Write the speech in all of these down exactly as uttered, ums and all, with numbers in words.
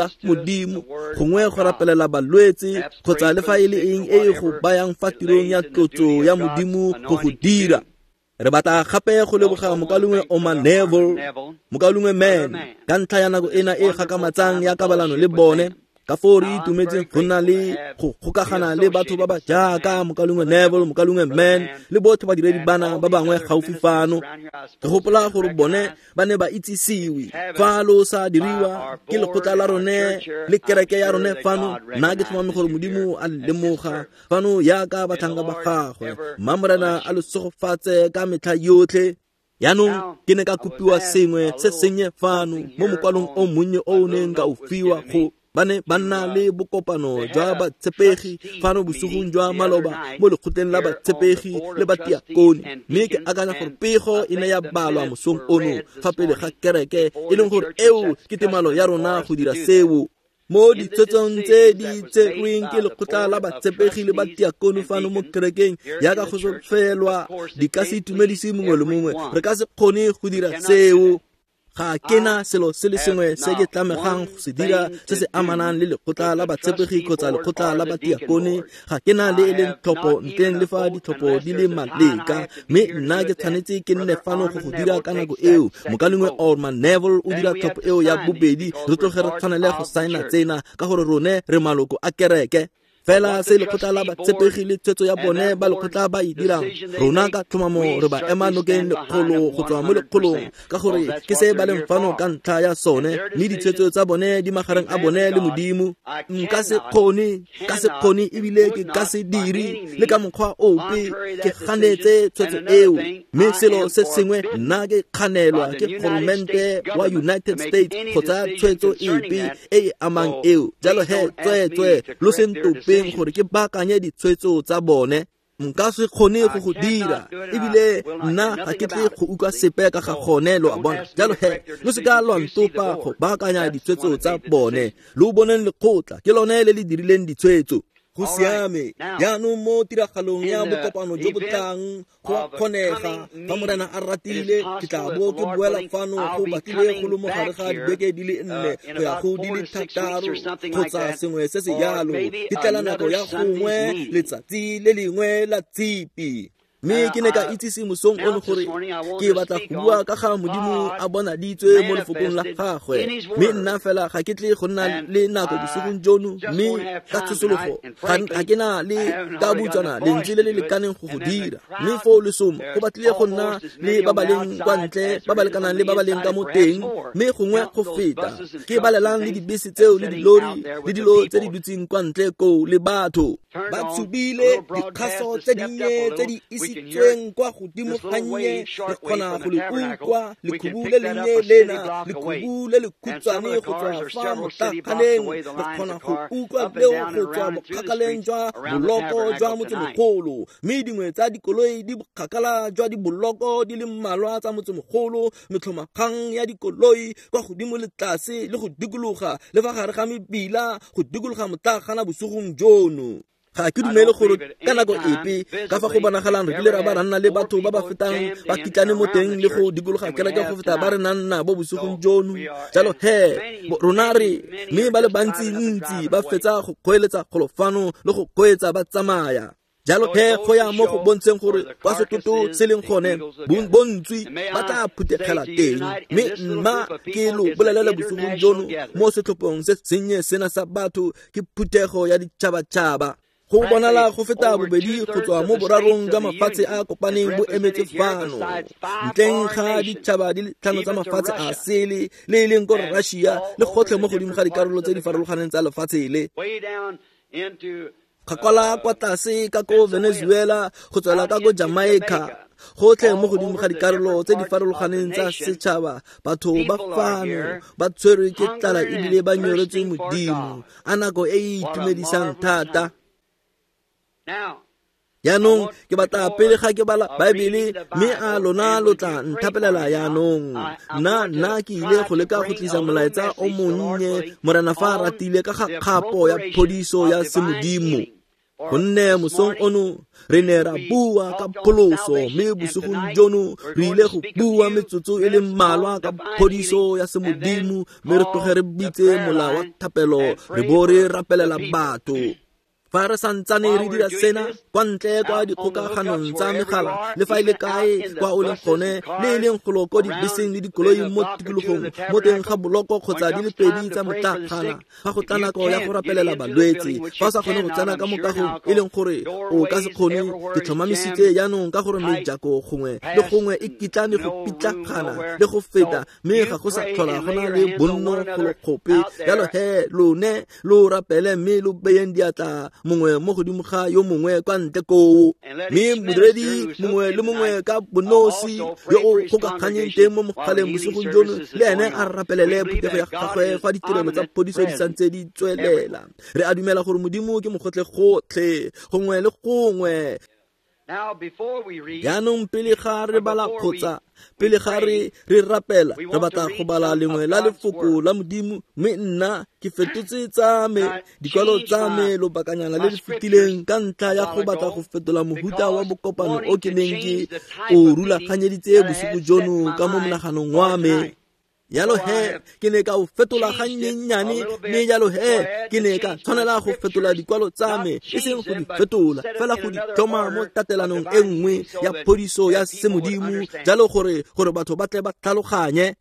la Modimo, gongwe go rapelela balwetse, kgotsa le fa e le eng e e go bayang fa tirong ya tlotso ya Modimo go go dira. Re batla gape go leboga mokaulengwe Oma Neville, mokaulengwe Man, ka ntlha ya nako ena e gakamatsang ya kabalano le bone, Ka foo re itumetseng go nna le go gokagana le batho ba ba jaaka mokaulengwe Neville, mokaulengwe Mann le botlhe badiredi bana ba bangwe gaufi fano. Ke gopola gore bone ba ne ba itsisiwe fa lo sa diriwa ke lekgotla la rone le kereke ya rone fano. Nna ke tlhomame gore Modimo a lemoga fano yaka batlhanka ba gagwe. Mma Morena a lo segofatse ka metlha yotlhe. Yaanong ke ne ka kopiwa sengwe se sennye fano mo mokwalong o monnye o o neng ka o fiwa go ba ne ba nna le bokopano jwa batshepegi fano bosigong jwa maloba mo lekgotleng la batshepegi le batiakone, mme ke akanya gore pego e ne ya balwa mosong ono fa pele ga kereke, e leng gore eo ke temalo ya rona go dira seo. Mo ditshwetsong tse di tserweng ke lekgotla la batshepegi le batiakone fano mo kerekeng yaka go sofelwa di ka se itumedise mongwe le mongwe, re ka se kgone go dira seo. Ga ke na selo se le sengwe se ke tlamegang go se dira se se amanang le lekgotla la batshepegi kgotsa lekgotla la batiakone. Ga ke na le e leng tlhopho ntleng le fa ditlhopho di le maleka, mme nna ke tshwanetse ke nne fano go go dira ka nako eo. Mokaulengwe Orman Neville o dira tlhopho eo ya bobedi, re tloge re tshwanele go saena tsena ka gore rone re maloko a kereke. Fela se lekgotla la batshepegi le tshwetso ya bone ba lekgotla ba e dirang, rona ka tlhomamo re ba ema nokeng lekgolo go tswa mo lekgolong, ka gore ke se ba leng fano ka ntlha ya sone, mme ditshwetso tsa bone di magareng a bone le Modimo. Nka se kgone, ka se kgone ebile ke ka se dire le ka mokgwa ope ke ganetse tshwetso eo. Mme selo se sengwe, nna ke kganelwa ke goromente wa United States go tsaya tshwetso epe e e amang eo. Jalo he, tsweetswe lo se ntopeng gore ke baakanye ditshwetso tsa bone. Nka se kgone go go dira, ebile nna ga ke tle go utlwa sepe ka ga gone, lo a bona. Jalo he, lo se ka lwa ntopa go baakanya ditshwetso tsa bone. Lo boneng lekgotla, ke lone le le dirileng ditshwetso. Go siame. Jaanong mo tiragalong ya bokopano jo bo tlang go a kgonega fa Morena a ratile ke tla bo ke boela fano go batlile go le mo gare ga dibeke di le nne go ya go di le thataro kgotsa sengwe se se jalo. Ke tlela nako ya gongwe letsatsi le lengwe la tshipi. Mme ke ne ka itsise mosong ono gore ke batla go bua ka ga Modimo a bonaditswe mo lefokong la gagwe, mme nna fela ga ke tle go nna le nako bosigong jono, mme ka tshosologo ga ke na le ka butswana lentswe le le lekaneng go go dira. Mme foo lesomo go batlile go nna le ba ba leng kwa ntle ba ba lekanang le ba ba leng ka mo teng, mme gongwe go feta ke balelang le dibese tseo le dilori le dilo tse di dutseng kwa ntle koo le batho ba tshubile dikgaso tse dinnye tse di isitsweng kwa godimo gannye. Re kgona go le utlwa lekhubu le lennye lena, lekhubu le lekhutshwane go tswa fa motlaganeng. Re kgona go utlwa leo go tswa bokgakaleng jwa boloko jwa motsemogolo, mme dingwe tsa dikoloi di bokgakala jwa diboloko di le mmalwa tsa motsemogolo. Metlhomakgang ya dikoloi kwa godimo le tlase le go dikologa le fa gare ga mebila go dikologa motlagana bosigong jono. Ga ke dumele gore ka nako epe ka fa go bonagalang re kile ra ba ra nna le batho ba ba fetang ba kitlane mo teng le go dikologa kereke go feta ba re nang nabo bosigong jono. Jalo he, rona re mme ba le bantsi-ntsi ba fetsa go kgoeletsa golo fano le go kgweetsa ba tsamaya. Jalo he, go ya mo go bontsheng gore kwa setoto se leng gone bontswi ba tla phuthegela teng. Mme mma ke lo bolelele bosigong jono mo setlhophong se sennye sena sa batho ke phuthego ya ditšhabatšhaba. Go bonala go feta bobedi go tswa mo borarong jwa mafatshe a kopaneng bo emetse fano, ntleng ga ditšhaba di le tlhano tsa mafatshe a sele le e leng ko Russia le gotlhe mo godimo ga dikarolo tse di farologaneng tsa lefatshe le. Kgakala kwa tlase ka ko Venezuela go tswela ka ko Jamaica, gotlhe mo godimo ga dikarolo tse di farologaneng tsa setšhaba. Batho ba fano ba tshwerwe ke tlala ebile ba nyoretswe Modimo. A nako e e itumedisang thata. Jaanong ke batla pele ga ke bala Baebele, mme a lona lo tla nthapelela jaanong. Nna nna ke ile go leka go tlisa molaetsa o monnye, Morena fa a ratile, ka ga kgapo ya phodiso ya semodimo. Gonne mosong ono re ne ra bua ka pholoso, mme bosigong jono re ile go bua metsotso e le mmalwa ka phodiso ya semodimo, mme re tloge re bitse mola wa thapelo re bo re rapelela batho. Fa re santsane re dira sena kwa ntle kwa dikgokaganong tsa megala le fa e le kae kwa o leng gone le e leng golo ko dibeseng le dikoloi mo tikologong mo teng ga boloko kgotsa di le pedi tsa motlakgana fa go tla nako ya go rapelela balwetse fa o sa kgone go tsena ka mo kagong e leng gore o ka se kgone ke tlhomamisitse jaanong ka gore mejako gongwe le gongwe e kitlane go pitlagana le go feta mme ga go sa tlhola go na le bonno golo kgope jalo he lone lo rapele mme lo beyeng diatla mongwe mo godimo ga yo mongwe kwa ntle koo mme modiredi mongwe le mongwe ka bonosi yo o kgokaganyeng teng mo mogaleng bosigong jono le ene a rapelele phuthego ya gagwe fa ditirelo tsa phodiso di santse di tswelela. Re a dumela gore Modimo ke mogotlhe-gotlhe gongwe le gongwe. Jaanong pele ga re bala kgotsa pele ga re re rapela re batla go bala lengwe la lefoko la Modimo mme nna ke fetotse tsa me dikwalo tsa me lobakanyana le le fetileng ka ntlha ya go batla go fetola mohuta wa bokopano o ke neng ke o rulaganyeditse bosigo jono ka mo monaganong wa me. Jalo he ke ne ka o fetola gannyennyane mme jalo he ke ne ka tshwanela go fetola dikwalo tsa me e seng go di fetola fela go di tlhoma mo tatelanong e nngwe ya phodiso ya semodimo jalo gore gore batho ba tle ba tlhaloganye.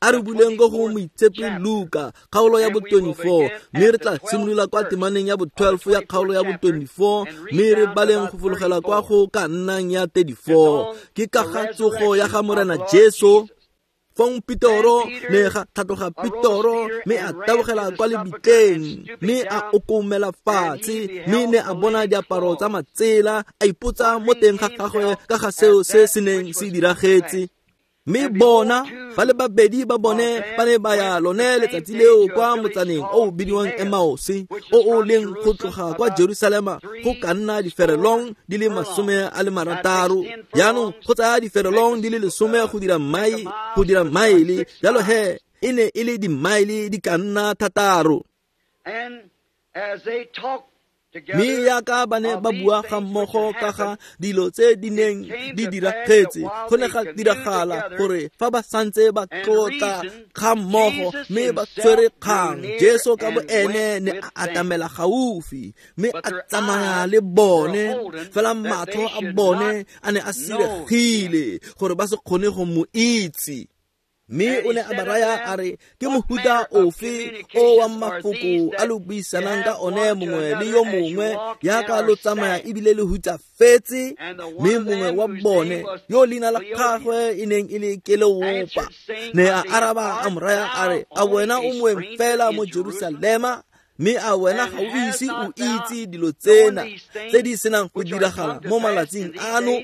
A re buleng ko go Moitshepi Luka kgaolo ya bo twenty-four mme re tla simolola kwa temaneng ya bo twelve ya kgaolo ya bo twenty-four mme re baleng go fologela kwa go ka nnang ya thirty-four ke ka ga tsogo ya ga Morena Jesu. Fong Petoro ne ga tlhatloga Petoro mme a tabogela kwa lebitleng mme a okomela fatshe mme ne a bona diaparo tsa matsela a ipotsa mo teng ga gagwe ka ga seo se se neng se diragetse. Mme bona ba le babedi ba bone ba ne ba ya lone letsatsi leo kwa motsaneng o o bidiwang Emmaus o o leng go tloga kwa Jerusalema go ka nna diferelong di le masome a le marataro. Jaanong go tsaya diferelong di le lesome go dira mai go dira maele jalo he e ne e le dimaele di ka nna thataro. Mme yaka ba ne ba bua ga mmogo ka ga dilo tse di neng di diragetse go ne ga diragala gore fa ba santse ba tlotla ga mmogo mme ba tshwere kgang Jesu ka bo ene ne a atamela gaufi mme a tsamaya le bone fela matlho a bone a ne a siregile gore ba se kgone go mo itse. Mme o ne a ba raya a re ke mohuta ofe o wa mafoko a lo buisanang ka one mongwe le yo mongwe yaka lo tsamaya ebile le hutsafetse. Mme mongwe wa bone yo leina la gagwe e neng e le Keleopa ne a araba a mo raya a re a wena o moeng fela mo Jerusalema mme a wena ga o ise o itse dilo tsena tse di senang go diragala mo malatsing ano.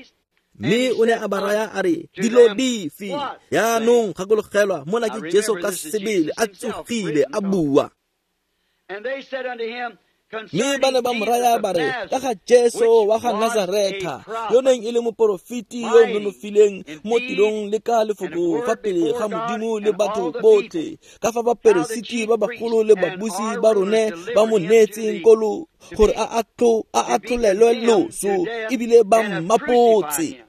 Mme o ne a ba raya a re dilo dife. Jaanong gakologelwa mona ke Jesu ka sebele a tsogile a bua. Mme ba ne ba mo raya ba re ka ga Jesu wa ga Nazaretha yo neng e le moporofeti yo o nonofileng mo tirong le ka lefoko fa pele ga Modimo le batho botlhe ka fa baperesiti ba bagolo le babusi ba rone ba mo neetseng kolo gore a atlholelwe loso ebile ba mmapotse.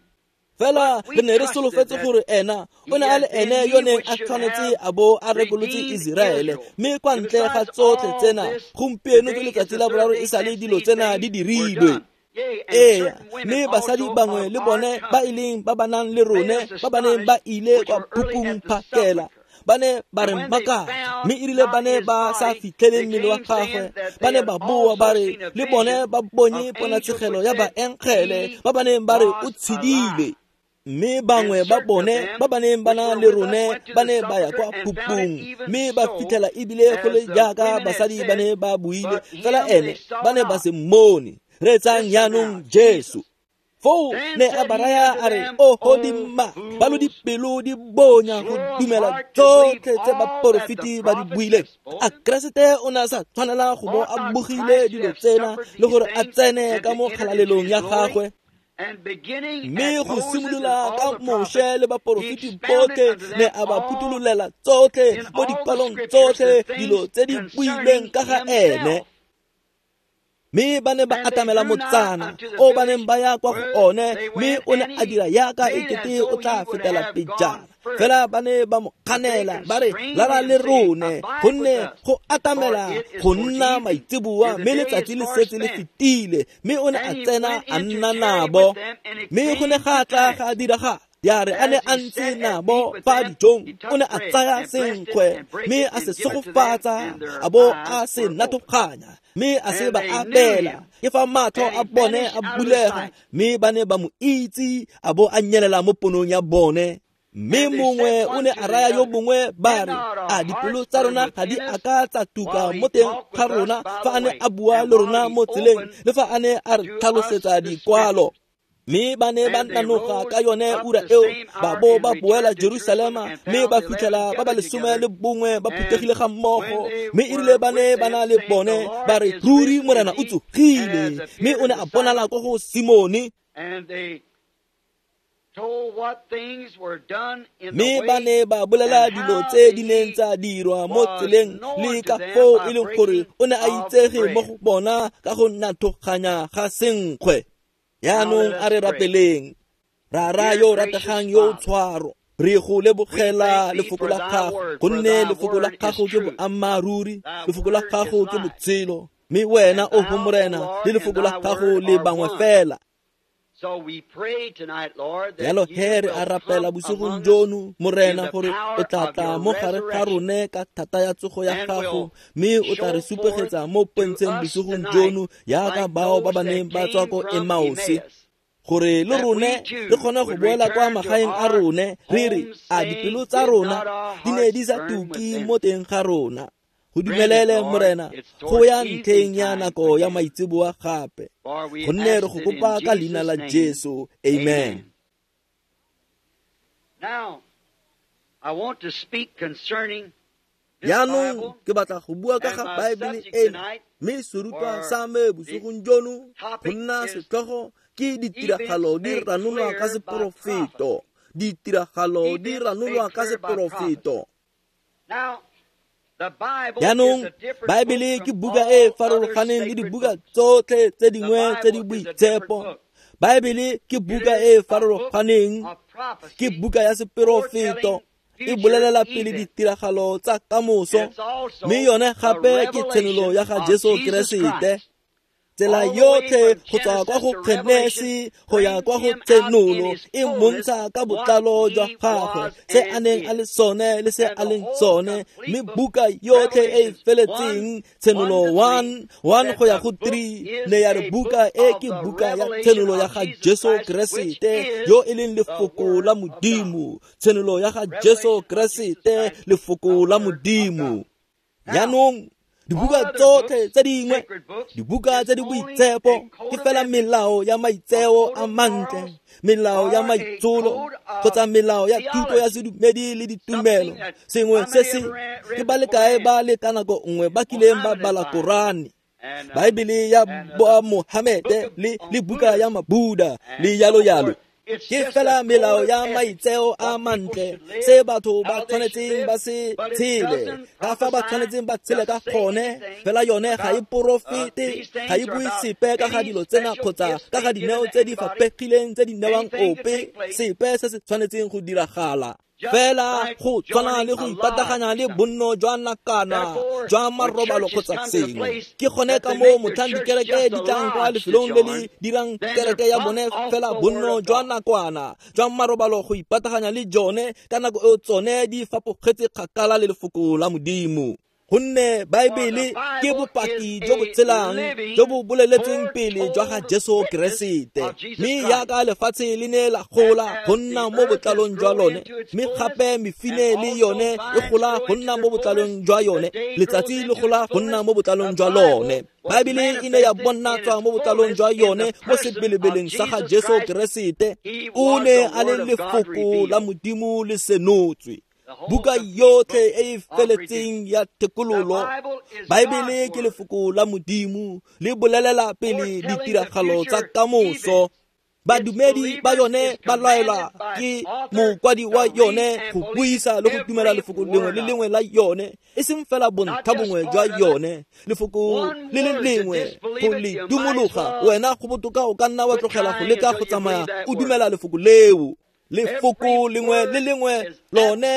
Fela re ne re solofetse gore ena o ne a le ene yo neng a tshwanetse a bo a rekolotse Iseraele mme kwa ntle ga tsotlhe tsena gompieno ke letsatsi la boraro e sa le dilo tsena di dirilwe. Ee, mme basadi bangwe le bone ba e leng ba ba nang le rone ba ba neng ba ile kwa phupung phakela ba ne ba re makatsa mme erile ba ne ba sa fitlhele mmele wa gagwe ba ne ba boa ba re le bone ba bonye ponatshegelo ya baengele ba ba neng ba re o tshedile. Mme bangwe ba bone ba ba neng ba na le rone ba ne ba ya kwa phupung mme ba fitlhela ebile go le jaaka basadi ba ne ba buile fela ene ba ne ba se mmone. Reetsang jaanong Jesu. Foo ne a ba raya a re oho dimma ba lo dipelo di bonya go dumela tsotlhe tse baporofeti ba di buileng. A Keresete o ne a sa tshwanela go bo a bogile dilo tsena le gore a tsene ka mo kgalalelong ya gagwe. Mme go simolola ka Moshe le baporofeti botlhe ne a ba phuthulolela tsotlhe mo dikwalong tsotlhe dilo tse di builweng ka ga ene. Mme ba ne ba atamela motsana o ba neng ba ya kwa go one mme o ne a dira yaka e kete o tla fetela pejana. Fela ba ne ba mo kganela ba re lala le rone, gonne go atamela go nna maitseboa, mme letsatsi le setse le fetile. Mme o ne a tsena a nna nabo, mme go ne ga tla ga diragala ya re a ne a ntse nabo fa dijong, o ne a tsaya senkgwe mme a se segofatsa, a bo a se nathoganya, mme a se ba abela. Ke fa matlho a bone a bulega, mme ba ne ba mo itse, a bo a nyelela mo ponong ya bone. Mme mongwe o ne a raya yo mongwe ba re, a dipelo tsa rona ga di a ka tsa tuka mo teng ga rona fa a ne a bua le rona mo tseleng, le fa a ne a re tlhalosetsa dikwalo. Mme ba ne ba nanoga ka yone ura eo, ba bo ba boela Jerusalema, mme ba fitlhela ba ba lesome le bongwe ba phuthegile ga mmogo. Mme e rile ba ne ba na le bone, ba re, ruri Morena o tsogile, mme o ne a bonala ko go Simone. Mme ba ne ba bolela dilo tse di neng tsa dirwa mo tseleng, le ka foo e leng gore o ne a itsege mo go bona ka go nathoganya ga senkgwe. Jaanong a re rapeleng. Rara yo rategang yo o tshwaro, re go lebogela lefoko la gago, gonne lefoko la gago ke boammaaruri, lefoko la gago ke botshelo, mme wena o go Morena le lefoko la gago le bangwe fela. Jalo he re a rapela bosigong jono, Morena, gore o tla tla mo gare ga rone ka thata ya tsogo ya gago, mme o tla re supegetsa mo pontsheng bosigong jono jaaka bao ba ba neng ba tswa ko Emause, gore le rone re kgone go boela kwa magaeng a rone, re re, a dipelo tsa rona di ne di sa tuke mo teng ga rona. Go dumelele Morena go ya ntlheng ya nako ya maitseboa gape, gonne re go kopa ka leina la Jesu. Amen. Jaanong ke batla go bua ka ga Baebele eno, mme serutwa sa me bosigong jono go nna setlhogo ke ditiragalo di ranolwa ka seporofeto. Ditiragalo di ranolwa ka seporofeto. Jaanong Baebele ke buka e e farologaneng le dibuka tsotlhe tse dingwe tse di boitshepo. Baebele ke buka e e farologaneng, ke buka ya seporofeto, e bolelela pele ditiragalo tsa kamoso, mme yone gape ke tshenolo ya ga Jesu Keresete. Tsela yotlhe go tswa kwa go Genesi go ya kwa go Tshenolo e mmontsha ka botlalo jwa gagwe, se a neng a le sone le se a leng sone. Mme buka yotlhe e e feletseng, Tshenolo one, one go ya go three, ne ya re buka e ke buka ya Tshenolo ya ga Jesu Keresete, yo e leng lefoko la Modimo. Tshenolo ya ga Jesu Keresete, lefoko la Modimo. Jaanong dibuka tsotlhe tse dingwe, dibuka tse di boitshepo, ke fela melao ya maitseo a mantle, melao ya maitsholo, kgotsa melao ya thuto ya sedumedi le ditumelo. Sengwe se se ke ba le kae ba le ka nako nngwe ba kileng ba bala Korane, Baebele ya Mohamete le le buka ya Mabuda le yalo yalo. Ke fela melao ya maitseo a mantle, se batho ba tshwanetseng ba se tshele, ka fa ba tshwanetseng ba tshele ka gone. Fela yone ga e porofete, ga e bue sepe ka ga dilo tsena kgotsa ka ga dineo tse di fapegileng tse di newang ope, sepe se se tshwanetseng go diragala. Fela go tshwana le go ipataganya le bonno jwa nakana jwa marobalo kgotsa sengwe. Ke gone ka moo motlhang dikereke di tlang kwa lefelong le le dirang kereke ya bone fela bonno jwa nakwana jwa marobalo go ipataganya le jone, ka nako eo tsone di fapogetse kgakala le lefoko la Modimo. Gonne Baebele ke bopaki jo bo tshelang jo bo boleletseng pele jwa ga Jesu Keresete, mme jaaka lefatshe le ne la gola go nna mo botlalong jwa lone, mme gape mefine le yone e gola go nna mo botlalong jwa yone, letsatsi le gola go nna mo botlalong jwa lone. Baebele e ne ya bonatswa mo botlalong jwa yone mo sebelebeleng sa ga Jesu Keresete. O ne a le lefoko la Modimo le senotswe. Buka yotlhe e e feletseng ya thekololo, Baebele ke lefoko la Modimo le bolelela pele ditiragalo tsa kamoso. Badumedi ba yone ba laelwa ke mokwadi wa yone go buisa le go dumela lefoko lengwe le lengwe la yone, e seng fela bontlha bongwe jwa yone, lefoko le le lengwe go le dumologa. Wena go botoka o ka nna wa tlogela go leka go tsamaya o dumela lefoko leo. Lefoko lengwe le lengwe lone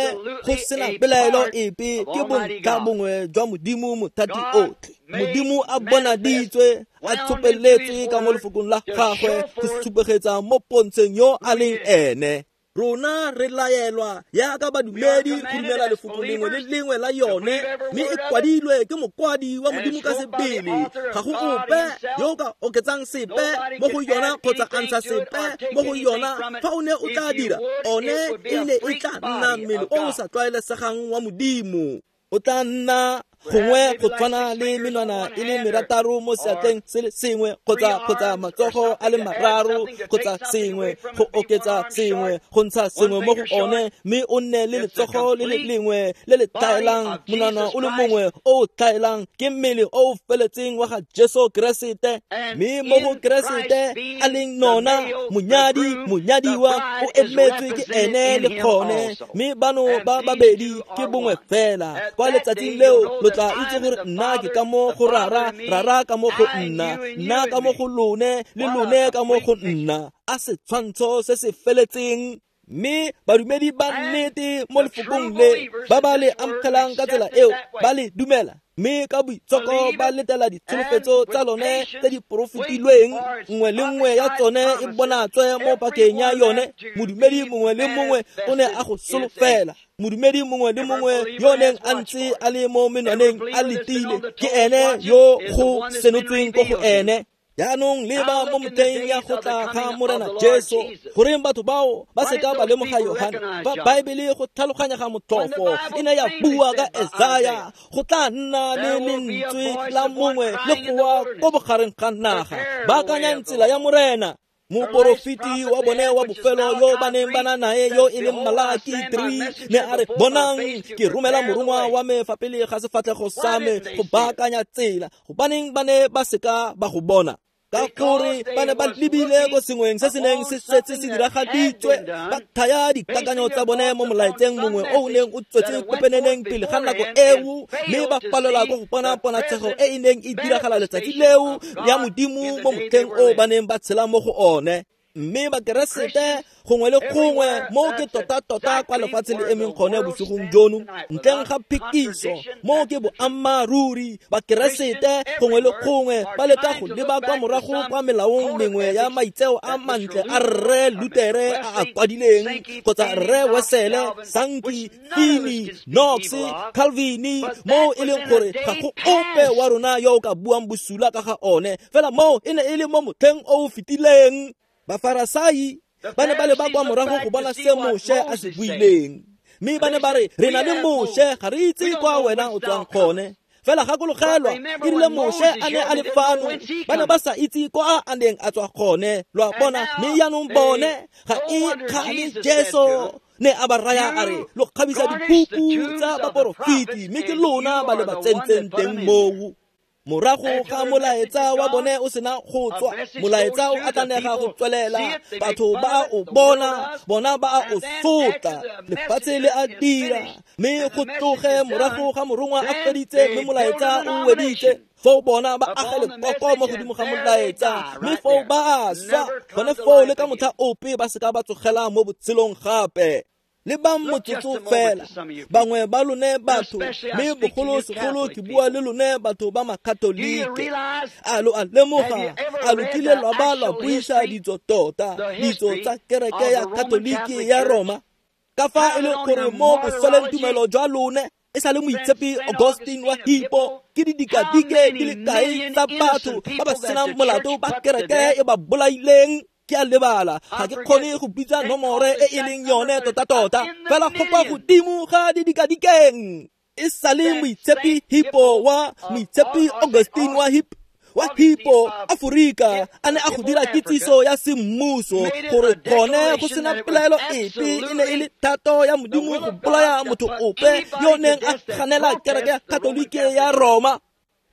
go sena pelaelo epe ke bontlha bongwe jwa Modimo mothati otlhe. Modimo a bonaditswe a tshopeletswe ka mo lefokong la gagwe go supegetsa mo pontsheng yo a leng ene. Rona re laelwa jaaka badumedi go dumela lefoko lengwe le lengwe la yone, mme e kwadilwe ke mokwadi wa Modimo ka sebele. Ga go ope yo o ka oketsang sepe mo go yona kgotsa a ntsha sepe mo go yona. Fa o ne o tla dira, one e ne e tla nna mmele o o sa tlwaelesegang wa Modimo. O tla nna gongwe go tshwana le menwana e le merataro mo seatleng se le sengwe kgotsa kgotsa matsogo a le mararo kgotsa sengwe, go oketsa sengwe, go ntsha sengwe mo go one, mme o nne le letsogo le le lengwe le le tlhaelang, monwana o le mongwe o o tlhaelang. Ke mmele o o feletseng wa ga Jesu Keresete, mme mo go Keresete a leng nona monyadi, monyadiwa o emetswe ke ene le gone, mme bano ba babedi ke bongwe fela. Kwa letsatsing leo lo tla itse gore nna ke ka mo go Rara, Rara ka mo go nna, nna ka mo go lone, le lone ka mo go nna. A setshwantsho se se feletseng. Mme badumedi ba nnete mo lefokong le ba ba le amogelang ka tsela eo ba le dumela, mme ka boitshoko ba letela ditsholofetso tsa lone tse di porofetilweng, nngwe le nngwe ya tsone e bonatswe mo pakeng ya yone. Modumedi mongwe le mongwe o ne a go solofela. Modumedi mongwe le mongwe yo neng a ntse a le mo menwaneng a letile, ke ene yo go senotsweng ko go ene. Jaanong leba mo motlheng ya go tla ga Morena Jesu, goreng batho bao ba seka ba lemoga Yohane? Fa Baebele go tlhaloganya ga motlhofo e ne ya bua ka Esaya, go tla nna le lentswe la mongwe le goa ko bogareng ga naga, baakanyang tsela ya Morena. Moporofeti wa bone wa bofelo yo ba neng ba na nae yo e leng Malaki three ne a re, bonang ke romela morongwa wa me fa pele ga sefatlhego sa me go baakanya tsela. Gobaneng ba ne ba seka ba go bona? Ka gore ba ne ba lebile ko sengweng se se neng se setse se diragaditswe, ba thaya dikakanyo tsa bone mo molaetseng mongwe o o neng o tswetse pepeneneng pele ga nako eo, mme ba palelwa ko go bona ponatshego e e neng e diragala letsatsi leo ya Modimo mo motlheng o ba neng ba tshela mo go one. Mme Bakeresete gongwe le gongwe mo ke tota-tota kwa lefatshe le emeng gone bosigong jono, ntleng ga phekiso, mo ke boammaaruri. Bakeresete gongwe le gongwe ba leka go leba kwa morago kwa melaong mengwe ya maitseo a mantle a Rre Lutere a a kwadileng, kgotsa Rre Wesele, Sankey, Finney, Knox, Calvin, mo e leng gore ga go ope wa rona yo o ka buang bosula ka ga one. Fela mo e ne e le mo motlheng o o fetileng. Bafarasai ba ne ba leba kwa morago go bona se Moshe a se buileng, mme ba ne ba re, re na le Moshe, ga re itse kwa wena o tswang gone. Fela gakologelwa, e rile Moshe a ne a le fano, ba ne ba sa itse kwa a neng a tswa gone. Lo a bona? Mme jaanong bone ga e kgale Jesu ne a ba raya a re, lo kgabisa dipuku tsa baporofeti, mme ke lona ba le ba tsentseng teng moo. Morago ga molaetsa wa bone o sena go tswa, molaetsa o atlanega go tswelela, batho ba o bona, bona ba o sotla, lefatshe le a dira, mme go tloge morago ga morongwa a feditse, mme molaetsa o weditse, foo bona ba age lekoko mo godimo ga molaetsa, mme foo ba swa, gone foo le ka motlha ope ba seka ba tsogela mo botshelong gape. Lebang motsotso fela, bangwe ba lone batho, mme bogolosegolo ke bua le lone batho ba Makatolike. A lo a lemoga, a lo kile lwa ba lwa buisa ditso tota, ditso tsa kereke ya Katolike ya Roma? Ka fa e le gore mo bosoleng tumelo jwa lone e sa le moitshepi Augustine wa Hippo, ke didikadike di le kae tsa batho ba ba senang molato ba kereke e ba bolaileng? Ke a lebala, ga ke kgone go bitsa nomore e e leng yone tota-tota, fela go kwa godimo ga didikadikeng. E sa le moitshepi Hippo wa moitshepi Augustine wa Hippo wa Hippo Aforika a ne a go dira kitsiso ya semmuso gore gone go sena pelaelo epe e ne e le thato ya Modimo go bolaya motho ope yo neng a ganela kereke ya Katolike ya Roma.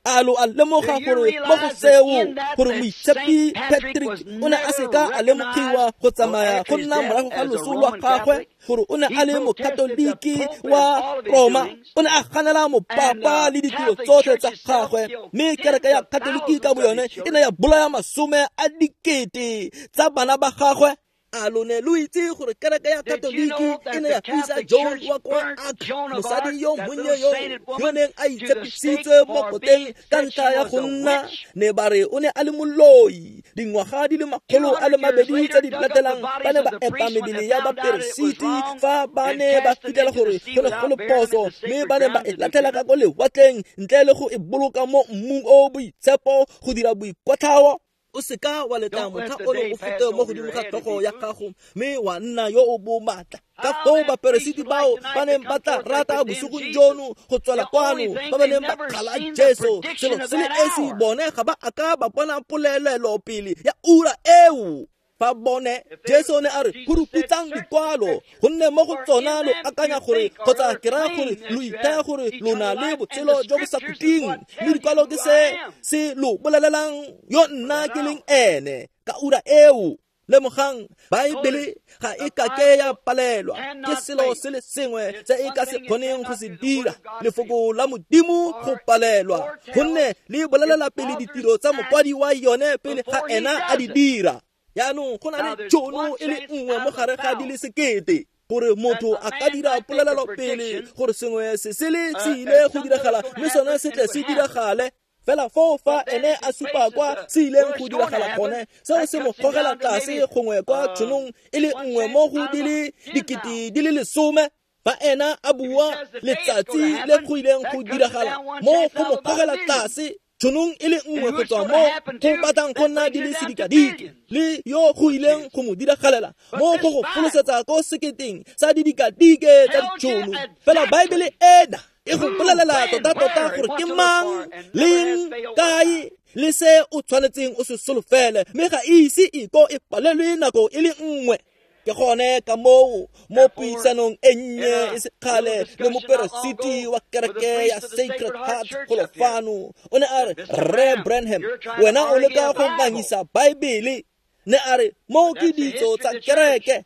A lo a lemoga gore mo go seo gore moitshepi Patrick o ne a seka a lemogiwa go tsamaya go nna morago ga loso lwa gagwe gore o ne a le mokatoliki wa Roma, o ne a ganela mopapa le ditiro tsotlhe tsa gagwe, mme kereke ya Katoliki ka boyone e ne ya bolaya masome a dikete tsa bana ba gagwe. A lo ne lo itse gore kereke ya Katoliki e ne ya fisa Joan wa kwa Arc, mosadi yo monnye yo yo neng a itshepisitswe mo koteng ka ntlha ya go nna ne ba re o ne a le moloi. Dingwaga di le makgolo a le mabedi tse di latelang ba ne ba epa mebele ya baperesiti fa ba ne ba fitlhela gore go ne go le phoso, mme ba ne ba e latlhela ka ko lewatleng ntle le go e boloka mo mmung o boitshepo go dira boikwatlhao. O seka wa letla motlha ono o fete mo godimo ga tlhogo ya gago mme wa nna yo o bomatla. Ka foo baperesiti bao ba neng ba tla rata bosigong jono go tswela kwano, ba ba neng ba kgala Jesu, selo se le esi bone ga ba a ka ba bona polelelo pele ya ura eo. Fa bone Jesu ne a re phuruputsang dikwalo, gonne mo go tsona lo akanya gore kgotsa ke raya gore lo ithaya gore lo na le botshelo jo bo sa khutleng, mme dikwalo ke se se lo bolelelang yo nna ke leng ene ka ura eo. Lemogang, Baebele ga e ka ke ya palelwa ke selo se le sengwe se e ka se kgoneng go se dira, lefoko la Modimo go palelwa, gonne le bolelela pele ditiro tsa mokwadi wa yone pele ga ena a di dira. Jaanong go na le tšhono e le nngwe mo gare ga di le sekete gore motho a ka dira polelelo pele gore sengwe se se le se ile go diragala, mme sone se tle se diragale. Fela foo fa ene a supa kwa se ileng go diragala gone, seo se mo gogela tlase gongwe kwa tšhonong e le nngwe mo go di le dikete di le lesome. Fa ena a bua letsatsi le go ileng go diragala, mo go mo gogela tlase tšhonong e le nngwe go tswa mo go batlang go nna di le sedikadike, le yo go ileng go mo diragalela mo go go folosetsa ko seketeng sa didikadike tsa ditšhono. Fela Baebele ena e go bolelela tota-tota gore ke mang, leng, kae le se o tshwanetseng o se solofele, mme ga e ise e ko e palelwe nako e le nngwe. Ke gone ka moo mo puisanong e nnye e sekgale le moperesiti wa kereke ya Sacred Heart golo fano, o ne a re, Rre Branham, wena o leka go ngangisa Baebele. Ne a re, mo ke ditso tsa kereke.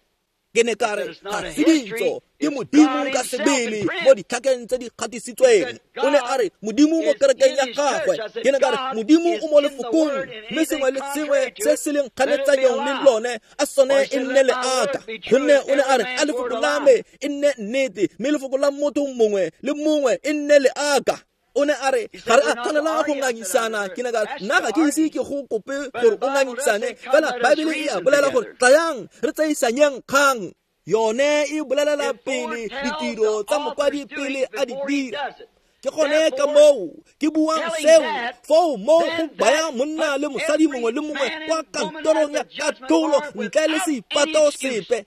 Ke ne ka re, ga se ditso, ke Modimo ka sebele mo ditlhakeng tse di gatisitsweng. O ne a re, Modimo mo kerekeng ya gagwe. Ke ne ka re, Modimo o mo lefokong, mme sengwe le sengwe se se leng kganetsanyong le lone a sone e nne leaka. Gonne o ne a re, a lefoko la me e nne nnete, mme lefoko la motho mongwe le mongwe e nne leaka. O ne a re, ga re a tshwanela go ngangisana. Ke ne ka re, nna ga ke ise ke go kope gore o ngangisane, fela Baebele e a bolela gore tlayang re tseisanyeng kgang. Yone e bolelela pele ditiro tsa mokwadi pele a di dira. Ke gone ka moo ke buang seo, foo mo go baya monna le mosadi mongwe le mongwe kwa kantorong ya katlholo ntle le seipato sepe.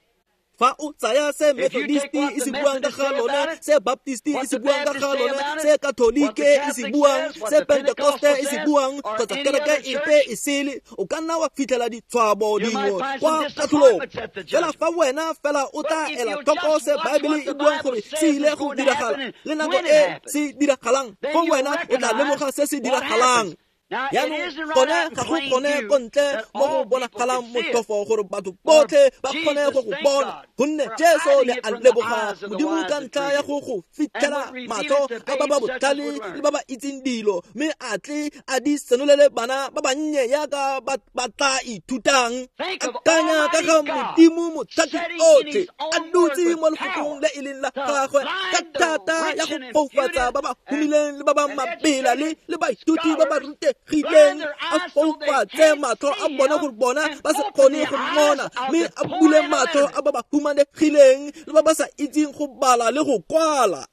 Fa o tsaya se Methodisti e se buang ka ga lone, se Baptisti e se buang ka ga lone, se Katolike e se buang, se Pentekoste e se buang, kgotsa kereke epe e sele, o ka nna wa fitlhela ditshwabo dingwe kwa katlholong. Fela fa wena fela o tla ela tlhoko se Baebele e buang gore se ile go diragala le nako e se diragalang, fo wena o tla lemoga se se diragalang. Jaanong gone ga go kgone ko ntle mo go bonagalang motlhofo gore batho botlhe ba kgone go go bona, gonne Jesu ne a leboga Modimo ka ntlha ya go go fitlhela matlho a ba ba botlhale le ba ba itseng dilo, mme a tle a di senolele bana ba bannye yaka ba ba tla ithutang. Akanya ka ga Modimo mothati otlhe a dutse mo lefokong le e leng la gagwe ka thata ya go foufatsa ba ba humileng le ba ba mabela le le baithuti ba ba rutegileng, a foufatse matlho a bona gore bona ba se kgone go mmona, mme a bule matlho a ba ba humanegileng le ba ba sa itseng go bala le go kwala.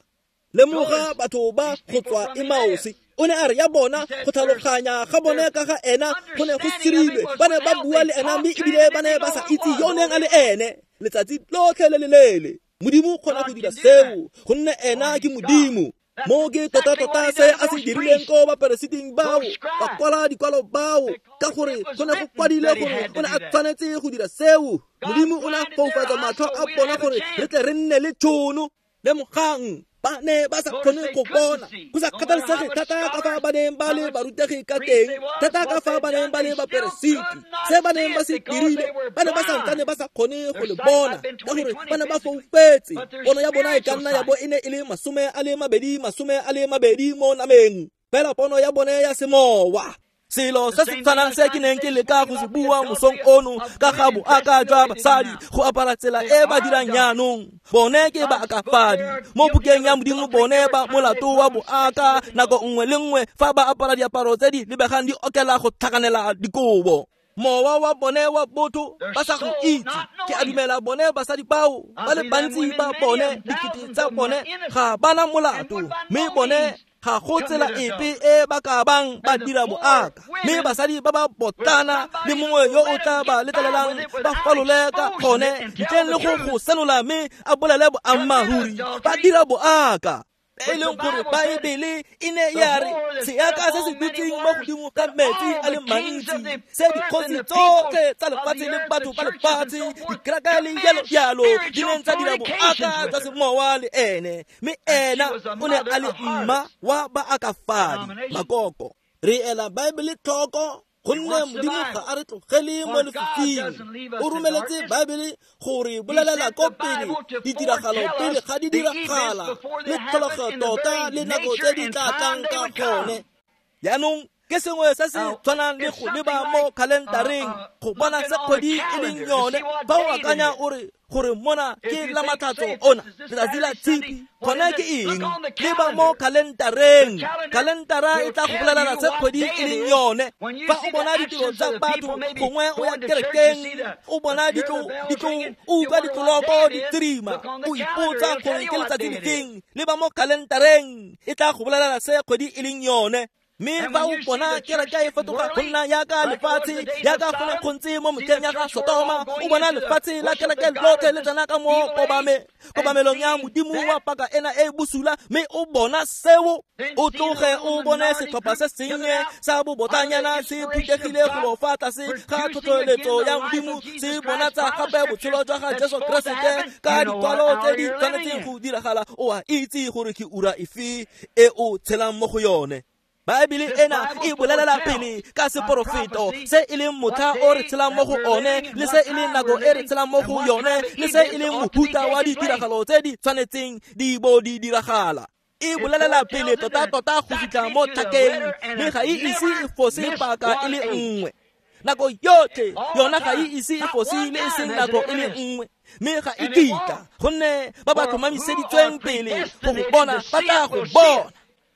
Lemoga batho ba go tswa Emausi. O ne a re ya bona go tlhaloganya ga bone ka ga ena go ne go sirilwe, ba ne ba bua le ena mme ebile ba ne ba sa itse yo neng a le ene letsatsi lotlhe le le leele. Modimo o kgona go dira seo, gonne ena ke Modimo. Mo ke tota-tota se a se dirileng ko baperesiting bao, ba kwala dikwalo bao, ka gore go ne go kwadile gore o ne a tshwanetse go dira seo. Modimo o ne a foufatsa matlho a bona gore re tle re nne le tšhono. Lemogang, ba ne ba sa kgone go bona, go sa kgathalesege thata ka fa ba neng ba le barutegi ka teng, thata ka fa ba neng ba le baperesiti, se ba neng ba se dirile, ba ne ba santsane ba sa kgone go le bona, ka gore ba ne ba foufetse. Pono ya bona e ka nna ya bo e ne e le masome a le mabedi, masome a le mabedi mo nameng, fela pono ya bone ya semowa. Selo se se tshwanang se ke neng ke leka go se bua mosong ono ka ga boaka jwa basadi go apara tsela e ba dirang jaanong. Bone ke baakafadi mo bukeng ya Modimo, bone ba molato wa boaka nako nngwe le nngwe fa ba apara diaparo tse di lebegang di okela go tlhakanela dikobo. Mowa wa bone wa botho ba sa go itse. Ke a dumela bone basadi bao ba le bantsi ba bone dikete tsa bone ga bana molato, mme bone ga go tsela epe e ba ka bang ba dira boaka. Mme basadi ba ba botlana le mongwe yo o tla ba letlelelang ba falole ka gone ntleng le go go senola mme a bolele boammaaruri, ba dira boaka. E leng gore Baebele e ne ya re seaka se se dutseng mo godimo ga metsi a le mantsi, se dikgosi tsotlhe tsa lefatshe le batho ba lefatshe, dikereke le jalo jalo di neng tsa dira boaka jwa semowa le ene, mme ena o ne a le mma wa baakafadi makoko. Re ela Baebele tlhoko gonne Modimo ga a re tlogele mo lefifing. O romeletse Baebele gore bolelela ko pele ditiragalo pele ga di diragala le tlholego tota le nako tse di tla tlang ka gone. Jaanong ke sengwe se se tshwanang le go leba mo khalentareng go bona se kgwedi e leng yone. Fa o akanya o re gore mona ke la matlhatso ona letsatsi la Tshipi, gone ke eng? Leba mo khalentareng. Khalentara e tla go bolelela se kgwedi e leng yone. Fa o bona ditiro tsa batho, gongwe o ya kerekeng, o bona ditlo ditlo o utlwa ditloloko di tsirima, o ipotsa gore ke letsatsi lefeng. Leba mo khalentareng, e tla go bolelela se kgwedi e leng yone. Mme fa o bona kereke e fetoga go nna jaaka lefatshe, jaaka go ne go ntse mo metlheng ya ga Sotoma, o bona lefatshe la kereke lotlhe le tsena ka mo kobame kobamelong ya Modimo wa paka ena e bosula, mme o bona seo, o tloge o bone setlhopha se sennye sa bobotlanyana se phuthegile go fa tlase ga tlhotlheletso ya Modimo, se bonatsa gape botshelo jwa ga Jesu Keresete ka dikwalo tse di tshwanetseng go diragala. O a itse gore ke ura efe e o tshelang mo go yone. Baebele ena e bolelela pele ka seporofeto se e leng motlha o re tshelang mo go one, le se e leng nako e re tshelang mo go yone, le se e leng mohuta wa ditiragalo tse di tshwanetseng di bo di diragala. E bolelela pele tota-tota go fitlha mo tlhakeng, mme ga e ise e fose paka e le nngwe. Nako yotlhe yona ga e ise e fose le e seng nako e le nngwe, mme ga e kitla, gonne ba ba tlhomamiseditsweng pele go go bona ba tla go bona.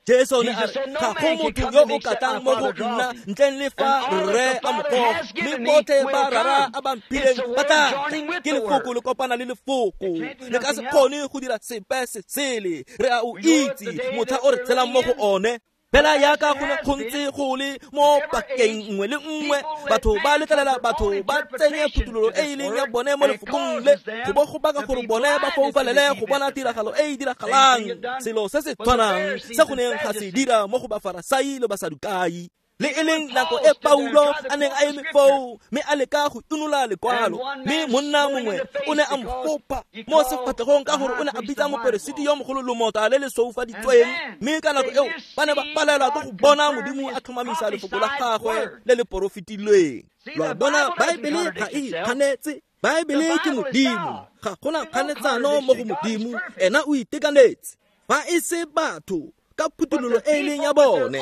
Jesu ne a re ga go motho yo o ka tlang mo go nna ntleng le fa rre a mo goga, mme botlhe ba rara a ba mphileng ba tla tla. Ke lefoko le kopana le lefoko, le ka se kgone go dira sepe se sele. Re a o itse motlha o re tshelang mo go one. Fela jaaka go ne go ntse go le mo pakeng nngwe le nngwe, batho ba letlelela batho ba tsenye phuthololo e e leng ya bone mo lefokong le, go bo go baka gore bone ba foufalele go bona tiragalo e e diragalang. Selo se se tshwanang se go neng ga se dira mo go Bafarasai le Basadukai. Le e leng nako e Paulo a neng a eme foo mme a leka go inola lekwalo, mme monna mongwe o ne a mo fopa mo sefatlhegong ka gore o ne a bitsa moperesiti yo mogolo lomota le le soufaditsweng. Mme ka nako eo ba ne ba palelwa ke go bona Modimo a tlhomamisa lefoko la gagwe le le porofetilweng. Lo a bona, Baebele ga e ikganetse. Baebele ke Modimo, ga gona kganetsano mo go Modimo, ena o itekanetse. Fa e se batho ka phuthololo e leng ya bone.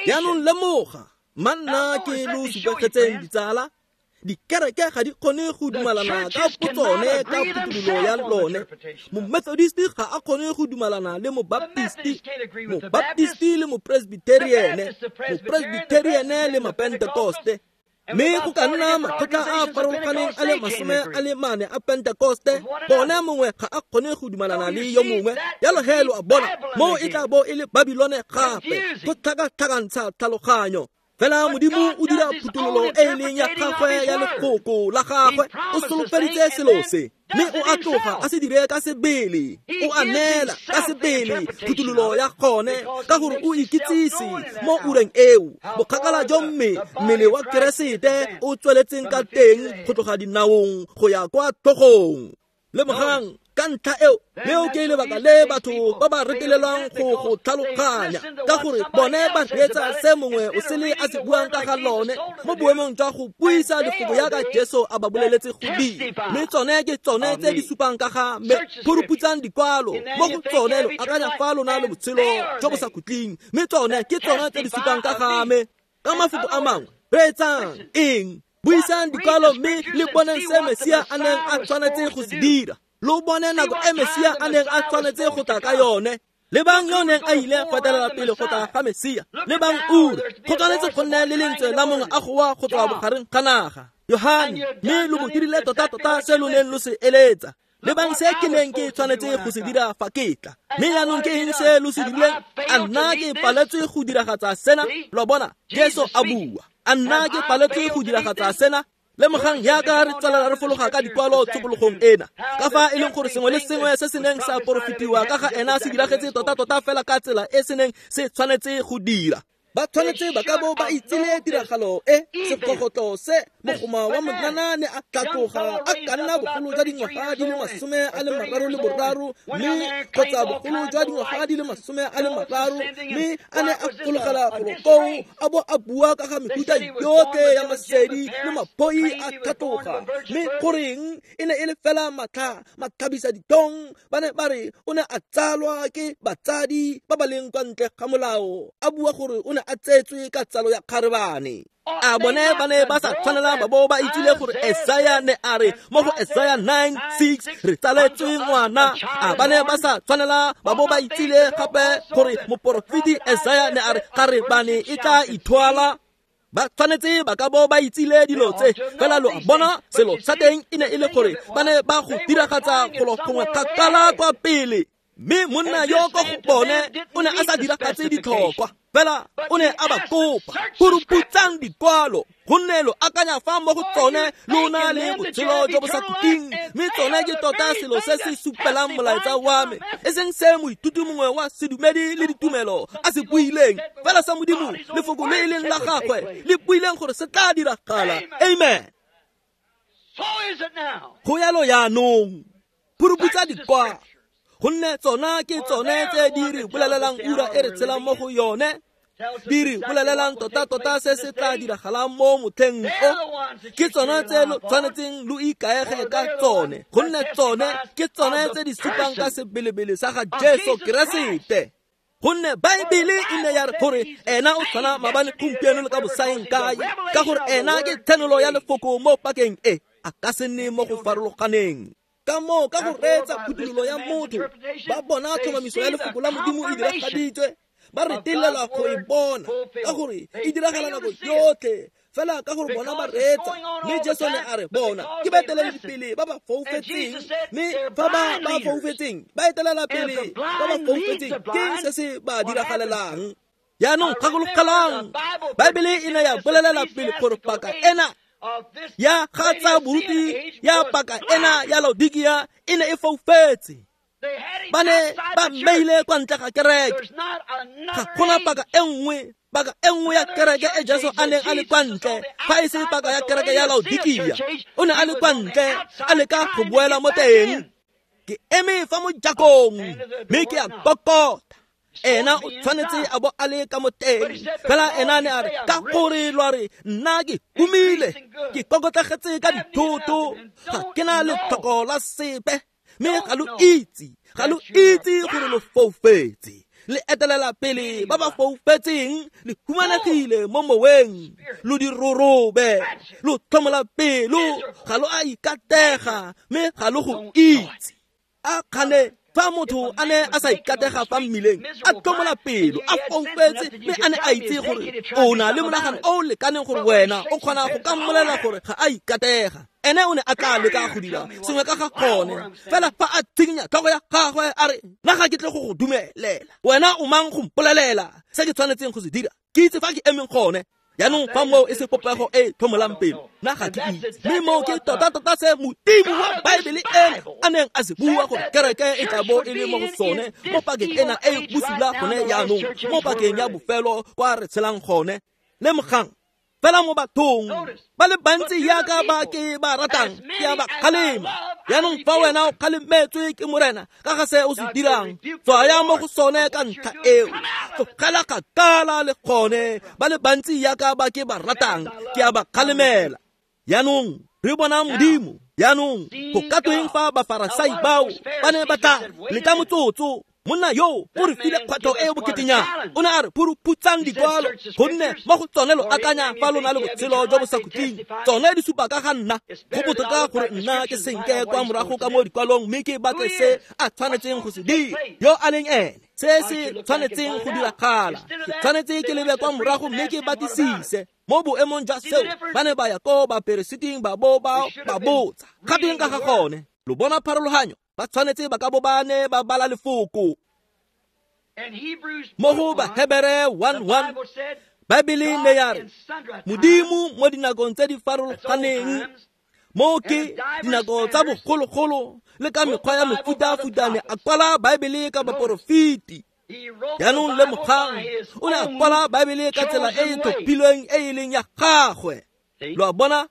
Jaanong lemoga, manna ke lo supegetseng ditsala, dikereke ga di kgone go dumalana ka botsone ka phuthololo ya lone. Momethodist ga a kgone go dumalana le mobaptisti, mobaptisti le mopresbyteriene, mopresbyteriene le mapentekoste. Mme go ka nna makgotla a a farologaneng a le masome a le mane a Pentekoste, bone mongwe ga a kgone go dumalana le yo mongwe. Jalo he lo a bona, mo e tla bo e le Babilone gape, go tlhakatlhakantsha tlhaloganyo. Fela Modimo o dira phuthololo e e leng ya gagwe ya lefoko la gagwe. O solofeditse selo se, mme o a tloga a se dire ka sebele. O a neela ka sebele phuthololo ya gone, ka gore o ikitsise mo ureng eo bokgakala jo mme mmele wa Keresete o tsweletseng ka teng go tloga dinaong go ya kwa tlhogong. Lemogang ka ntlha eo, leo ke lebaka le batho ba ba retelelwang go go tlhaloganya, ka gore bone ba reetsa se mongwe o sele a se buang ka ga lone mo boemong jwa go buisa lefoko jaaka Jesu a ba boleletse go dira. Mme tsone ke tsone tse di supang ka ga me. Phuruputsang dikwalo mo go tsone lo akanya fa lona le botshelo jo bo sa khutleng, mme tsone ke tsone tse di supang ka ga me. Ka mafoko a mangwe, reetsang eng? Buisang dikwalo mme le boneng se Mesia a neng a tshwanetse go se dira. Lo bone nako e Mesia a neng a tshwanetse go tla ka yone. Lebang yo neng a ile go etelela pele go tla ga Mesia. Lebang ura, go tshwanetse go nne le lentswe la mongwe a goa go tswa bogareng ga naga. Yohane, mme lo mo dirile tota-tota se lo neng lo se eletsa. Lebang se ke neng ke tshwanetse go se dira fa ke tla. Mme jaanong ke eng se lo se dirileng? A nna ke paletswe go diragatsa sena? Lo bona, Jesu a bua. A nna ke paletswe go diragatsa sena? Lemogang jaaka re tswelela re fologa ka dikwalo tshokologong ena, ka fa e leng gore sengwe le sengwe se se neng sa porofetiwa ka ga ena se diragetse tota-tota fela ka tsela e se neng se tshwanetse go dira. Ba tshwanetse ba ka bo ba itsile tiragalo e, segogotlo se, mogoma wa monana ne a tlatloga a ka nna bogolo jwa dingwaga di le masome a le mararo le boraro, mme kgotsa bogolo jwa dingwaga di le masome a le mararo, mme a ne a fologela golo koo a bo a bua ka ga mefuta yotlhe ya masedi le maphoi a tlhatloga. Mme goreng e ne e le fela matlha matlhabisa ditong? Ba ne ba re o ne a tsalwa ke batsadi ba ba leng kwa ntle ga molao, a bua gore o ne a tsetswe ka tsalo ya kgarebane. A bone ba ne ba sa tshwanela ba bo ba itsile gore Esaya ne a re mo go Esaya nine six re tsaletswe ngwana. A ba ne ba sa tshwanela ba bo ba itsile gape gore moporofeti Esaya ne a re kgarebane e tla ithwala. Ba tshwanetse ba ka bo ba itsile dilo tse, fela lo a bona selo sa teng e ne e le gore ba ne ba go diragatsa golo gongwe kgakala kwa pele. Mme monna yo ko go bone o ne a sa diragatse ditlhokwa, fela o ne a ba kopa puruputsang dikwalo, gonne lo akanya fa mo go tsone lo na le botshelo jo bo sa khutleng, mme tsone ke tota selo se se supelang molaetsa wa me, e seng se moithuti mongwe wa sedumedi le ditumelo a se buileng, fela sa Modimo lefoko le e leng la gagwe le buileng gore se tla diragala. Amen. Go yalo jaanong, puruputsa dikwalo, gonne tsona ke tsone tse di re bolelelang ura e re tshelang mo go yone, di re bolelelang tota-tota se se tla diragalang mo motlheng o. Ke tsone tse lo tshwanetseng lo ikaege ka tsone, gonne tsone ke tsone tse di supang ka sebelebele sa ga Jesu Keresete. Gonne Baebele e ne ya re gore ena o tshwana maabane, gompieno le ka bosaeng kae, ka gore ena ke thenolo ya lefoko mo pakeng e, a ka se nne mo go farologaneng. Ka moo ka go reetsa phuthololo ya motho, ba bona tlhomamiso ya lefoko la Modimo e diragaditswe, ba retelelwa go e bona ka gore e diragala nako yotlhe, fela ka gore bona ba reetsa. Mme Jesu ne a re bona ke baeteledipele ba ba foufetseng, mme fa ba ba foufetseng ba etelela pele ba ba foufetseng, ke se se ba diragalelang. Jaanong gakologelang, Baebele e ne ya bolelela pele gore paka ena ya ga tsa boruti ya paka ena ya Laodikia e ne e foufetse. Ba ne ba mmeile kwa ntle ga kereke. Ga gona paka e nngwe, paka e nngwe ya kereke e Jesu a neng a le kwa ntle, fa e se paka ya kereke ya Laodikia. O ne a le kwa ntle, a leka go boela mo teng. Ke eme fa mojakong, mme ke a kokota. Ena o tshwanetse a bo a le ka mo teng, fela ena ne a re ka gore lwa re nna ke humile, ke kokotlegetse ka dithoto, ga ke na letlhoko la sepe, mme ga lo itse, ga lo itse gore lo foufetse. Le etelela pele ba ba foufetseng, le humanegile mo moweng, lo dirorobe, lo tlhomola pelo, ga lo a ikatega, mme ga lo go itse. A kgane fa motho a ne a sa ikatega fa mmileng, a tlhomola pelo, a foufetse, mme a ne a itse gore o na le monagano o o lekaneng gore wena o kgona go ka mmolela gore ga a ikatega. Ene o ne a tla leka go dira sengwe ka ga gone, fela fa a tshikinya tlhogo ya gagwe a re nna ga ke tle go go dumelela, wena o mang go mpolelela se ke tshwanetseng go se dira? Ke itse fa ke emeng gone. Jaanong fa moo e se popego e tlhomolang pelo, nna ga ke itse. Mme moo ke tota-tota se Modimo wa Baebele ena a neng a se bua gore kereke e tla bo e le mo go sone mo pakeng ena e e bosula gone jaanong, mo pakeng ya bofelo kwa re tshelang gone. Lemogang, fela mo bathong ba le bantsi jaaka ba ke ba ratang, ke a ba kgalema. Jaanong fa wena o kgalemetswe ke Morena ka ga se o se dirang, tswaya mo go sone ka ntlha eo, tlogela kgakala le gone. Ba le bantsi jaaka ba ke ba ratang, ke a ba kgalemela. Jaanong re bona Modimo. Jaanong go ka tweng fa Bafarasai bao ba ne ba tla leta motsotso Monna yo o re file kgwetlho e e boketenyana. O ne a re phuruphutsang dikwalo, gonne mo go tsone lo akanya fa lo na le botshelo jo bo sa khutleng. Tsone di supa ka ga nna. Go botoka gore nna ke senke kwa morago ka mo dikwalong mme ke batle se a tshwanetseng go se dira, yo a leng ene, se se tshwanetseng go diragala. Ke tshwanetse ke lebe kwa morago mme ke batlisise. Mo boemong jwa seo, ba ne ba ya ko baperesiting ba bo ba ba botsa gatweng ka ga gone. Lo bona pharologanyo? Ba tshwanetse ba ka bo ba ne ba bala lefoko. Mo go Bahebere one one, Baebele ne ya re Modimo mo dinakong tse di farologaneng, mo ke dinako tsa bogologolo le ka mekgwa ya mefutafutane, a kwala Baebele ka baporofeti. Jaanong lemogang, o ne a kwala Baebele ka tsela e e tlhophilweng e e leng ya gagwe. Lo a bona?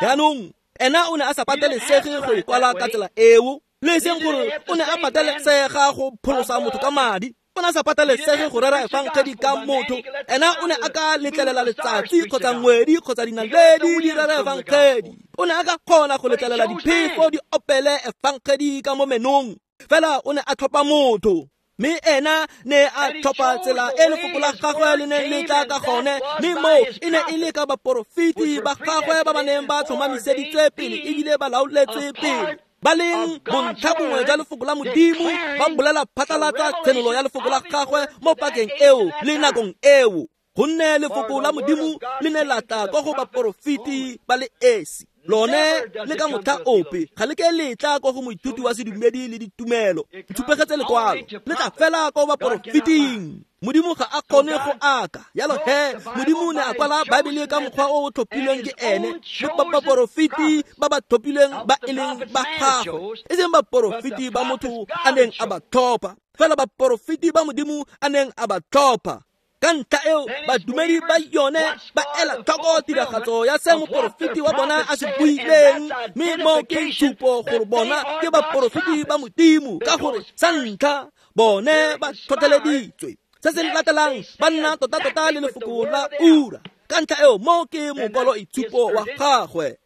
Jaanong ena o ne a sa patelesege go e kwala ka tsela eo, le e seng gore o ne a patelesega go pholosa motho ka madi. O ne a sa patelesege go rera efangedi ka motho. Ena o ne a ka letlelela letsatsi kgotsa ngwedi kgotsa dinaledi di rera efangedi. O ne a ka kgona go letlelela diphefo di opele efangedi ka mo menong. Fela o ne a tlhopha motho, mme ena ne a tlhopha tsela e lefoko la gagwe le neng le tla ka gone, mme moo e ne e le ka baporofeti ba gagwe ba ba neng ba tlhomamiseditswe pele ebile ba laoletswe pele, ba leng bontlha bongwe jwa lefoko la Modimo, ba bolela phatlalatsa tshenolo ya lefoko la gagwe mo pakeng eo le nakong eo. Gonne lefoko la Modimo le ne la tla kwa go baporofeti ba le esi, lone le ka motlha ope ga le ke le tla kwa go moithuti wa sedumedi le ditumelo. Ntshupegetse lekwalo, le tla fela kwa baporofeting. Modimo ga a kgone go aka. Jalo he, Modimo ne a kwala Baebele ka mokgwa o o tlhophilweng ke ene le baporofeti ba ba tlhophilweng ba e leng ba gagwe, e seng baporofeti ba motho a neng a ba tlhopha, fela baporofeti ba Modimo a neng a ba tlhopha. Ka ntlha eo, badumedi ba yone ba ela tlhoko tiragatso ya se moporofeti wa bona a se buileng, mme mo ke tshupo gore bona ke baporofeti ba Modimo, ka gore sa ntlha bone ba tlhotlheleditswe. Se se latelang ba nna tota-tota le lefoko la ura. Ka ntlha eo, mo ke mokwalo itshupo wa gagwe.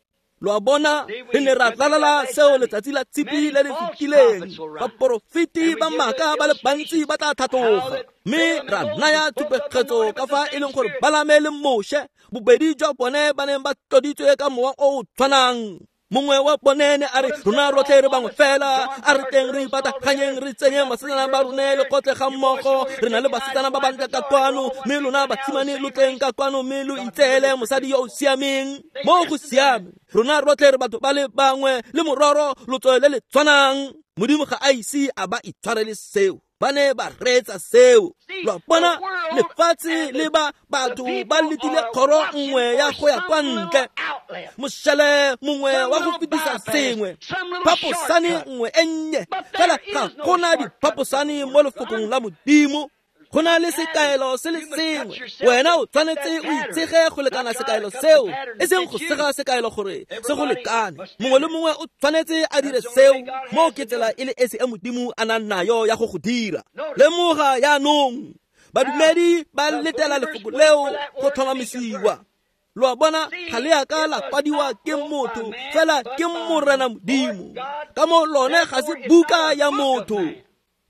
Lo a bona, re ne ra tlalala seo letsatsi la tshipi le le fetileng. Baporofeti ba maaka ba le bantsi ba tla tlhatloga, mme ra naya tshupegetso ka fa e leng gore Balame le Moshe bobedi jwa bone ba neng ba tloditswe ka mowa o o tshwanang. Mongwe wa bone ne a re rona rotlhe re bangwe fela, a re teng re ipataganyeng re tsenyeng basetsana ba rone lekgotle ga mmogo, re na le basetsana ba bantle ka kwano, mme lona basimane lo tleng ka kwano mme lo itseele mosadi yo o siameng. Mo go siame, rona rotlhe re batho ba le bangwe, le mororo lotso le le tshwanang. Modimo ga a ise a ba itshwarele seo, ba ne ba reetsa seo. Lo a bona, lefatshe le ba batho ba letile kgoro nngwe ya go ya kwa ntle, mošele mongwe wa go fetisa sengwe, phaposane nngwe e nnye. Fela ga gona diphaposane mo lefokong la Modimo. Go na le sekaelo se le sengwe. Wena o tshwanetse o itshege go lekana sekaelo seo, e seng go sega sekaelo gore se go lekane. Mongwe le mongwe o tshwanetse a dire seo. Mo ke tsela e le esi e Modimo a nang nayo ya go go dira. Lemoga jaanong, badumedi ba letela lefoko leo go tlhomamisiwa. Lo a bona, ga le a ka la kwadiwa ke motho, fela ke Morena Modimo. Ka mo lone ga se buka ya motho.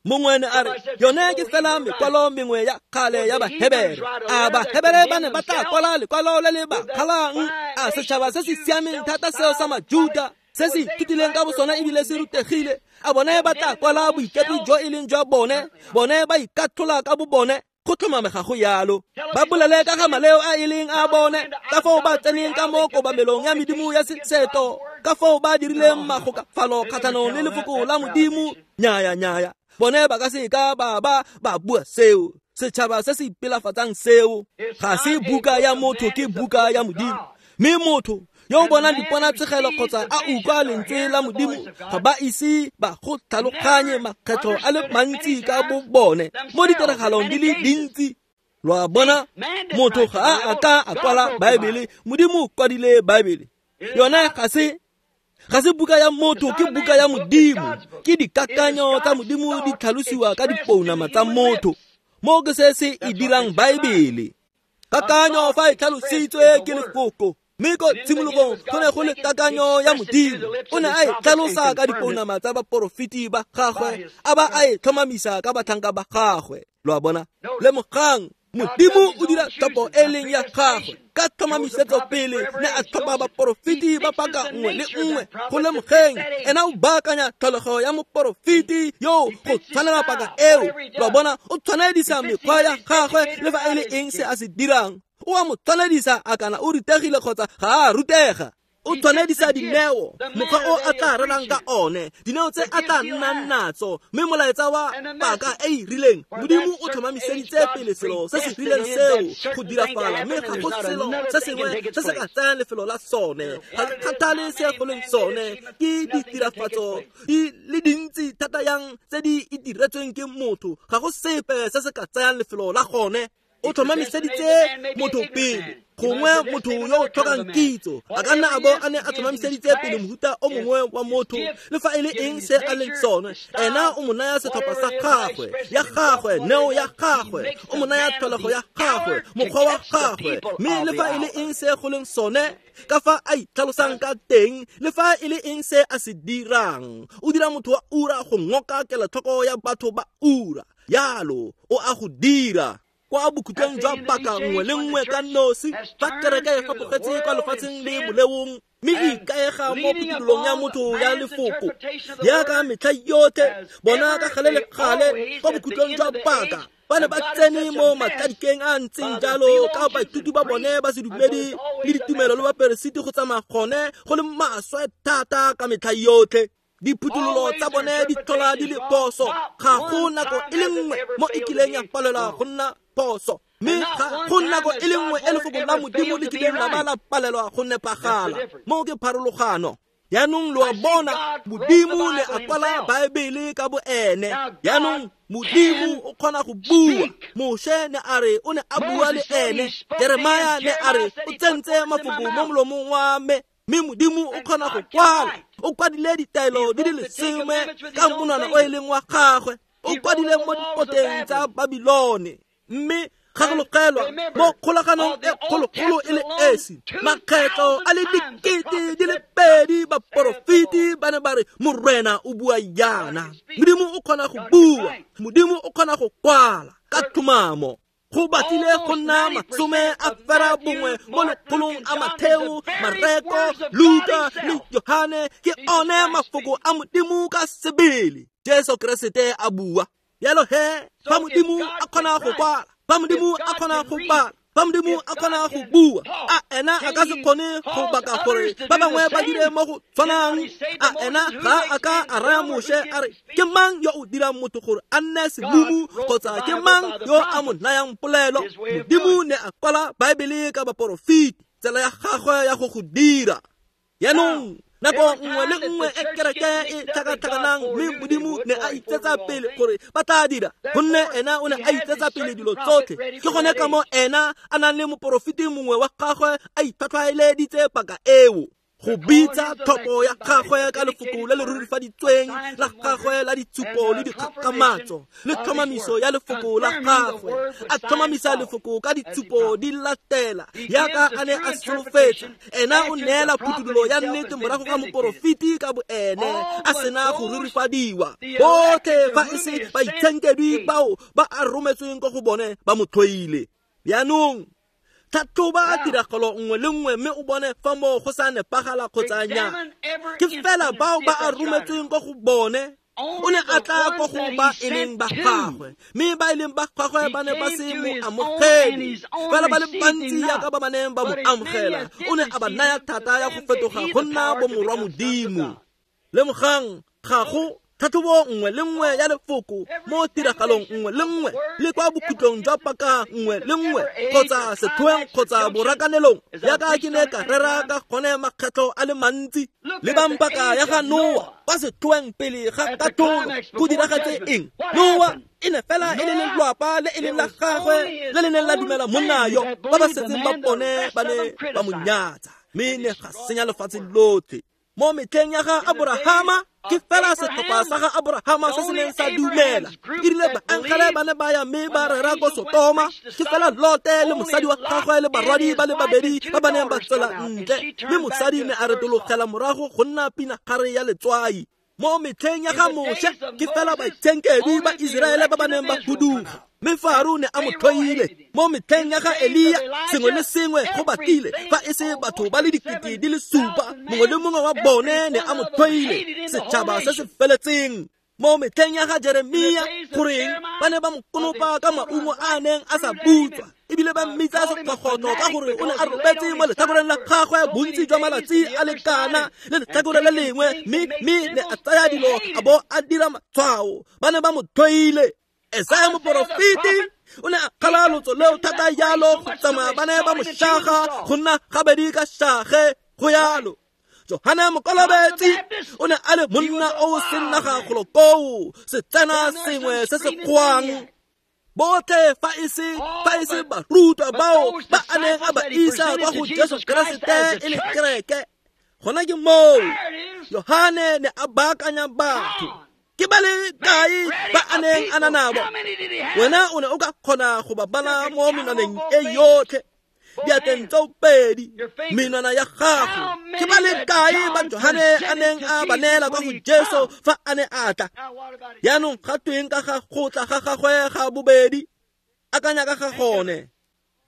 Mongwe ne a re yone ke fela mekwalo mengwe ya kgale ya Bahebere. A Bahebere ba ne ba tla kwala lekwalo le le ba kgalang? A setšhaba se se siameng thata seo sa Majuda se se ithutileng ka bosona ebile se rutegile, a bone ba tla kwala boikepi jo e leng jwa bone? Bone ba ikathola ka bo bone. Go tlhomame ga go yalo. Ba bolele ka ga maleo a e leng a bone, ka foo ba tseneng ka mo kobamelong ya medimo ya seseto, ka foo ba dirileng magokafalo kgatlhanong le lefoko la Modimo. Nyaya, nyaya, bone ba ka se ka ba ba ba bua seo. Setšhaba se se ipelafatsang seo ga se buka ya motho, ke buka ya Modimo. Mme motho yo o bonang diponatshegelo kgotsa a utlwa lentswe la Modimo ga ba ise ba go tlhaloganye makgetlho a le mantsi ka bo bone mo ditiragalong di le dintsi. Lo a bona, motho ga a a ka a kwala Baebele, Modimo o kwadile Baebele. Yone ga se ga se buka ya motho, ke buka ya Modimo. Ke dikakanyo tsa Modimo di tlhalosiwa ka dipounama tsa motho. Mo ke se se e dirang Baebele. Kakanyo fa e tlhalositswe ke lefoko. Mme ko tshimologong go ne go le kakanyo ya Modimo. O ne a e tlhalosa ka dipounama tsa baporofeti ba gagwe, a ba a e tlhomamisa ka batlhanka ba gagwe. Lo a bona? Lemogang, Modimo o dira tlhopho e leng ya gagwe ka tlhomamisetso pele ne a tlhopha baporofeti ba paka nngwe le nngwe. Go lemogeng, ena o baakanya tlholego ya moporofeti yo go tshwanela paka eo. Lo a bona? O tshwanedisa mekgwa ya gagwe le fa e le eng se a se dirang. O a mo tshwanedisa a kana o rutegile kgotsa ga a rutega. O tshwanedisa dineo, mokgwa o a tla rerang ka one, dineo tse a tla nnang natso, mme molaetsa wa paka e e rileng. Modimo o tlhomamiseditse pele selo se se rileng seo go dirafala, mme ga go selo se sengwe se se ka tsayang lefelo la sone. Ga ke kgathale se go leng sone, ke ditirafatso di le dintsi thata yang tse di itiretsweng ke motho, ga go sepe se se ka tsayang lefelo la gone. O tlhomamiseditse motho pele. Gongwe motho yo o tlhokang kitso a ka nna a bo a ne a tlhomamiseditse pele mohuta o mongwe wa motho, le fa e le eng se a leng sone. Ena o mo naya setlhopha sa gagwe, ya gagwe, neo ya gagwe, o mo naya tlholego ya gagwe, mokgwa wa gagwe, mme le fa e le eng se go leng sone, ka fa a itlhalosang ka teng, le fa e le eng se a se dirang, o dira motho wa ura go ngoka kelotlhoko ya batho ba ura. Yalo o a go dira. Kwa bokhutlong jwa paka nngwe le nngwe ka nosi, fa kereke e fapogetse kwa lefatsheng le boleong, mme e ikaega mo phuthololong ya motho ya lefoko yaka metlha yotlhe, bona ka gale le gale kwa bokhutlong jwa paka ba ne ba tsene mo matladikeng a ntseng jalo ka baithuti ba bone ba sedumedi le ditumelo le baperesiti go tsamaya gone go le maswe thata ka metlha yotlhe. Diphuthololo tsa bone di tlhola di le phoso, ga go nako e le nngwe mo e kileng ya palelwa go nna phoso, mme ga go nako e le nngwe e lefoko la Modimo le kileng la ba la palelwa go nepagala. Mo ke pharologano. Jaanong lo a bona, Modimo ne a kwala Baebele ka bo ene. Jaanong Modimo o kgona go bua. Moshe ne a re o ne a bua le ene. Jeremia ne a re o tsentse mafoko mo molomong wa me. Mme Modimo o kgona go kwala. O kwadile ditaelo di le lesome ka monwana o e leng wa gagwe. O kwadile mo dipoteng tsa Babilone. Mme gagologelwa mo kgolaganong e kgologolo e le esi, makgetlo a le dikete di le pedi baporofeti ba ne ba re Morena o bua yana. Modimo o kgona go bua, Modimo o kgona go kwala ka tlhomamo. Go batlile go nna masome a fera bongwe mo lekgolong a Matheo, Mareko, Luka le Johane ke one mafoko a Modimo ka sebele. Jesu Keresete a bua. Yalo he, fa Modimo a kgona go kwala, fa Modimo a kgona go bala, fa Modimo a kgona go bua, a ena a ka se kgone go baka gore ba bangwe ba dire mo go tshwanang? A ena ga a ka a raya Moshe a re, ke mang yo o dirang motho gore a nne semumu, kgotsa ke mang yo a mo nayang polelo? Modimo ne a kwala Baebele ka baporofeti, tsela ya gagwe ya go go dira. Jaanong nako nngwe le nngwe e kereke e tlhakatlhakanang, mme Modimo ne a itsetsa pele gore ba tla dira, gonne ena o ne a itsetsa pele dilo tsotlhe. Ke gone ka mo ena a nang le moporofeti mongwe wa gagwe a itlhwatlhwaeleditse paka eo go bitsa tlhopho ya gagwe ka lefoko le le rurifaditsweng la gagwe la ditshupo le dikgakgamatso le tlhomamiso ya lefoko la gagwe. A tlhomamisa lefoko ka ditshupo di latela yaka a ne a solofetsa. Ena o neela phuthololo ya nnete morago ga moporofeti ka bo ene a sena go rurifadiwa. Botlhe fa e se baitshenkedwi bao ba a rometsweng ko go bone ba mo tlhoile. Jaanong tlhatlhoba tiragalo nngwe le nngwe mme o bone fa moo go sa nepagala kgotsa nnyaa. Ke fela bao ba a rometsweng ko go bone. O ne a tla ko go ba e leng ba gagwe, mme ba e leng ba gagwe ba ne ba se mo amogele. Fela ba le bantsi yaka ba ba neng ba mo amogela, o ne a ba naya thata ya go fetoga go nna bomorwa Modimo. Lemogang, ga go tlhatlhobo nngwe le nngwe ya lefoko mo tiragalong nngwe le nngwe le kwa bokhutlong jwa paka nngwe le nngwe kgotsa setlhoeng kgotsa borakanelong, yaka ke ne ka rera ka gone makgetlho a le mantsi. Lebang paka ya ga Noa kwa setlhoeng pele ga katlholo, go diragetse eng? Noa e ne fela e le lelwapa le e leng la gagwe le le neng la dumela monna yo, ba ba setseng ba bone ba ne ba mo nyatsa, mme ne ga senya lefatshe lotlhe. Mo metlheng ya ga Aborahama, Ke fela setlhopha sa ga Aborahama se se neng sa dumela. E rile baengele ba ne ba ya mme ba rera ko Sotoma, ke fela Lote le mosadi wa gagwe le barwadi ba le babedi ba ba neng ba tswela ntle, mme mosadi ne a retologela morago go nna pinagare ya letswai. Mo metlheng ya ga Moshe, ke fela baitshenkedwi ba Iseraele ba ba neng ba huduga, mme Faro ne a mo tlhoile. Mo metlheng ya ga Elia, sengwe le sengwe go batlile fa e se batho ba le dikete di le supa, mongwe le mongwe wa bone ne a mo tlhoile, setšhaba se se feletseng. Mo metlheng ya ga Jeremia, goreng ba ne ba mo konopa ka maungo a a neng a sa butswa, ebile ba mmitsa sekgogotlo ka gore o ne a robetse mo letlhakoreng la gagwe bontsi jwa malatsi a lekana le letlhakore le lengwe, mme mme ne a tsaya dilo a bo a dira matshwao. Ba ne ba mo tlhoile. Esaya moporofeti o ne a kgala lotso leo thata jalo go tsamaya ba ne ba mo shaga go nna gabedi ka shage go yalo. Johane Mokolobetsi o ne a le monna o o seng naga golo koo, setsena sengwe se se kgwang. Botlhe fa e se fa e se barutwa bao ba a neng a ba isa kwa go Jesu Keresete e le kereke. Gona ke moo Johane ne a baakanya batho. Ke ba le kae ba a neng a na nabo? Wena o ne o ka kgona go ba bala mo menwaneng e yotlhe, diatleng tseo pedi, menwana ya gago. Ke ba le kae ba Johane a neng a ba neela kwa go Jesu fa a ne a tla? Jaanong ga tweng ka ga go tla ga gagwe ga bobedi? Akanya ka ga gone.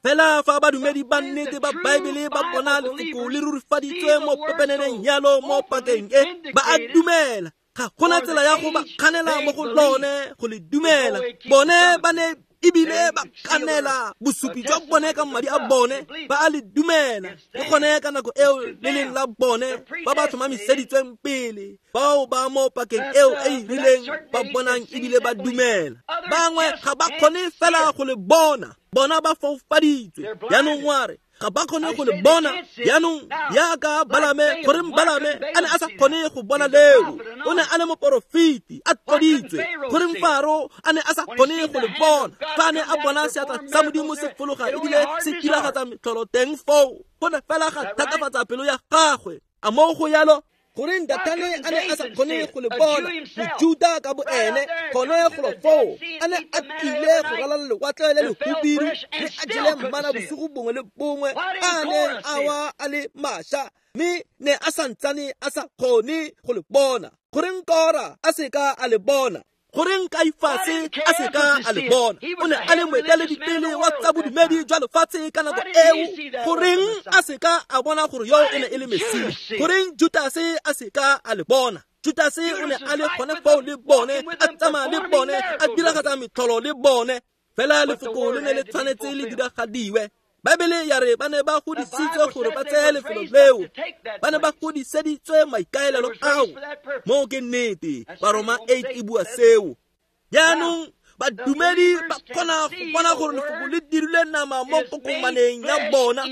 Fela fa badumedi ba nnete ba Baebele ba bona lefoko le rurifaditswe mo pepeneneng yalo mo pakeng e, ba a dumela. Ga gona tsela ya go ba kganela mo go lone go le dumela. Bone ba ne ebile ba kanela bosupi jwa bone ka madi a bone, ba a le dumela. Le gone ka nako eo le leng la bone ba ba tlhomamiseditsweng pele, bao ba mo pakeng eo e e rileng ba bonang ebile ba dumela. Bangwe ga ba kgone fela go le bona, bona ba foufaditswe. Jaanong wa re ga ba kgone go le bona. Jaanong yaka Balame, goreng Balame a ne a sa kgone go bona leo? O ne a le moporofeti a tloditswe. Goreng Faro a ne a sa kgone go le bona fa a ne a bona seatla sa Modimo se fologa ebile se diragatsa metlholo teng foo? Go ne fela ga thatafatsa pelo ya gagwe. A moo go yalo? Goreng Dathane a ne a sa kgone go le bona? Mojuta ka bo ene gone golo foo a ne a tlile go ralala lewatle le lehubidu, mme a jele mmana bosigo bongwe le bongwe a neng a wa a le mašwa, mme ne a santsane a sa kgone go le bona. Goreng Kora a se ka a le bona? Goreng Kaifase a se ka a le bona? O ne a le moeteledipele wa tsa bodumedi jwa lefatshe ka nako eo. Goreng a se ka a bona gore yo e ne e le Mesia? Goreng Judase a se ka a le bona? Judase o ne a le gone foo le bone, a tsamaya le bone, a diragatsa metlholo le bone. Fela lefoko le ne le tshwanetse le diragadiwe. Baebele ya re ba ne ba godisitswe gore ba tseye lefelo leo, ba ne ba godiseditswe maikaelelo ao. Moo ke nnete, Baroma eight e bua seo. Jaanong badumedi ba kgona go bona gore lefoko le dirile nama mo kokomaneng ya bona,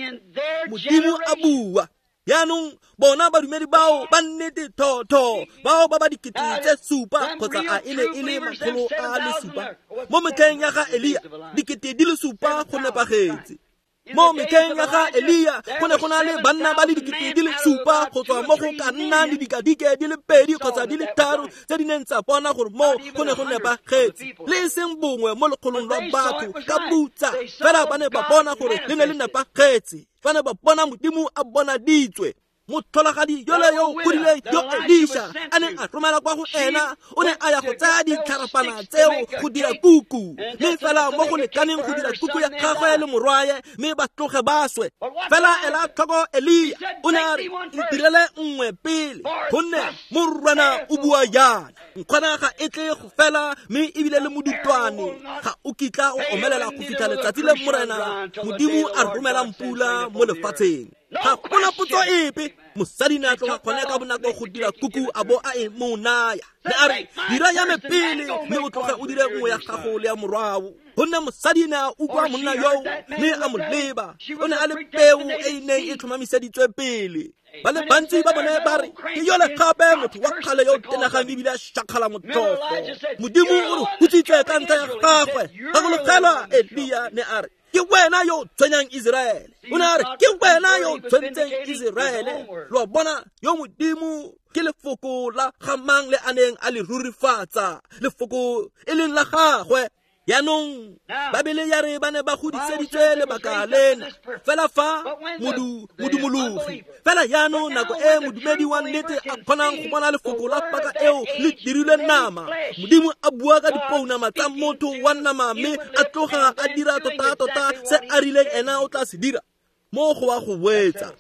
Modimo a bua. Jaanong bona badumedi bao ba nnete thotho, bao ba ba dikete tse supa kgotsa a e ne e le makgolo a le supa mo metlheng ya ga Elia, dikete di le supa go nepagetse. Mo metlheng ya ga Elia go ne go na le banna ba le dikete di le supa go tswa mo go ka nna le dikadike di le pedi kgotsa di le tharo tse di neng tsa bona gore mo go ne go nepagetse, le e seng bongwe mo lekgolong lwa batho ka butsa. Fela ba ne ba bona gore le ne le nepagetse, ba ne ba bona Modimo a bonaditswe. Motlholagadi yole yo o godileng yo Elisha a neng a romela kwa go ena, o ne a ya go tsaya ditlharapana tseo go dira kuku, mme fela mo go lekaneng go dira kuku ya gagwe le morwaye, mme ba tloge ba swe. Fela ela tlhoko Elia, o ne a re, ntirele nngwe pele, gonne morena o bua jaana, nkgwana ga e tle go fela, mme ebile le modutwane ga o kitla o omelela go fitlha letsatsi le morena Modimo a romelang pula mo lefatsheng. Ga gona potso epe. Mosadi ne a tloga gone ka bonako go dira kuku a bo a e mo naya. Ne a re, dira ya me pele, mme o tloge o dire nngwe ya gago le ya morwao. Gonne mosadi ne a utlwa monna yoo, mme a mo leba. O ne a le peo e e neng e tlhomamiseditswe pele. Ba le bantsi ba bone ba re, ke yole gape motho wa kgale yo o tenegang ebile a shakgala motlhofo. Modimo o re hutsitse ka ntlha ya gagwe. Gakologelwa Elia ne a re, Ke wena yo tshwenyang Iseraele. O ne a re ke wena yo tshwentseng Iseraele. Lo a bona yo Modimo ke lefoko la ga mang le a neng a le rurifatsa, lefoko e leng la gagwe. Yaanong Babele ya re ba ne ba godiseditswe lebaka lena fela fa modu modumologi fela yaanong nako e modumedi wa nnete a kgonang go bona lefoko la paka eo le dirilwe nama, Modimo a bua ka dipounama tsa motho wa nama mme a tloga a dira tota-tota se a rileng ena o tla se dira mo go wa go boetsa.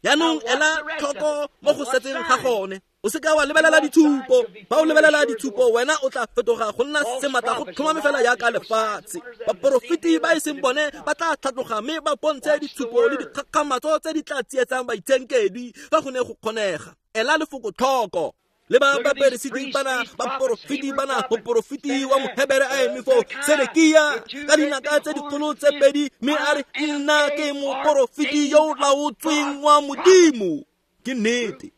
Yaanong ela tlhoko mo go setseng ga gone. O seka wa lebelela ditshupo. Fa o lebelela ditshupo wena o tla fetoga go nna sematla go tlhomame fela jaaka lefatshe. Baporofeti ba e seng bone ba tla tlhatloga mme ba bontshe ditshupo le dikgakgamatso tse di tla tsietsang baitshenkedwi fa go ne go kgonega. Ela lefoko tlhoko. Le ba baperesiti bana, baporofeti bana, moporofeti wa Mohebere a eme foo, Sedekia ka dinaka tse dikgolo tse pedi mme a re nna ke moporofeti yo o laotsweng wa Modimo. Ke nnete.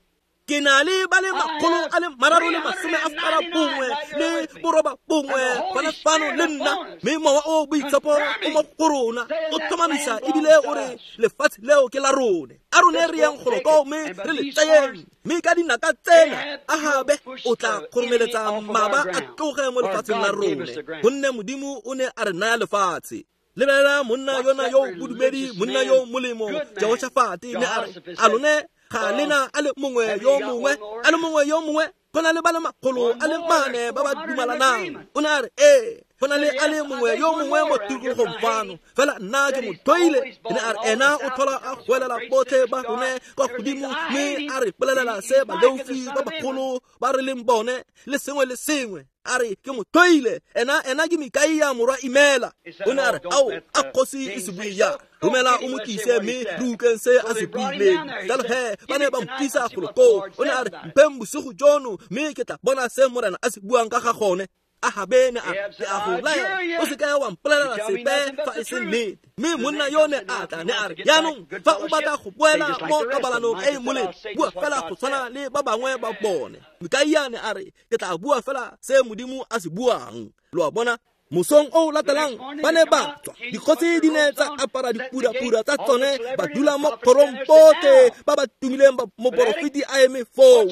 Ke na le ba le makgolo a le mararo le masome a fara bongwe le boroba bongwe gona fano le nna, mme mowa o boitshepo o mo go rona o tlhomamisa ebile o re lefatshe leo ke la rone. A rone re yang golo koo mme re le tseyeng, mme ka dinaka tsena Ahabe o tla kgoromeletsa mmaba a tloge mo lefatsheng la rone, gonne Modimo o ne a re naya lefatshe. Lebelela monna yona yo bodumedi, monna yo molemo Jehoshafate ne a re a lone ga lena a le mongwe yo mongwe a le mongwe yo mongwe go na le ba le makgolo a le mane ba ba dumalanang. O ne a re ee go na le a le mongwe yo mongwe mo tikologong fano, fela nna ke mo tlhoile. Ne a re ena o tlhola a goelela botlhe ba rone kwa godimo mme a re bolelela se baleofi ba bagolo ba re leng bone le sengwe le sengwe. A re ke mo tlhoile, ena ena ke Mikaia morwa Imela. O ne a re ao a kgosi e se bue jang, romela o mo tlise mme re utlweng se a se buileng. Jalo he ba ne ba mo tlisa golo koo. O ne a re mpheng bosigo jono mme ke tla bona se Morena a se buang ka ga gone. Ahabe ne a ke a go laela o seka wa mpolelela sepe fa e se nnete. Mme monna yo ne a tla ne a re jaanong fa o batla go boela mo kabalanong e e molemo, bua fela go tshwana le ba bangwe ba bone. Mikaia ne a re ke tla bua fela se Modimo a se buang. Lo a bona? Mosong o latelang ba ne ba tswa, dikgosi di ne tsa apara dipurapura tsa tsone, ba dula mo kgorong botlhe ba ba tumileng ba moporofeti a eme foo.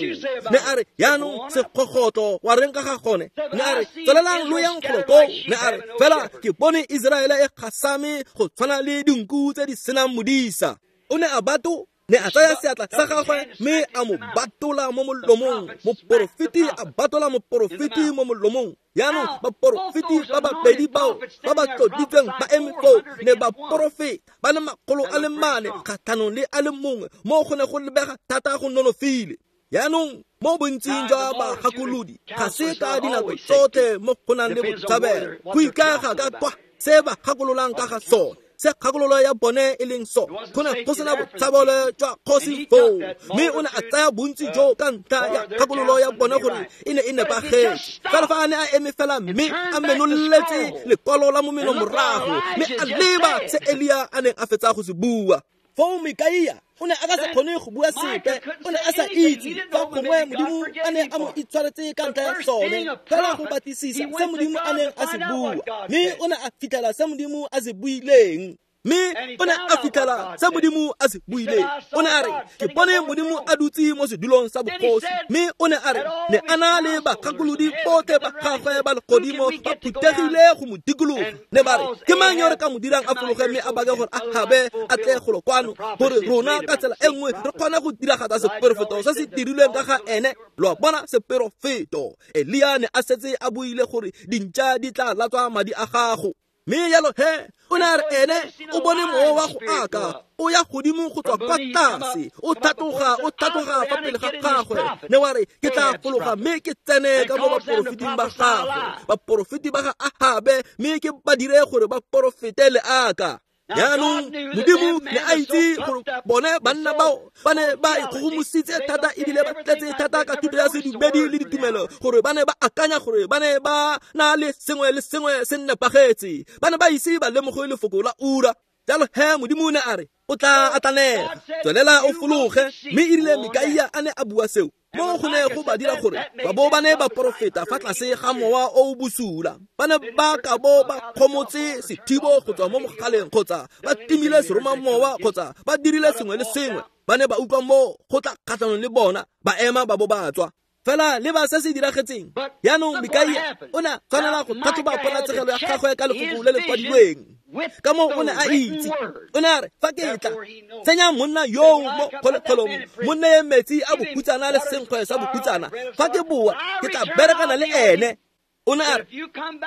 Ne a re jaanong sekgogotlo wa reng ka ga gone? Ne a re tswelelang lo yang golo koo. Ne a re fela ke bone Iseraele e gasame go tshwana le dinku tse di senang modisa. O ne a bato ne a tsaya seatla sa gagwe mme a mo batola mo molomong. Moporofeti a batola moporofeti mo molomong. Jaanong baporofeti ba babedi bao ba ba tloditsweng ba eme foo ne ba porofeta ba le makgolo a le mane kgatlhanong le a le mongwe mo go ne go lebega thata go nonofile. Jaanong mo bontsing jwa bagakolodi ga se ka dinako tsotlhe mo go nang le botshabelo, go ikaega ka kwa se ba gakololang ka ga sone, se kgakololo ya bone e leng so. Go ne go sena botshabelo jwa kgosi foo, mme o ne a tsaya bontsi jo ka ntlha ya kgakololo ya bone gore e ne e nepagetse. Fela fa a ne a eme fela mme a menoletse lekwalo la momeno morago mme a leba se Elia a neng a fetsa go se bua. Foo Mikaia o ne a ka se kgone go bua sepe, o ne a sa itse fa gongwe Modimo a ne a mo itshwaretse ka ntlha ya sone, fela go batlisisa se Modimo a neng a se bua, mme o ne a fitlhela se Modimo a se buileng. Mme o ne a fitlhela se Modimo a se buileng. O ne a re ke bone Modimo a dutse mo sedulong sa bogosi, mme o ne a re ne a na le bagakolodi botlhe ba gagwe ba legodimo ba phuthegile go mo dikologa. Ne ba re ke mang yo re ka mo dirang a fologe mme a bake gore Ahabe a tle golo kwano, gore rona ka tsela e nngwe re kgone go diragatsa seperofeto se se dirilweng ka ga ene. Lo a bona seperofeto. Elia ne a setse a buile gore dintša di tla latswa madi a gago. Mme jalo he o ne a re ene o bone mowa wa go aka o ya godimo go tswa kwa tlase, o tlhatloga o tlhatloga fa pele ga gagwe. Ne wa re ke tla fologa mme ke tsene ka mo baporofeting ba gagwe, baporofeti ba ga Ahabe, mme ke ba dire gore ba porofete le aka. Jaanong Modimo ne a itse gore bone banna bao ba ne ba ikgogomositse thata ebile ba tletse thata ka thuto ya sedumedi le ditumelo gore ba ne ba akanya gore ba ne ba na le sengwe le sengwe se nepagetse. Ba ne ba ise ba lemoge lefoko la ura. Jalo he Modimo o ne a re o tla atlanega, tswelela o fologe. Mme e rile Mikaia a ne a bua seo, Mo go ne go ba dira gore ba bo ba ne ba porofeta fa tlase ga mowa o o bosula. Ba ne ba ka bo ba kgomotse sethibo go tswa mo mogaleng kgotsa ba timile seromamowa kgotsa ba dirile sengwe le sengwe. Ba ne ba utlwa mo go tla kgatlhanong le bona, ba ema ba bo ba tswa. Fela le ba se se diragetseng. Jaanong Mikaia o ne a tshwanela go tlhatlhoba ponatshegelo ya gagwe ka lefoko le le kwadilweng. Ka moo o ne a itse. O ne a re, fa ke tla tsenya monna yoo mo kgolegelong, mo neye metsi a bohutsana le senkgwe sa bohutsana, fa ke boa ke tla berekana le ene. O ne a re,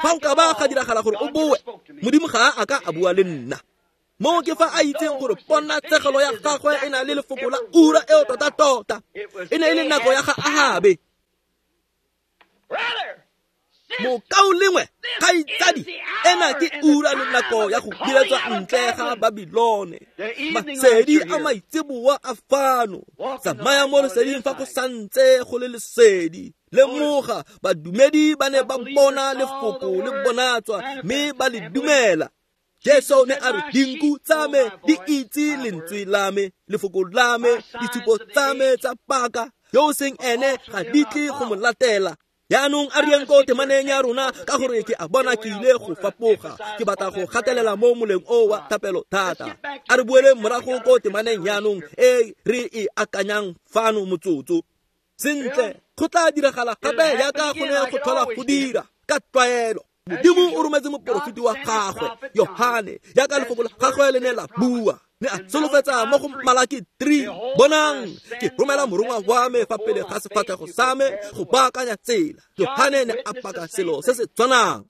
fa o ka ba ga diragala gore o boe, Modimo ga a ka a bua le nna. Mo ke fa a itseng gore ponatshegelo ya gagwe e na le lefoko la ura eo tota-tota. E ne e le nako ya ga Ahabe. Mokaulengwe, kgaitsadi, ena ke ura le nako ya go biletswa ntle ga Babilone. Masedi a maitseboa a fano. Tsamaya mo leseding fa go santse go le lesedi. Lemoga, badumedi ba ne ba bona lefoko le bonatswa mme ba le dumela. Jesu ne a re, dinku tsa me di itse lentswe la me, lefoko la me, ditshupo tsa me tsa paka. Yo o seng ene ga di tle go mo latela. Jaanong a re yeng ko temaneng ya rona ka gore ke a bona ke ile go fapoga. Ke batla go gatelela mo moleng o wa thapelo thata. A re boeleng morago ko temaneng jaanong e re e akanyang fano motsotso. Sentle, go tla diragala gape jaaka go ne go tlhola go dira ka tlwaelo. Modimo o rometse moporofeti wa gagwe Yohane jaaka lefoko la gagwe le ne la bua. Ne a solofetsa mo go Malaki three, bonang ke romela morongwa wa me fa pele ga sefatlhego sa me go baakanya tsela. Yohane ne a paka selo se se tshwanang.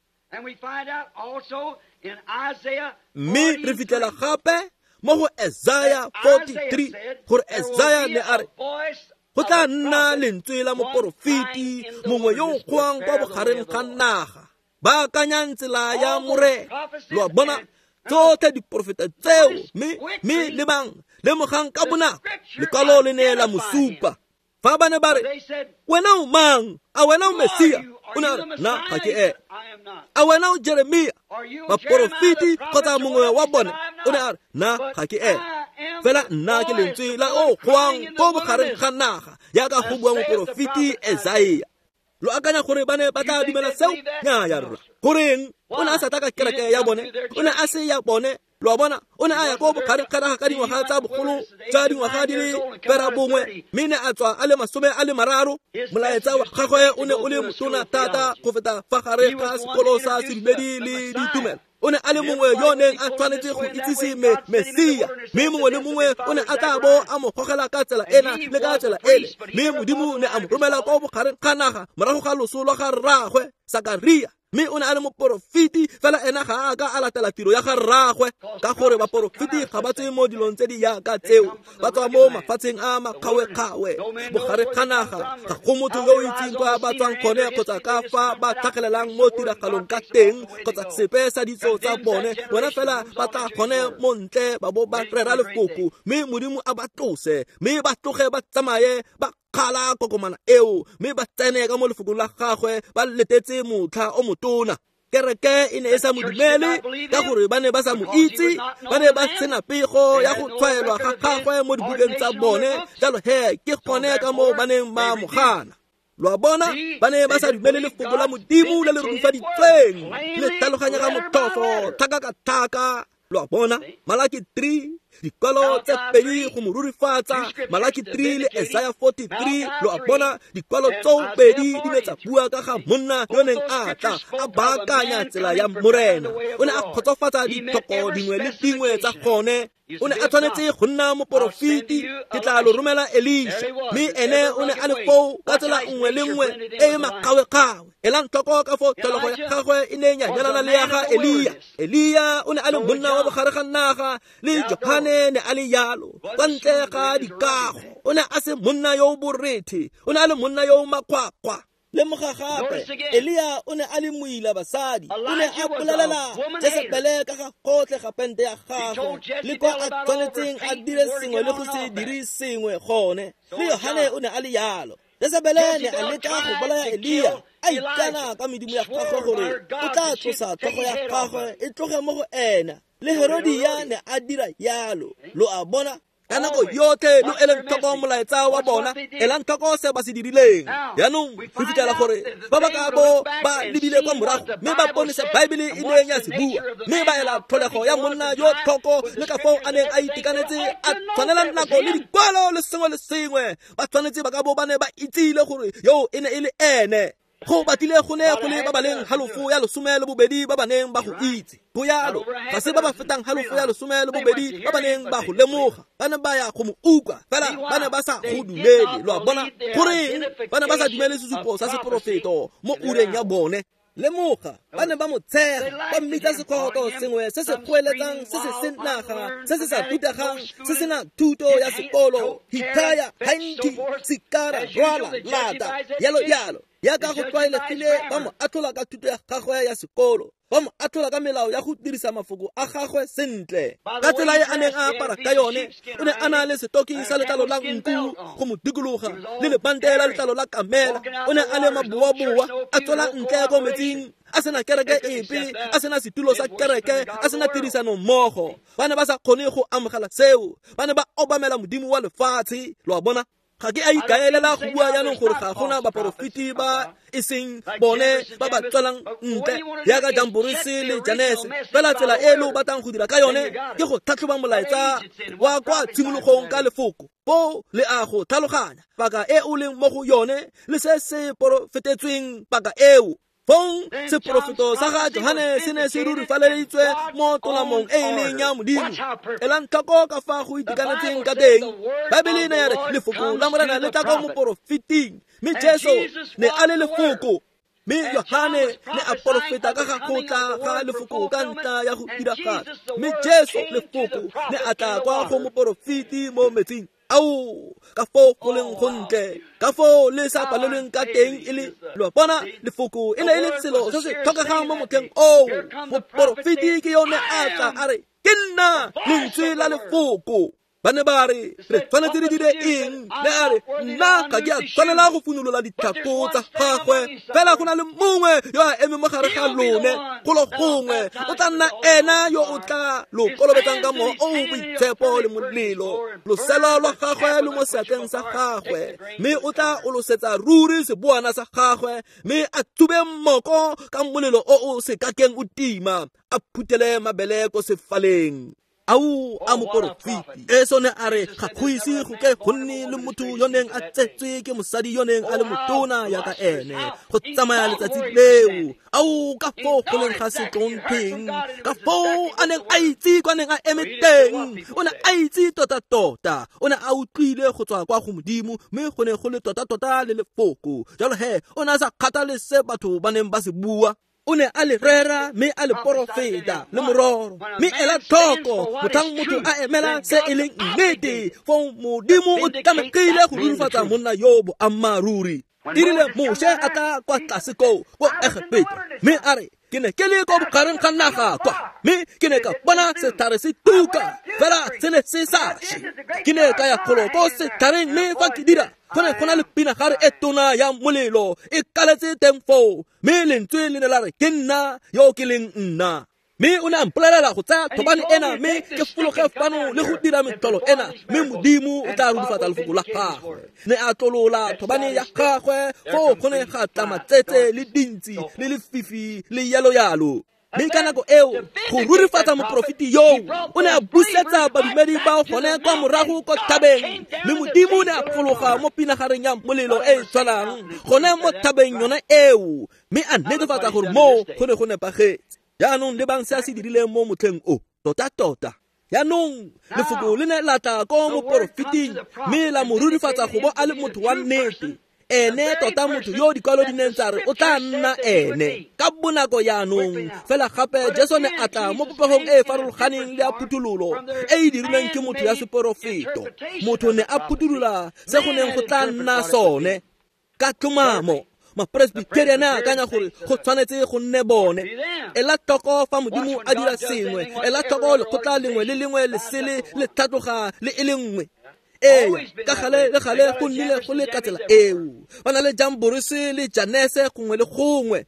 Mme re fitlhela gape mo go Isaiah forty-three gore Isaiah ne a re, go tla nna lentswe la moporofeti mongwe yo o goang kwa bogareng ga naga, baakanyang tsela ya Morena. Lo a bona tsotlhe diporofeta tseo, mme mme lebang, lemogang ka bonako lekwalo le ne la mo supa. Fa ba ne ba re, wena o mang? A wena o Mesia? O ne a re, nna ga ke ene. A wena o Jeremia? Baporofeti kgotsa mongwe wa bone? O ne a re, nna ga ke ene. Fela nna ke lentswe la o goang ko bogareng ga naga, jaaka go bua moporofeti Isaia. Lo akanya gore ba ne ba tla dumela seo? Nnyaa rra. Goreng? O ne a sa tla ka kereke ya bone, o ne a se ya bone. Lo a bona, o ne a ya ko bogareng ga naga ka dingwaga tsa bogolo tsa dingwaga di le ferabongwe, mme ne a tswa a le masome a le mararo. Molaetsa wa gagwe o ne o le motona thata go feta fa gare ga sekolo sa sedumedi le ditumelo. O ne a le mongwe yo neng a tshwanetse go itsise me Mesia, mme mongwe le mongwe o ne a tla bo a mo gogela ka tsela ena le ka tsela ele. Mme Modimo ne a mo romela ko bogareng ga naga morago ga loso lwa ga rraagwe Sakaria. Mme o ne a le moporofeti, fela ena ga a ka a latela tiro ya ga rraagwe, ka gore baporofeti ga ba tswe mo dilong tse di jaaka tseo, ba tswa mo mafatsheng a makgawe-kgawe, bogare ga naga. Ga go motho yo o itseng kwa ba tswang gone kgotsa ka fa ba tlhagelelang mo tiragalong ka teng kgotsa sepe sa ditso tsa bone. Bona fela ba tla gone mo ntle ba bo ba rera lefoko, mme Modimo a ba tlose, mme ba tloge ba tsamaye ba kgala kokomana eo, mme ba tsene ka mo lefokong la gagwe ba letetse motlha o motona. Kereke e ne e sa mo dumele ka gore ba ne ba sa mo itse, ba ne ba sena pego ya go tshwaelwa ga gagwe mo dibukeng tsa bone. Jalo he ke gone ka moo ba neng ba mo gana. Lo a bona, ba ne ba sa dumele lefoko la Modimo le le rurifaditsweng, le tlhaloganya ga motlhofo tlhaka ka tlhaka. Lo a bona, Malaki three, dikwalo tse pedi go mo rurifatsa, Malaki three le Isaiah forty-three. Lo a bona, dikwalo tseo pedi di ne tsa bua ka ga monna yo neng a tla a baakanya tsela ya Morena. O ne a kgotsofatsa ditlhoko dingwe le dingwe tsa gone. O ne a tshwanetse go nna moporofeti. Ke tla lo romela Elisha, mme ene o ne a le foo ka tsela nngwe le nngwe e e makgawe-kgawe. Elang tlhoko ka foo tlholego ya gagwe e ne ya nyalana le ya ga Elia. Elia o ne a le monna wa bogare ga naga, le Johane ne a le yalo, kwa ntle ga dikago. O ne a se monna yo o borethe, o ne a le monna yo o makgwakgwa. Lemoga gape, Elia o ne a le moila basadi. O ne a bolelela Jesebele ka ga gotlhe ga pente ya gagwe le kwa a tshwanetseng a dire sengwe le go se dire sengwe gone. Le Yohane o ne a le yalo. Jesebele ne a leka go bolaya Elia, a ikana ka medimo ya gagwe gore o tla tlosa tlhogo ya gagwe e tloge mo go ena. Le Herodia ne a dira yalo. Lo a bona, Ka nako yotlhe lo eleng tlhoko molaetsa wa bona, elang tlhoko se ba se dirileng. Jaanong re fitlhela gore ba ba ka bo ba lebile kwa morago mme ba bone se Baebele e neng ya se bua, mme ba ela tlholego ya monna yo tlhoko le ka foo a neng a itekanetse a tshwanela nako le dikwalo le sengwe le sengwe. Ba tshwanetse ba ka bo ba ne ba itsile gore yo e ne e le ene. Go batlile go ne go le ba ba leng halofo ya lesome le bobedi ba ba neng ba go itse. Go yalo, ga se ba ba fetang halofo ya lesome le bobedi ba ba neng ba go lemoga. Ba ne ba ya go mo utlwa, fela ba ne ba sa go dumele. Lo a bona? Goreng ba ne ba sa dumele sesupo sa seporofeto mo ureng ya bone? Lemoga, ba ne ba mo tshega, ba mmitsa sekgoto sengwe se se goeletsang, se se senaga, se se sa rutegang, se sena thuto ya sekolo, hithaya, hanki, sikara, rwala, lata, yalo yalo. Yaka go tlwaelegile ba mo atlhola ka thuto ya gagwe ya sekolo, ba mo atlhola ka melao ya go dirisa mafoko a gagwe sentle. Ka tsela e a neng a apara ka yone, o ne a na le setoki sa letlalo la nku go mo dikologa le lebante la letlalo la kamela. O ne a le maboaboa, a tswela ntle ko metsing, a sena kereke epe, a sena setulo sa kereke, a sena tirisano mmogo. Ba ne ba sa kgone go amogela seo, ba ne ba obamela modimo wa lefatshe. Lo a bona? Ga ke a ikaelela go bua jaanong gore ga gona baporofeti ba e seng bone ba ba tswelang ntle jaaka Jamborese le Janese. Fela tsela e lo batlang go dira ka yone ke go tlhatlhoba molaetsa wa kwa tshimologong ka lefoko. Foo le a go tlhaloganya paka e o leng mo go yone le se se porofetetsweng paka eo. Fong seporofeto sa ga Johane se ne se rurifaleditswe mo tolamong e e leng ya Modimo. Elang tlhoko ka fa go itekanetseng ka teng. Baebele e ne ya re lefoko la Morena le tla kwa moporofeting, mme Jesu ne a le lefoko. Mme Johane ne a porofeta ka ga go tla ga lefoko ka ntlha ya go diragatsa, mme Jesu lefoko ne a tla kwa go moporofeti mo metsing. Ao, ka foo go leng gontle, ka foo le sa palelweng ka teng e le lo a bona lefoko e ne e le selo se se tlhokegang mo motlheng oo. Moporofeti ke yone a tla a re ke nna lentswe la lefoko. Ba ne ba re re tshwanetse re dire eng? Ne a re nna ga ke a tshwanela go funolola ditlhako tsa gagwe, fela go na le mongwe yo a emeng mo gare ga lone golo gongwe, o tla nna ena yo o tla lo kolobetsang ka mowa o o boitshepo le molelo. Loselo lwa gagwe lo mo seatleng sa gagwe, mme o tla olosetsa ruri seboana sa gagwe, mme a tsube mmoko ka molelo o o se kakeng o tima, a phuthele mabele ko sefaleng. Ao a moporofeti. Jesu ne a re ga go ise go ke go nne le motho yo neng a tsetswe ke mosadi yo neng a le motona yaka ene go tsamaya letsatsi leo. Ao, ka foo go leng ga setlontlheng, ka foo a neng a itse kwa neng a eme teng. O ne a itse tota-tota, o ne a utlwile go tswa kwa go Modimo, mme go ne go le tota-tota le lefoko. Jalo he, o ne a sa kgathale se batho ba neng ba se bua. O ne a le rera mme a le porofeta le mororo. Mme ela tlhoko motlhang motho a emela se e leng nnete, foo Modimo o tlamegile go rurifatsa monna yo boammaaruri. E rile Moshe a tla kwa tlase koo ko Egepeta, mme a re ke ne ke le ko bogareng ga naga kwa, mme ke ne ka bona setlhare se tuka, fela se ne se sa še. Ke ne ka ya golo ko setlhareng, mme fa ke dira go ne go na le pinagare e tona ya molelo e kaletse teng foo, mme lentswe le ne la re ke nna yo ke leng nna. Mme o ne a mpolelela go tsaya thobane ena mme ke fologe fano le go dira metlholo ena, mme Modimo o tla rurifatsa lefoko la gagwe. Ne a tlolola thobane ya gagwe, foo go ne ga tla matsetse le dintsi le lefifi le yalo-yalo. Mme ka nako eo go rurifatsa moporofeti yoo, o ne a busetsa badumedi ba gone kwa morago ko thabeng, mme Modimo o ne a fologa mo pinagareng ya molelo e e tshwanang gone mo thabeng yone eo, mme a netefatsa gore moo go ne go nepagetse. Jaanong lebang se a se dirileng mo motlheng o, tota-tota. Jaanong lefoko le ne la tla ko moporofeting, mme la mo rurifatsa go bo a le motho wa nnete. Ene tota motho yo dikwalo di neng tsa re o tla nna ene ka bonako jaanong. Fela gape Jesu ne a tla mo popegong e e farologaneng le ya phuthololo e e dirilweng ke motho ya seporofeto. Motho ne a phuthulola se go neng go tla nna sone ka tlhomamo. Mapresbyterian a akanya gore go tshwanetse go nne bone. Ela tlhoko fa Modimo a dira sengwe, ela tlhoko lekgotla lengwe le lengwe le sele le tlhatloga le e le nngwe. Ee, ka gale le gale go nnile go le ka tsela eo. Ba na le Jamborese le Janese gongwe le gongwe.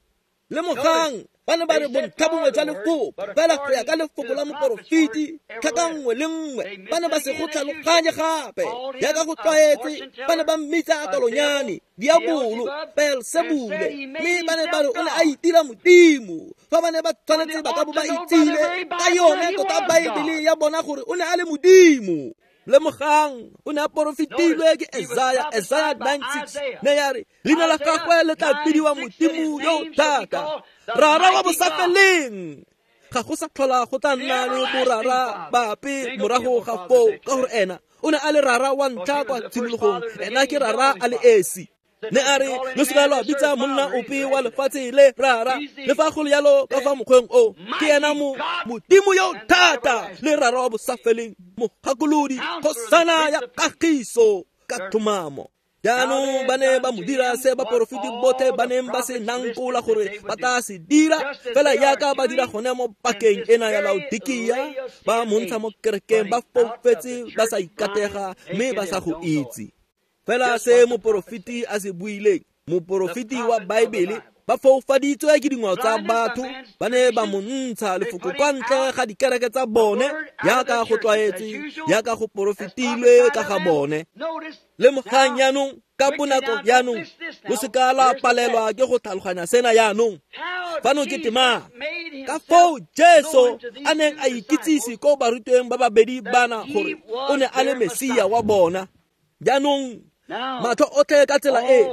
Lemogang, Ba ne ba re bontlhabongwe jwa lefoko fela go ya ka lefoko la moporofeti tlhaka nngwe le nngwe ba ne ba se go tlhaloganye gape jaaka go tlwaetse ba ne ba mmitsa tolonyane diabolo Beelsebule mme ba ne ba re o ne a itira modimo fa ba ne ba tshwanetse ba ka bo ba itsile ka yone tota Baebele ya bona gore o ne a le modimo. Lemogang o ne a porofetilwe ke Esaya, Esaya nine six ne ya re leina la gagwe le tla bidiwa Modimo yo o thata, Rara wa bosafeleng. Ga go sa tlhola go tla nna le borara bape morago ga foo ka gore ena o ne a le rara wa ntlha kwa tshimologong, ena ke rara a le esi. Ne a re lo seka lwa bitsa monna ope wa lefatshe le rara, le fa go le jalo ka fa mokgweng o ke ena mo Modimo yo thata le rara wa bosafeleng, mogakolodi, kgosana ya kagiso ka tlhomamo. Jaanong ba ne ba mo dira se baporofeti botlhe ba neng ba se nankola gore ba tla se dira, fela jaaka ba dira gone mo pakeng ena ya Laodikia, ba mo ntsha mo kerekeng ba foufetse ba sa ikatega mme ba sa go itse. Fela se moporofeti a se buileng, moporofeti wa Baebele, ba foufaditswe ke dingwao tsa batho, ba ne ba mo ntsha lefoko kwa ntle ga dikereke tsa bone jaaka go tlwaetswe, jaaka go porofetilwe ka ga bone. Lemogang jaanong ka bonako jaanong, lo seka la palelwa ke go tlhaloganya sena jaanong. Fano ke tema ka foo Jesu a neng a ikitsise ko barutweng ba babedi bana gore o ne a le Mesia wa bona. Jaanong matlho otlhe ka tsela e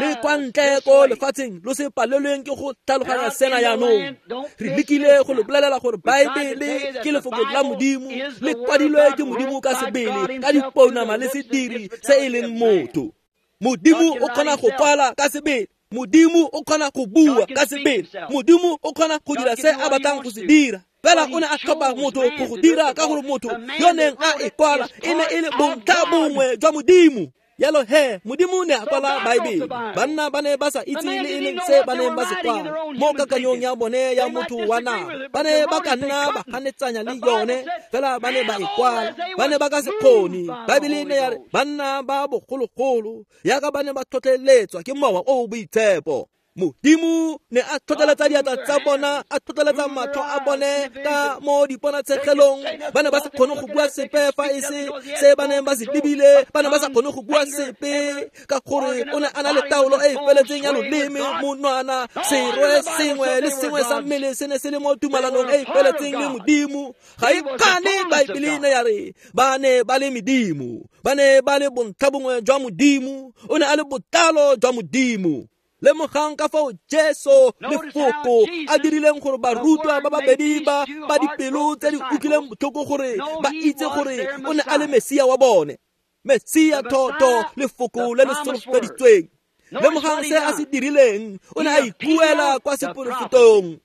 le kwa ntle ko lefatsheng lo se palelweng ke go tlhaloganya sena jaanong. Re lekile go le bolelela gore Baebele ke lefoko la Modimo, le kwadilwe ke Modimo ka sebele ka dipounama le sediri se e leng motho. Modimo o kgona go kwala ka sebele, Modimo o kgona go bua ka sebele, Modimo o kgona go dira se a batlang go se dira. Fela o ne a tlhopha motho go go dira ka gore motho yo neng a e kwala e ne e le bontlhabongwe jwa Modimo. Jalo he, Modimo ne a kwala Baebele. Banna ba ne ba sa itse le e leng se ba neng ba se kwala mo kakanyong ya bone ya motho wa nama. Ba ne ba ka nna ba ganetsanya le yone, fela ba ne ba e kwala. Ba ne ba ka se kgone. Baebele ne ya re banna ba bogologolo jaaka ba ne ba tlhotlheletswa ke mowa o o boitshepo. Modimo ne a tlhotlheletsa diatla tsa bona, a tlhotlheletsa matlho a bone ka mo diponatshegelong. Ba ne ba sa kgone go bua sepe fa e se se ba neng ba se lebile, ba ne ba sa kgone go bua sepe ka gore o ne a na le taolo e e feletseng ya loleme, monwana, serwe sengwe le sengwe sa mmele se ne se le mo tumalanong e e feletseng le Modimo. Ga e kgane Baebele ne ya re ba ne ba le medimo, ba ne ba le bontlhabongwe jwa Modimo, o ne a le botlalo jwa Modimo. Lemogang ka fao Jesu lefoko a dirileng gore barutwa ba babedi ba ba dipelo tse di utlwileng botlhoko gore ba itse gore o ne a le Mesia wa bone, Mesia toto lefoko le le solofeditsweng. Lemogang se a se dirileng, o ne a ikuela kwa seporofetong.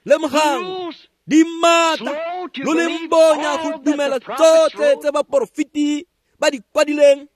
Lemogang di maatla lo leng bonya go dumela tsotlhe tse baporofeti ba di kwadileng.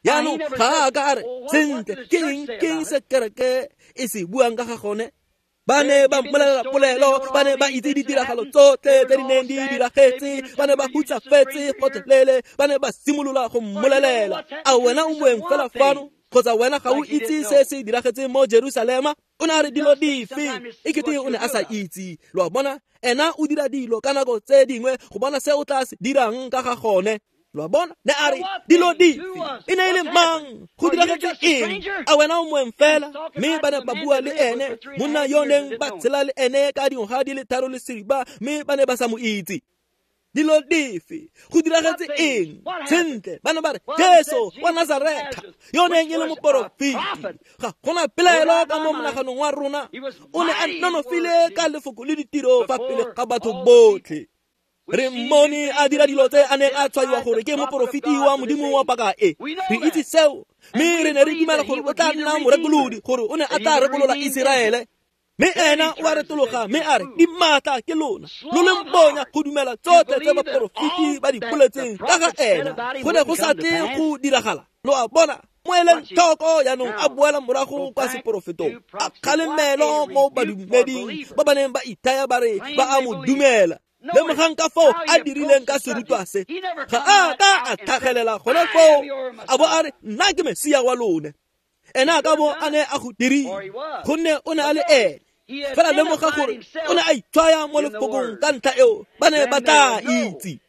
Jaanong ga a ka a re sentle ke eng ke eng se kereke e se buang ka ga gone. Ba ne ba mmolelela polelo, ba ne ba itse ditiragalo tsotlhe tse di neng di diragetse, ba ne ba hutsafetse gotlhelele, ba ne ba simolola go mmolelela. A wena o moeng fela fano kgotsa wena ga o itse se se diragetseng mo Jerusalema? O ne a re dilo dife? E kete o ne a sa itse. Lo a bona, ena o dira dilo ka nako tse dingwe go bona se o tla se dirang ka ga gone. Lo a bona, ne a re dilo dife? E ne e le mang? Go diragetse eng? A wena o moeng fela? Mme ba ne ba bua le ene, monna yo neng ba tshela le ene ka dingwaga di le tharo le seripa, mme ba ne ba sa mo itse. Dilo dife? Go diragetse eng? Sentle, ba ne ba re Jesu wa Nazaretha yo neng e le moporofeti. Ga gona pelaelo ka mo monaganong wa rona, o ne a nonofile ka lefoko le ditiro fa pele ga batho botlhe. Re mmone a dira dilo tse a neng a tshwaiwa gore ke moporofeti wa Modimo wa paka e. Re itse seo, mme re ne re dumela gore o tla nna morekolodi, gore o ne a tla rekolola Iseraele. Mme ena o a retologa mme a re di maatla ke lona, lo leng bonya go dumela tsotlhe tse baporofeti ba di boletseng ka ga ena. Go ne go sa tle go diragala. Lo a bona, mo eleng tlhoko jaanong a boela morago kwa seporofetong, a kgalemelo mo badumeding ba ba neng ba ithaya ba re ba a mo dumela. Lemogang ka foo a dirileng ka serutwa se. Ga a ka a tlhagelela gone foo a bo a re nna ke Mesia wa lone. Ena a ka bo a ne a go dirile, gonne o ne a le ene. Fela lemoga gore o ne a itshwaya mo lefokong ka ntlha eo ba ne ba tla itse.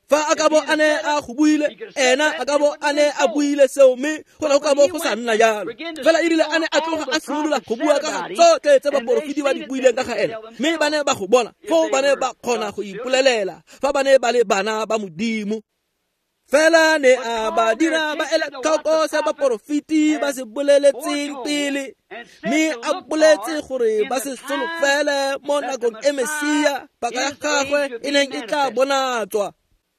Fa a ka bo a ne a go buile, ena a ka bo a ne a buile seo, mme go ne go ka bo go sa nna jalo. Fela e rile a ne a tloga a simolola go bua ka ga tsotlhe tse baporofeti ba di buileng ka ga ena, mme ba ne ba go bona, foo ba ne ba kgona go ipolelela fa ba ne ba le bana ba Modimo. Fela ne a ba dira ba ele tlhoko se baporofeti ba se boleletseng pele, mme a boletse gore ba se solofele mo nakong e Mesia paka ya gagwe e neng e tla bonatswa.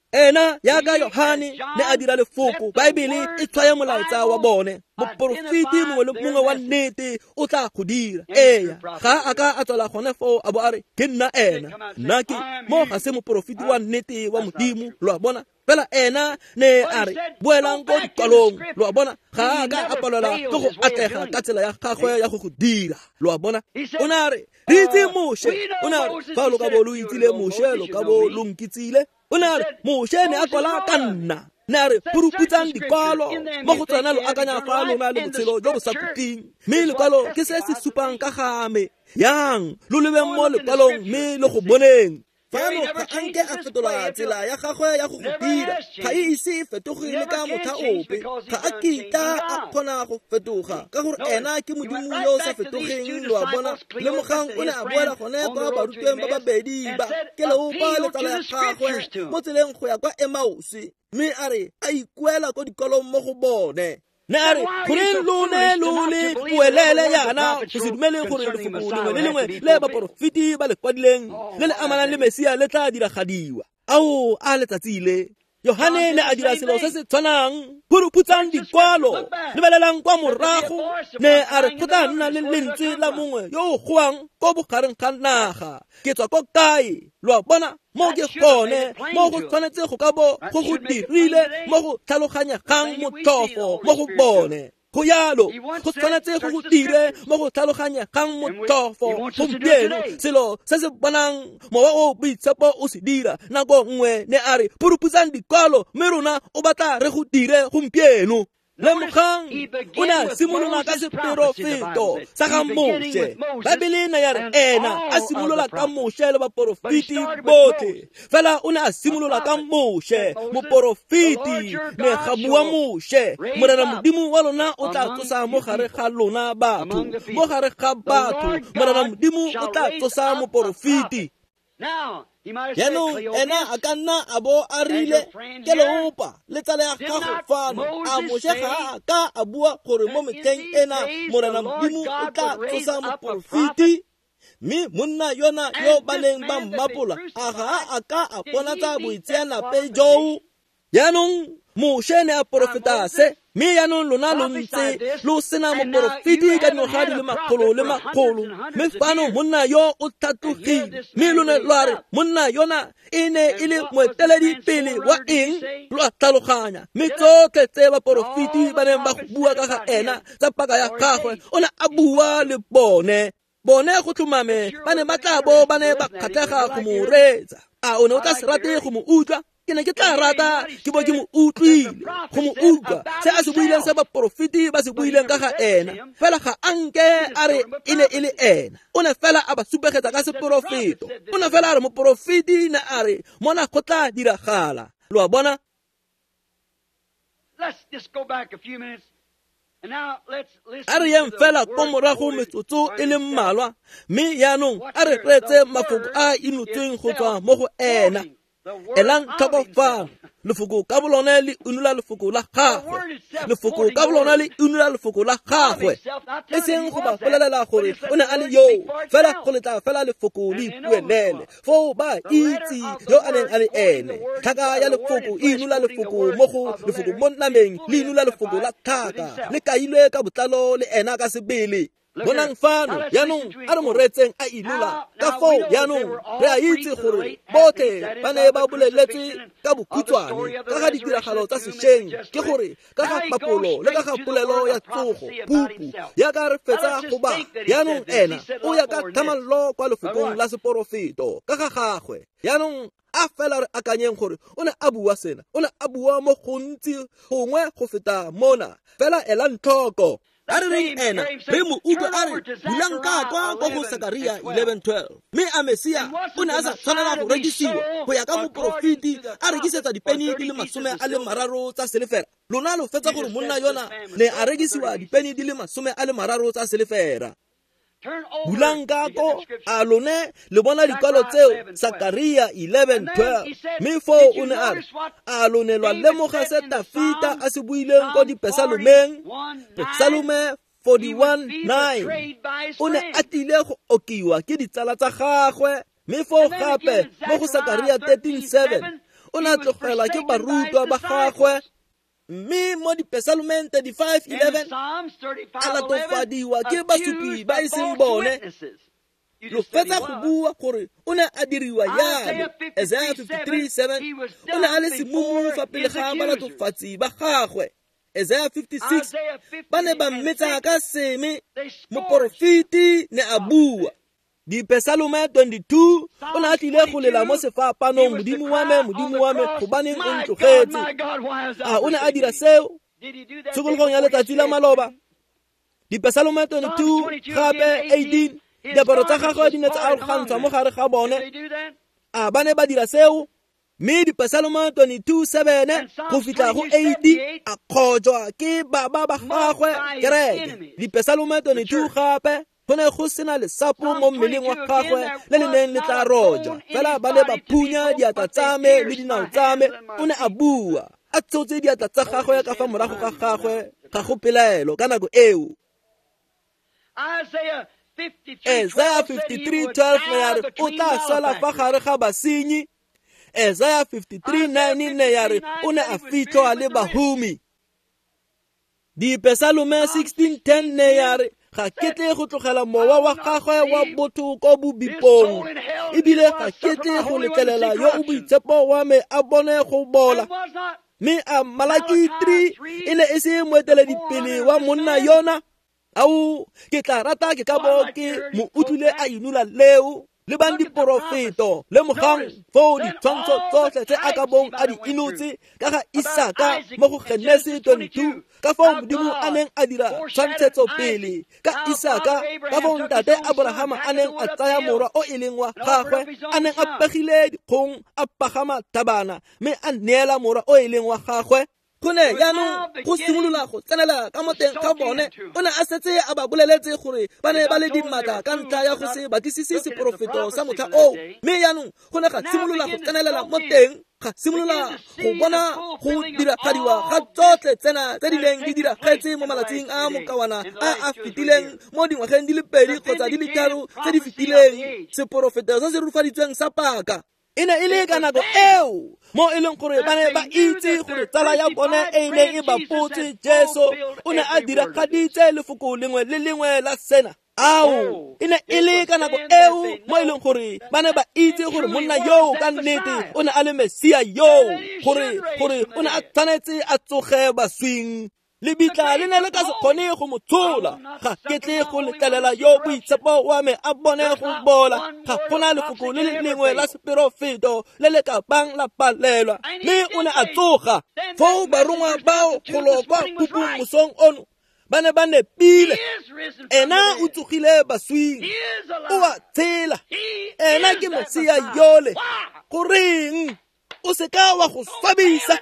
Ena yaka Yohane ne a dira lefoko, Baebele e tshwaya molaetsa wa bone. Moporofeti mongwe le mongwe wa nnete o tla go dira. Eya, ga a ka a tswela gone foo a bo a re ke nna ena, nna ke mo ga se moporofeti wa nnete wa Modimo, lo a bona. Fela ena ne a re boelang ko dikwalong, lo a bona. Ga a ka a palelwa ke go atlega ka tsela ya gagwe ya go go dira, lo a bona. O ne a re re itse Moshe, o ne a re fa lo ka bo lo itsile Moshe lo ka bo lo nkitsile. O ne a re Moshe ne a kwala ka nna, ne a re puruputsang dikwalo mo go tsona lo akanya fa lona le botshelo jo bo sa khutleng, mme lekwalo ke se se supang ka ga me. Yang lo lebeng mo lekwalong mme le go boneng. Fano ga a nke a fetola tsela ya gagwe ya go go dira, ga e ise e fetoge le ka motlha ope. Ga a kitla a kgona go fetoga ka gore ena ke Modimo yo o sa fetogeng, lo a bona. Lemogang o ne a boela gone kwa barutweng ba babedi ba Keleopa le tsala ya gagwe mo tseleng go ya kwa Emause, mme a re a ikuela ko dikolong mo go bone. Ne a re goreng lo ne lo le boelele yana go se dumele gore lefoko lengwe le lengwe le baporofeti ba le kwadileng le le amanang le Mesia le tla diragadiwa. Ao a letsatsi le Yohane ne a dira selo se se tshwanang. Phuruputsang dikwalo, lebelelang kwa morago. Ne a re go tla nna le lentswe la mongwe yo o goang ko bogareng ga naga, ke tswa ko kae, lo a bona. Mo ke gone mo go tshwanetse go ka bo go go dirile mo go tlhaloganyegang motlhofo mo go bone. Go yalo go tshwanetse go go dire mo go tlhaloganyegang motlhofo gompieno. Selo se se bonang mowa o boitshepo o se dira nako nngwe, ne a re puruputsang dikwalo, mme rona o batla re go dire gompieno. Lemogang o ne a simolola ka seperofeto sa ga Moshe. Baebele ne ya re ena a simolola ka Moshe le baporofeti botlhe. Fela o ne a simolola ka Moshe, moporofeti, ne ga bua Moshe, Morena Modimo wa lona o tla tsosa mo gare ga lona batho, mo gare ga batho, Morena Modimo o tla tsosa moporofeti. Jaanong ena a ka nna a bo a rile Keleopa le tsala ya gago fano, a Moshe ga a ka a bua gore mo metlheng ena Morena Modimo o tla tsosa moporofeti? Mme monna yona yo ba neng ba mmapola a ga a ka a bonatsa boitseanape joo? Jaanong Moshe ne a porofeta se, mme jaanong lona lo ntse lo sena moporofeti ka dingwaga di le makgolo le makgolo. Mme fano monna yo o tlhatlogile, mme lone lo a re monna yona e ne e le moeteledipele wa eng? Lo a tlhaloganya. Mme tsotlhe tse baporofeti ba neng ba go bua ka ga ena tsa paka ya gagwe, o ne a bua le bone. Bone go tlhomame ba ne ba tla bo ba ne ba kgatlhega go mo reetsa. A o ne o tla se rate go mo utlwa? Ke ne ke tla rata ke bo ke mo utlwile, go mo utlwa se a se buileng, se baporofeti ba se buileng ka ga ena. Fela ga a nke a re e ne e le ena, o ne fela a ba supegetsa ka seporofeto. O ne fela a re moporofeti ne a re mona go tla diragala, lo a bona. A re yeng fela ko morago metsotso e le mmalwa, mme jaanong a re reetse mafoko a inotsweng go tswa mo go ena. Elang tlhoko fano, lefoko ka bolone le unola lefoko la gagwe, lefoko ka bolone le unola lefoko la gagwe. E seng go ba bolelela gore o ne a le yoo, fela go letla fela lefoko le ipuelele, foo ba itse yo a neng a le ene. Tlhaka ya lefoko e inola lefoko mo go lefoko mo nameng, le inola lefoko la tlhaka, le kailwe ka botlalo le ena ka sebele. Bonang fano jaanong a re mo reetseng a inola ka foo. Jaanong re a itse gore botlhe ba ne ba boleletswe ka bokhutshwane ka ga ditiragalo tsa sešweng, ke gore ka ga papolo le ka ga polelo ya tsogo pupu yaka re fetsa go ba. Jaanong ena o ya ka tlhamallo kwa lefokong la seporofeto ka ga gagwe. Jaanong a fela re akanyeng gore o ne a bua sena, o ne a bua mo gontsi gongwe go feta mona. Fela elang tlhoko. A re reng ena re mo utlwe a re bulang ka kwa kwa go Sakaria eleven twelve. Mme a Mesia o ne a sa tshwanela go rekisiwa go ya ka moporofeti a rekisetsa dipeni di le masome a le mararo tsa selefera. Lona lo fetsa gore monna yona ne a rekisiwa dipeni di le masome a le mararo tsa selefera. Bulang ka ko a lone le bona dikwalo tseo Sakaria eleven twelve. Mme foo o ne a re a lone lwa lemoga se Tafita a se buileng ko dipesalomeng, Pesalome forty-one nine. O ne a tlile go okiwa ke ditsala tsa gagwe. Mme foo gape mo go Sakaria thirteen seven o ne a tlogelwa ke barutwa ba gagwe. Mme mo dipesalomeng thirty-five eleven a latofadiwa ke basupi ba e seng bone. Lo fetsa go bua gore o ne a diriwa jalo. Isaiah fifty-three seven o ne a le semumu fa pele ga balatofatsi ba gagwe. Isaiah fifty-six ba ne ba mmetsa ka seme, moporofeti ne a bua. Dipesalome twenty-two o ne a tlile go lela mo sefapanong, Modimo wa me, Modimo wa me, gobaneng o ntlogetse. A o ne a dira seo tshokologong ya letsatsi la maloba. Dipesalome twenty-two gape eighteen diaparo tsa gagwe di ne tsa arogantshwa mo gare ga bone. A ba ne ba dira seo? Mme dipesalome twenty-two seven go fitlha go eighty a kgojwa ke baba ba gagwe kereke. Dipesalome twenty-two gape go ne go sena lesapo mo mmeleng wa gagwe le le neng le tla roja, fela ba ne ba phunya diatla tsa me le dinao tsa me. O ne a bua a tshotse diatla tsa gagwe ka fa morago ga gagwe, ga go pelaelo ka nako eo. Isaiah fifty-three twelve ne ya re o tla sala fa gare ga basenyi. Isaiah fifty-three nine ne ya re o ne a fitlhwa le bahumi. Dipesalome sixteen ten ne ya re ga ke tle go tlogela mowa wa gagwe wa botho ko bobipong, ebile ga ke tle go letlelela yo o boitshepo wa me a bone go bola. Mme a Malaki three e ne e se moeteledipele wa monna yona. Ao ke tla rata ke ka bo ke mo utlwile a inola leo. Lebang diporofeto, lemogang foo ditshwantsho tsotlhe tse a ka bong a di inotse ka ga Isaka mo go Genesi twenty-two, ka foo Modimo a neng a dira tshwantshetso pele ka Isaka, ka foo ntate Abrahama a neng a tsaya morwa o e leng wa gagwe, a neng a pegile dikgong a pagama thabana mme a neela morwa o e leng wa gagwe. Go ne jaanong go simolola go tsenela ka mo teng ga bone. O ne a setse a ba boleletse gore ba ne ba le dimatla ka ntlha ya go se batlisise seporofeto sa motlha oo. Mme jaanong go ne ga simolola go tsenelela mo teng, ga simolola go bona go diragadiwa ga tsotlhe tsena tse di neng di diragetse mo malatsing a mokawana a a fetileng mo dingwageng di le pedi kgotsa di le tharo tse di fetileng. Seporofeto se se rurifaditsweng sa paka e ne e le ka nako eo mo e leng gore ba ne ba itse gore tsala ya bone e neng e bapotse Jesu o ne a diragaditse lefoko lengwe le lengwe la sena. Ao e ne e le ka nako eo mo e leng gore ba ne ba itse gore monna yoo ka nnete o ne a le Mesia yoo, gore gore o ne a tshwanetse a tsoge baswing. Lebitla le ne le ka se kgone go mo tshola. Ga ke tle go letlelela yo boitshepo wa me a bone go bola. Ga gona lefoko le le lengwe la seporofeto le le ka bang la palelwa. Mme o ne a tsoga. Foo barongwa bao golo kwa phupung mosong ono ba ne ba nepile. Ena o tsogile baswing, o a tshela. Ena ke Mesia yole. Goreng o se ka wa go swabisa?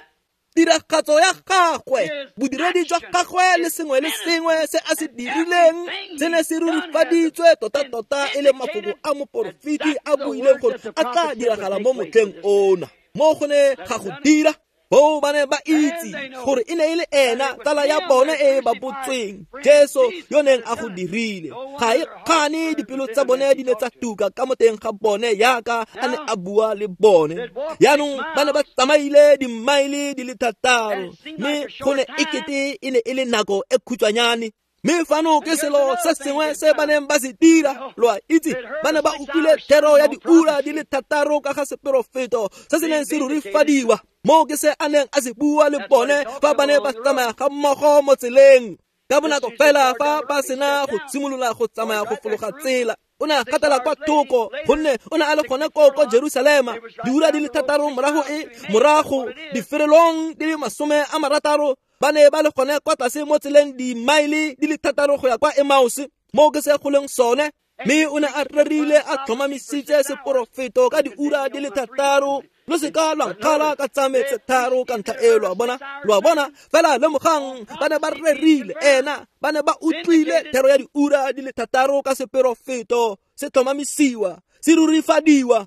Tiragatso ya gagwe, bodiredi jwa gagwe le sengwe le sengwe se a se dirileng se ne se rurifaditswe tota-tota e le mafoko a moporofeti a buileng gore a tla diragala mo motlheng ona. Mo go ne ga go dira, Bo ba ne ba itse gore e ne e le ena tsala ya bone e ba botsweng, Jesu yo neng a go dirile. Ga e kgane dipelo tsa bone di ne tsa tuka ka mo teng ga bone yaka a ne a bua le bone. Jaanong ba ne ba tsamaile dimaele di le thataro, mme go ne ekete e ne e le nako e khutshwanyane. Mme fano ke selo se sengwe se ba neng ba se dira, lo a itse, ba ne ba utlwile thero ya diura di le thataro ka ga seperofeto se se neng se rurifadiwa. Mo ke se a neng a se bua le bone fa ba ne ba tsamaya ga mmogo mo tseleng. Ka bonako fela fa ba sena go simolola go tsamaya go fologa tsela, O ne a gatela kwa thoko gonne o ne a le gone koo kwa Jerusalema diura di le thataro morago e morago diferelong di le masome a marataro ba ne ba le gone kwa tlase mo tseleng dimaele di le thataro go ya kwa Emmaus mo ke se go leng sone. Mme o ne a rerile a tlhomamisitse seporofeto ka diura di le thataro. Lo seka lwa nkgala ka tsa me tse tharo ka ntlha e, lo a bona, lo a bona. Fela lemogang ba ne ba rerile ena, ba ne ba utlwile thero ya diura di le thataro ka seporofeto se tlhomamisiwa, se rurifadiwa.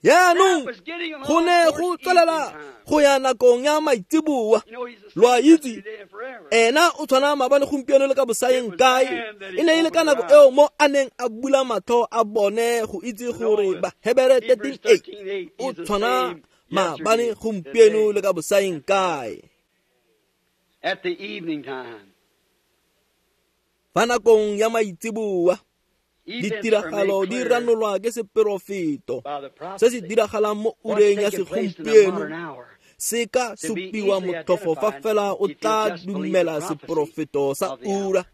Jaanong go ne go tswelela go ya nakong ya maitseboa. Lo a itse ena o tshwana maabane gompieno le ka bosaeng kae. E ne e le ka nako eo mo a neng a bula matlho a bone go itse gore Bahebere thirteen eight o tshwana maabane gompieno le ka bosaeng kae. At the evening time, fa nakong ya maitseboa ditiragalo di ranolwa ke seporofeto se se diragalang mo ureng ya segompieno se ka supiwa motlhofo fa fela o tla dumela seporofeto sa ura.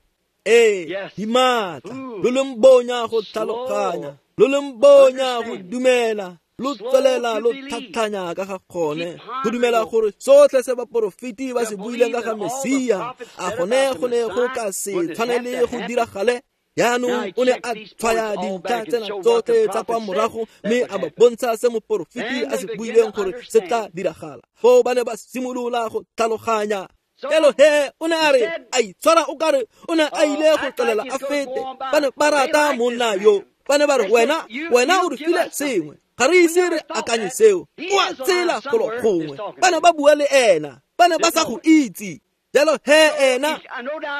Ee, di maatla, lo leng bonya go tlhaloganya, lo leng bonya go dumela, lo tswelela lo tlhatlhanya ka ga gone go dumela gore sotlhe se baporofeti ba se buileng ka ga Mesia a gone go ne go ka se tshwanele go diragale. Jaanong o ne a tshwaya dintlha tsena tsotlhe tsa kwa morago mme a ba bontsha se moporofeti a se buileng gore se tla diragala. Foo ba ne ba simolola go tlhaloganya. Jalo he o ne a re a itshwara o kare o ne a ile go tswelela a fete. Ba ne ba rata monna yo, ba ne ba re wena wena o re file sengwe, ga re ise re akanye seo, o a tsela golo gongwe. Ba ne ba bua le ena, ba ne ba sa go itse. Jalo he ena,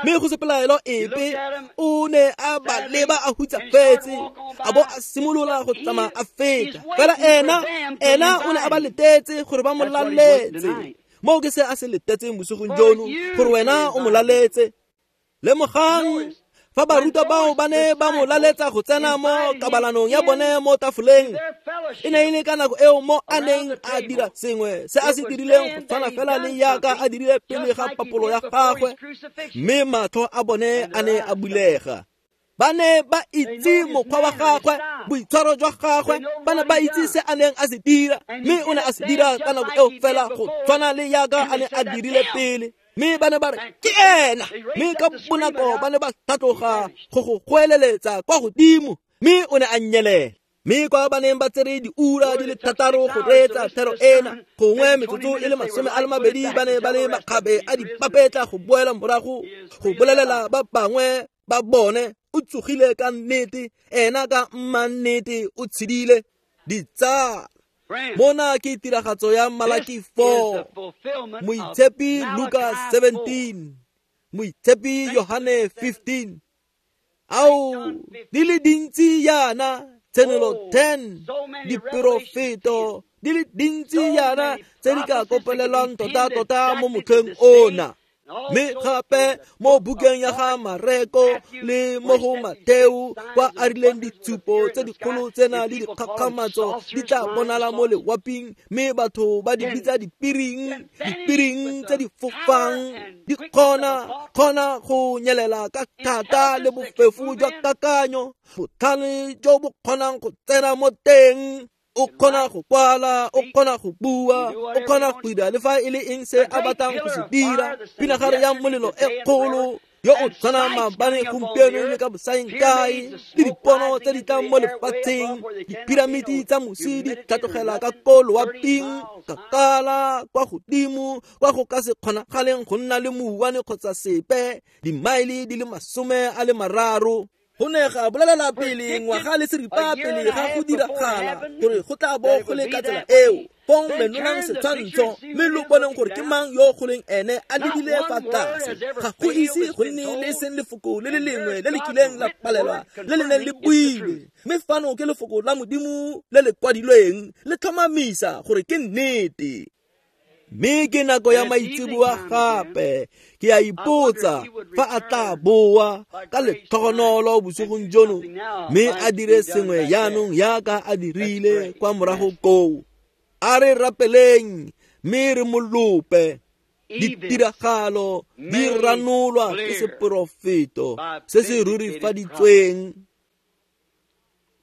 mme go se pelaelo epe, o ne a ba leba a hutsafetse, a bo a simolola go tsamaya a feta. Fela ena, ena o ne a ba letetse gore ba mo laletse. Moo ke se a se letetseng bosigong jono, gore wena o mo laletse. Lemogang fa barutwa bao ba ne ba mo laletsa go tsena mo kabalanong ya bone mo tafoleng, e ne e le ka nako eo mo a neng a dira sengwe se a se dirileng go tshwana fela le yaka a dirile pele ga papolo ya gagwe, mme matlho a bone a ne a bulega. Ba ne ba itse mokgwa wa gagwe, boitshwaro jwa gagwe, ba ne ba itse se a neng a se dira, mme o ne a se dira ka nako eo fela go tshwana le yaka a ne a dirile pele. Mme ba ne ba re ke ena, mme ka bonako ba ne ba tlhatloga go go goeleletsa kwa godimo, mme o ne a nyelela. Mme kwa ba neng ba tsere diura di le thataro go reetsa thero ena, gongwe metsotso e le masome a le mabedi, ba ne ba le makgabe a dipapetla go boela morago go bolelela ba bangwe ba bone o tsogile ka nnete, ena ka mmannete o tshedile. Ditsala, mona ke tiragatso ya Malaki four, Moitshepi Luka seventeen, Moitshepi Yohane fifteen. Ao, di le dintsi yana, Tshenolo ten, diporofeto di le dintsi yana tse di ka kopelelwang tota-tota mo motlheng ona. Mme gape mo bukeng ya ga Mareko le mo go Mateo kwa a rileng ditshupo tse dikgolo tsena le dikgakgamatso di tla bonala mo lewaping, mme batho ba di bitsa dipiring, dipiring tse di fofang di kgona kgona go nyelela ka thata le bofefo jwa kakanyo, botlhale jo bo kgonang go tsena mo teng. O kgona go kwala, o kgona go bua, o kgona go dira le fa e le eng se a batlang go se dira. Pinagare ya molelo e kgolo yo o tshwanang maabane gompieno le ka bosaeng kae, le dipono tse di tlang mo lefatsheng, dipiramiti tsa mosi di tlhatlogela ka ko loaping, kgakala kwa godimo kwa go ka se kgonagaleng go nna le mouwane kgotsa sepe, dimaele di le masome a le mararo. Go ne ga bolelela pele ngwaga le seripa pele ga go diragala gore go tla bo go le ka tsela eo. Fong menolang setshwantsho mme lo boneng gore ke mang yo go leng ene a lebile fa tlase. Ga go ise go nne le seng lefoko le le lengwe le le kileng la palelwa le le neng le builwe, mme fano ke lefoko la Modimo le le kwadilweng le tlhomamisa gore ke nnete. Mme ke nako ya maitseboa gape, ke a ipotsa fa a tla boa ka letlhogonolo bosigong jono, mme a dire sengwe jaanong yaka a dirile kwa morago koo. A re rapeleng mme re mo lope. Ditiragalo di ranolwa ke seporofeto se se rurifaditsweng.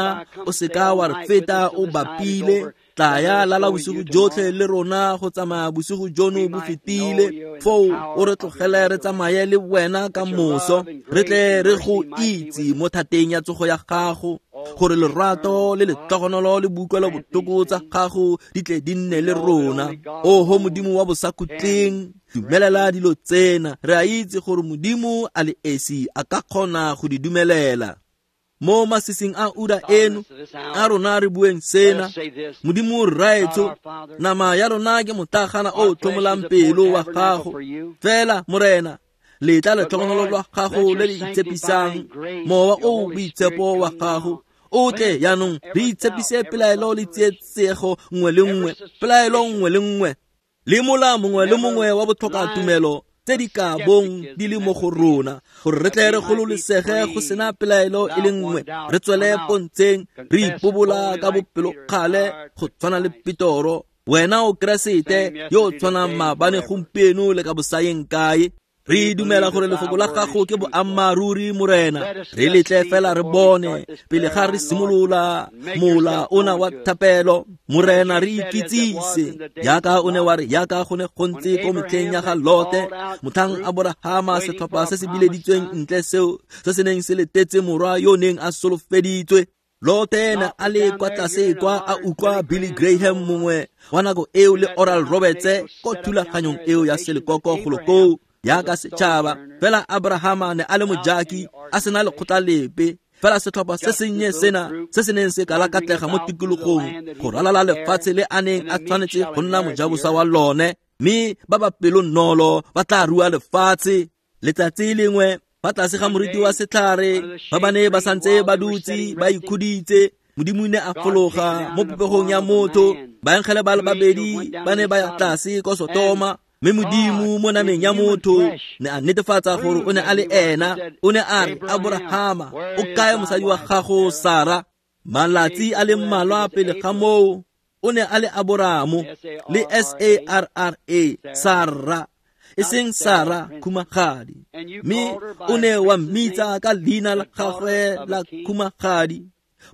rona, o seka wa re feta o bapile. Tlaya lala bosigo jotlhe le rona go tsamaya bosigo jono bo fetile. Foo o re tlogele re tsamaye le wena ka moso, re tle re go itse mo thateng ya tsogo ya gago. gore lerato le letlhogonolo le boutlwelo botlhoko tsa gago di tle di nne le rona. Oho Modimo wa bosakhutleng, dumelela dilo tsena. Re a itse gore Modimo a le esi a ka kgona go di dumelela. Mo masising a ura eno, a rona re bueng sena, Modimo rraetsho, nama ya rona ke motlagana o tlhomolang pelo wa gago. Fela Morena, letla letlhogonolo lwa gago le le itshepisang, mowa o boitshepo wa gago o tle jaanong re itshepise pelaelo le tsietsego nngwe le nngwe, pelaelo nngwe le nngwe, le mola mongwe le mongwe wa botlhokatumelo tse di ka bong di le mo go rona, gore re tle re gololesege go sena pelaelo e le nngwe, re tswele pontsheng re ipobola ka bopelokgale go tshwana le Petoro. Wena o Keresete yo o tshwanang maabane, gompieno le ka bosayeng kae. Re dumela gore lefoko la gago ke boammaaruri, Morena. Re letle fela re bone pele ga re simolola mola ona wa thapelo. Morena, re ikitsise jaaka o ne wa re, jaaka go ne go ntse ko metlheng ya ga Lote, motlhang Aborahama setlhopha se se bileditsweng ntle seo se se neng se letetse morwa yo neng a solofeditswe. Lote ne a le kwa tlase kwa a utlwa Billy Graham mongwe wa nako eo le Oral Roberts ko thulaganyong eo ya selekoko golo koo jaaka setšhaba. Fela Abrahama ne a le mojaki, a sena lekgotla lepe, fela setlhopha se sennye sena se se neng se kalakatlega mo tikologong go ralala lefatshe le a neng a tshwanetse go nna mojabosa wa lone, mme ba ba pelonolo ba tla rua lefatshe. Letsatsi lengwe fa tlase ga moriti wa setlhare, ba ba ne ba santse ba dutse ba ikhuditse, Modimo ne a fologa mo popegong ya motho. Baengele ba le babedi ba ne ba ya tlase ko Sotoma, mme Modimo mo nameng ya motho ne a netefatsa gore o ne a le ena. O ne a re, Aborahama, o kae mosadi wa gago Sara? Malatsi a le mmalwa pele ga moo o ne a le Aboramo le S A R R A, Sara, e seng Sara khumagadi, mme o ne wa mmitsa ka leina la gagwe la khumagadi,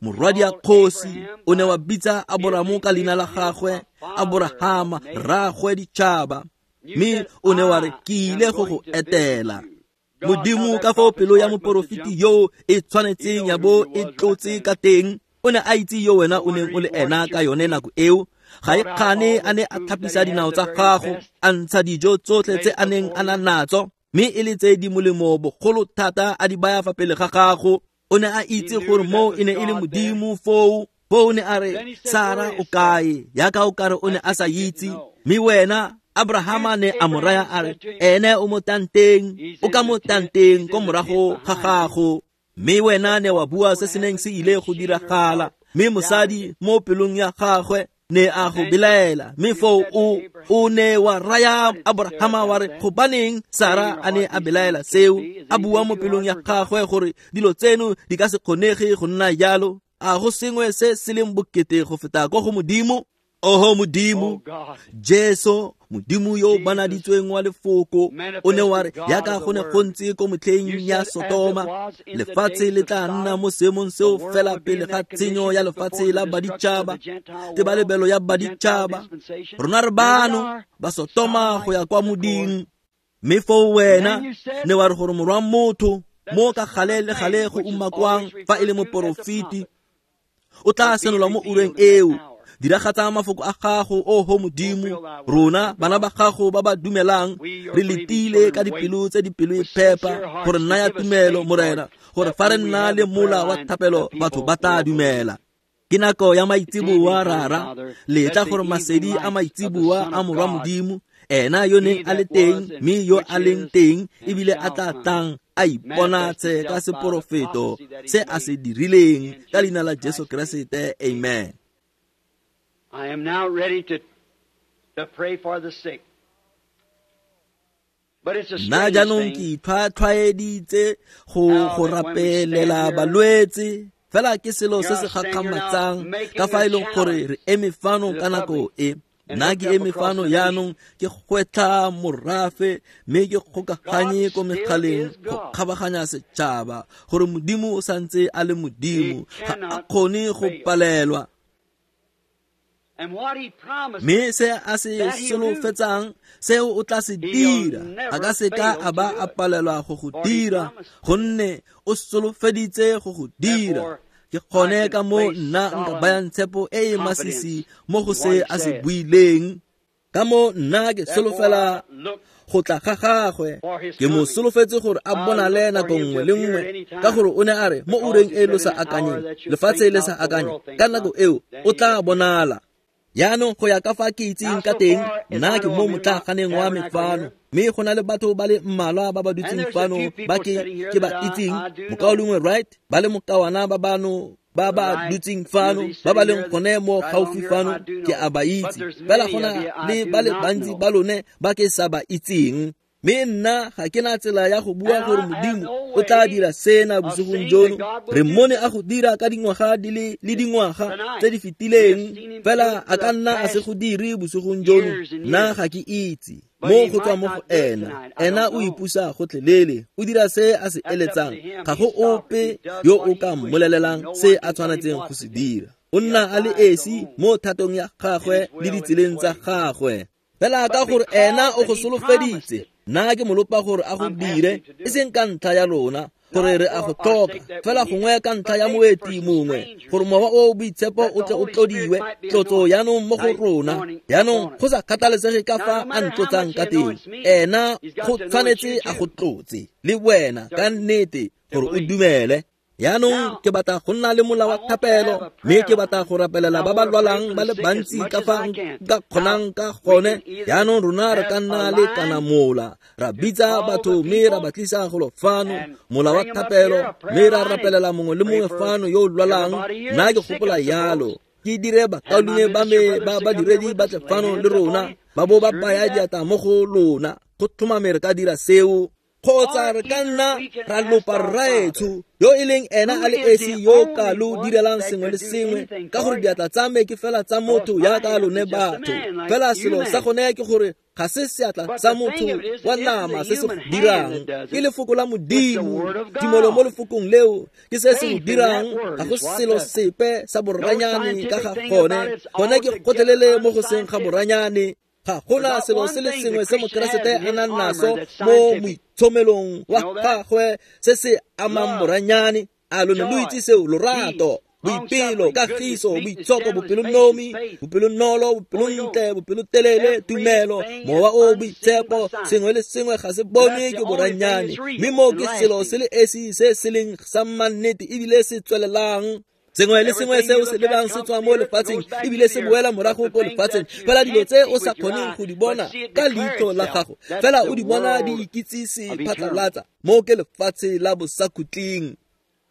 morwadi ya kgosi. O ne wa bitsa Aboramo ka leina la gagwe, Aborahama, rraagwe ditšhaba, mme o ne wa re, ke ile go go etela. Modimo, ka fao pelo ya moporofeti yo e tshwanetseng ya bo e tlotse ka teng, o ne a itse yo wena o neng o le ena ka yone nako eo. Ga e kgane a ne a thapisa dinao tsa gago, a ntsha dijo tsotlhe tse a neng a na natso, mme e le tse di molemo bogolo thata a di baya fa pele ga gago. O ne a itse gore moo e ne e le Modimo foo. Foo o ne a re, Sara o kae? Jaaka o kare o ne a sa itse. Mme wena Abrahama ne a mo raya a re, ene o mo tanteng, o ka mo tanteng ko morago ga gago. Mme wena ne wa bua se se neng se ile go diragala, mme mosadi mo pelong ya gagwe ne a go belaela. Mme foo o o ne wa raya Abrahama wa re, gobaneng Sara a ne a belaela seo, a bua mo pelong ya gagwe gore dilo tseno di ka se kgonege go nna jalo? A go sengwe se se leng bokete go feta ko go Modimo? Oho Modimo, Jesu, Modimo yo o banaditsweng wa lefoko, o ne wa re, jaaka go ne go ntse ko motlheng ya Sotoma, lefatshe le tla nna mo seemong seo fela pele ga tshenyo ya lefatshe la baditšhaba, tebalebelo ya baditšhaba. Rona re bano ba Sotoma go ya kwa moding. Mme foo wena ne wa re gore morwa motho mo ka gale le gale go umakwang fa e le moporofeti o tla senolwa mo ureng eo. Diragatsa mafoko a gago, oho Modimo. Rona bana ba gago ba ba dumelang re letile ka dipelo tse di pelo e phepa gore nna ya tumelo, Morena, gore fa re nna le mola wa thapelo batho ba tla dumela. Ke nako ya maitseboa, Rara. Letla gore masedi a maitseboa a morwa Modimo, ena yo neng a le teng mme yo a leng teng ebile a tla tlang, a iponatse ka seporofeto se a se dirileng, ka leina la Jesu Keresete, amen. I am now ready to, to pray for the sick. But it's a Nna strange jaanong thing ke itlhwatlhwaeditse go go rapelela balwetse, fela ke selo se se gakgamatsang ka fa e leng gore re eme fano ka nako e. Nna ke eme fano jaanong ke gwetlha morafe, mme ke kgokaganye ko megaleng go kgabaganya setšhaba gore Modimo o santse a le Modimo, ga a kgone go palelwa. And what he promised, Mme se a se solofetsang seo o tla se dira, a ka se ka a ba a palelwa go go dira, gonne o solofeditse go go dira. Ke gone ka mo nna nka bayang tshepo e e masisi mo go se a se buileng. Ka mo nna ke solofela go tla ga gagwe, ke mo solofetse gore a bonale nako nngwe le nngwe, ka gore o ne a re mo ureng e lo sa akanyeng, lefatshe le sa akanye, ka nako eo o tla bonala. Jaanong go ya ka fa ke itseng ka teng, nna ke mo motlaaganeng wa me fano, mme go na le batho ba le mmalwa ba ba dutseng fano ba ke ke ba itseng, mokaulengwe Wright, ba le mokawana ba bano ba ba dutseng fano, ba ba leng gone mo gaufi fano, ke a ba itse. Fela go na le ba le bantsi ba lone ba ke sa ba itseng. Mme nna ga ke na tsela ya go bua gore Modimo o tla dira sena bosigong jono. Re mmone a go dira ka dingwaga di le le dingwaga tse di fetileng, fela a ka nna a se go dire bosigong jono. Nna ga ke itse. Mo go tswa mo go ena, ena o ipusa gotlhelele, o dira se a se eletsang. Ga go ope yo o ka mmolelelang se a tshwanetseng go se dira. O nna a le esi mo thatong ya gagwe le ditseleng tsa gagwe. Fela ka gore ena o go solofeditse, nna ke mo lopa gore a go dire, e seng ka ntlha ya lona, gore re a go tlhoka, fela gongwe ka ntlha ya moeti mongwe, gore mowa o boitshepo o tle o tlodiwe, tlotso jaanong mo go rona. Jaanong go sa kgathalesege ka fa a ntlotsang ka teng, ena go tshwanetse a go tlotse le wena ka nnete gore o dumele. Jaanong ke batla go nna le mola wa thapelo, mme ke batla go rapelela ba ba lwalang ba le bantsi ka fa nka kgonang ka gone. Jaanong rona re ka nna le kana mola, ra bitsa batho mme ra ba tlisa golo fano, mola wa thapelo, mme ra rapelela mongwe le mongwe fano yo o lwalang. Nna ke gopola yalo, ke dire bakaulengwe ba me ba badiredi ba tle fano le rona, ba bo ba baya diatla mo go lona. Go tlhomame re ka dira seo. Kgotsa re ka nna ra lopa rraetsho yo e leng ena a le esi yo ka lo direlang sengwe le sengwe, ka gore diatla tsa me ke fela tsa motho jaaka lone batho. Fela selo sa gone ke gore ga se seatla sa motho wa nama se se dirang, ke lefoko la Modimo. Tumelo mo lefokong leo ke se se go dirang, ga go selo sepe sa boranyane ka ga gone. Gone ke gotlhelele mo go seng ga boranyane. Ga gona selo se le sengwe se Mokeresete a nang naso mo moitshomelong wa gagwe se se amang boranyane. A lone lo itse seo? Lorato, boipelo, kagiso, boitshoko, bopelonomi, bopelonolo, bopelontle, bopelotelele, tumelo, mowa o boitshepo, sengwe le sengwe ga se bonwe ke boranyane. Mme mo ke selo se le esi se se leng sa mannete ebile se tswelelang. Sengwe le sengwe seo se lebang se tswa mo lefatsheng ebile se boela morago ko lefatsheng. Fela dilo tse o sa kgoneng go di bona ka leitlho la gago, fela o di bona di ikitsise phatlalatsa. Mo ke lefatshe la bosakhutleng.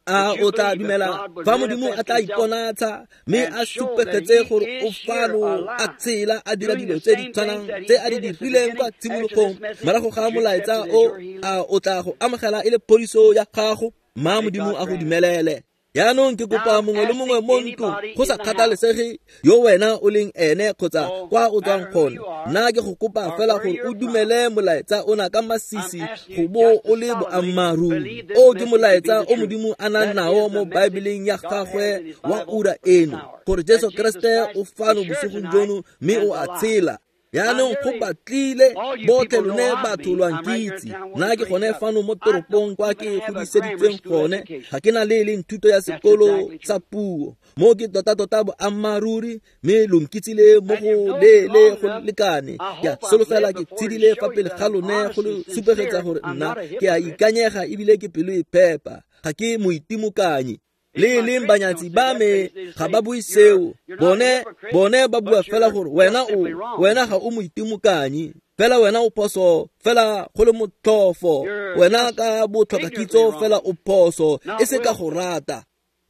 A o tla dumela fa Modimo a tla iponatsha mme a supegetse gore o fano a tshela a dira dilo tse di tshwanang tse a di dirileng kwa tshimologong morago ga molaetsa o, a o tla go amogela e le phodiso ya gago? Mma Modimo a go dumelele. Jaanong ke kopa mongwe le mongwe mo ntlong, go sa kgathalesege yo wena o leng ene kgotsa kwa o tswang gone, nna ke go kopa fela gore o dumele molaetsa ona ka masisi go bo o le boammaaruri. O ke molaetsa o Modimo a nang nao mo Baebeleng ya gagwe wa ura eno, gore Jesu Keresete o fano bosigong jono mme o a tshela. Jaanong go batlile botlhe lone batho lwa nkitse. Nna ke gone fano mo toropong kwa ke godiseditsweng gone, ga ke na le e leng thuto ya sekolo sa puo. Mo ke tota-tota boammaaruri, mme lo nkitsile mo go leele go lekane. Ke a solofela ke tshedile fa pele ga lone go lo supegetsa gore nna ke a ikanyega ebile ke pelo e phepa, ga ke moitimokanyi. Le leng banyatsi ba me ga ba bue seo, bone bone ba bua fela gore wena o wena ga o moitimokanyi, fela wena o phoso, fela go le motlhofo, wena ka botlhokakitso fela o phoso, e se ka go rata.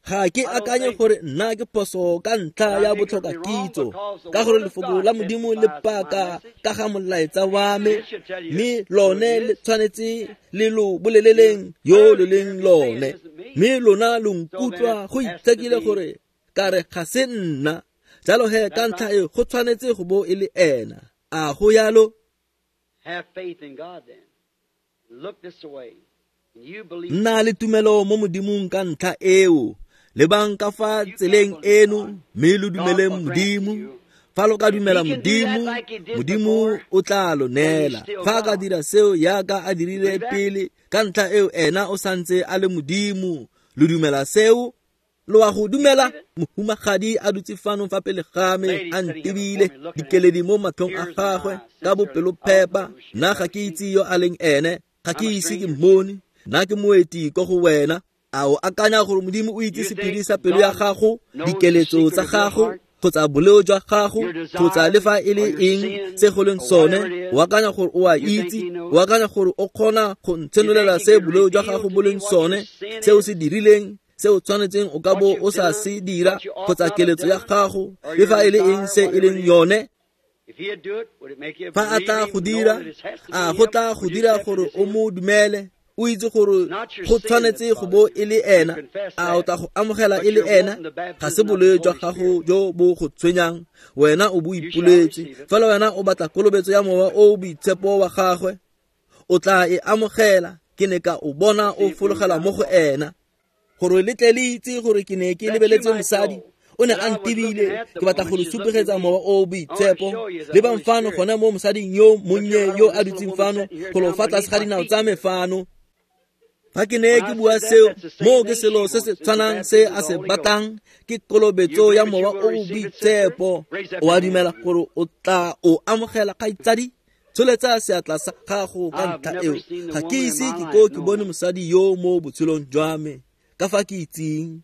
Ga ke akanye gore nna ke phoso ka ntlha ya botlhokakitso, ka gore lefoko la Modimo le paka ka ga molaetsa wa me, mme lone le tshwanetse le lo boleleleng yo lo leng lone. Mme lona lo nkutlwa go itshekile gore ka re ga se nna, jalo he ka ntlha e go tshwanetse go bo e le ena. A go yalo? Have faith in God then. Look this way. You believe. Nna le tumelo mo Modimong ka ntlha eo. Lebang ka fa tseleng eno, mme lo dumele Modimo. Fa lo ka dumela Modimo, Modimo o tla lo neela. Fa a ka dira seo jaaka a dirile pele, ka ntlha eo ena o santse a le Modimo. Lo dumela seo? Lo a go dumela? Mohumagadi a dutse fano fa pele ga me a ntebile, dikeledi mo matlhong a gagwe ka bopelophepa. Nna ga ke itse yo a leng ene, ga ke ise ke mmone, nna ke moeti ko go wena. A o akanya gore Modimo o itse sephiri sa pelo ya gago, dikeletso tsa gago, kgotsa boleo jwa gago, kgotsa le fa e le eng se go leng sone? O akanya gore o a itse? O akanya gore o kgona go ntshenolela se boleo jwa gago bo leng sone, se o se dirileng, se o tshwanetseng o ka bo o sa se dira, kgotsa keletso ya gago, le fa e le eng se e leng yone? Fa a tla go dira, a go tla go dira gore o mo dumele, o itse gore go tshwanetse go bo e le ena? A o tla go amogela e le ena? Ga se boleo jwa gago jo bo go tshwenyang, wena o bo ipoletse. Fela wena o batla kolobetso ya Mowa o o Boitshepo wa gagwe, o tla e amogela. Ke ne ka o bona o fologela mo go ena. Gore le tle le itse gore ke ne ke lebeletse mosadi, o ne a ntebile, ke batla go le supegetsa Mowa o o Boitshepo. Lebang fano gone mo mosading yo monnye yo a dutseng fano, golo fa tlase ga dinao tsa me fano. Fa ke ne ke bua seo, moo ke selo se se tshwanang se a se batlang, ke kolobetso ya Mowa o o Boitshepo. O a dumela gore o tla o amogela, kgaitsadi? Tsholetsa seatla sa gago ka ntlha eo. Ga ke ise ke ko ke bone mosadi yo mo botshelong jwa me, ka fa ke itseng.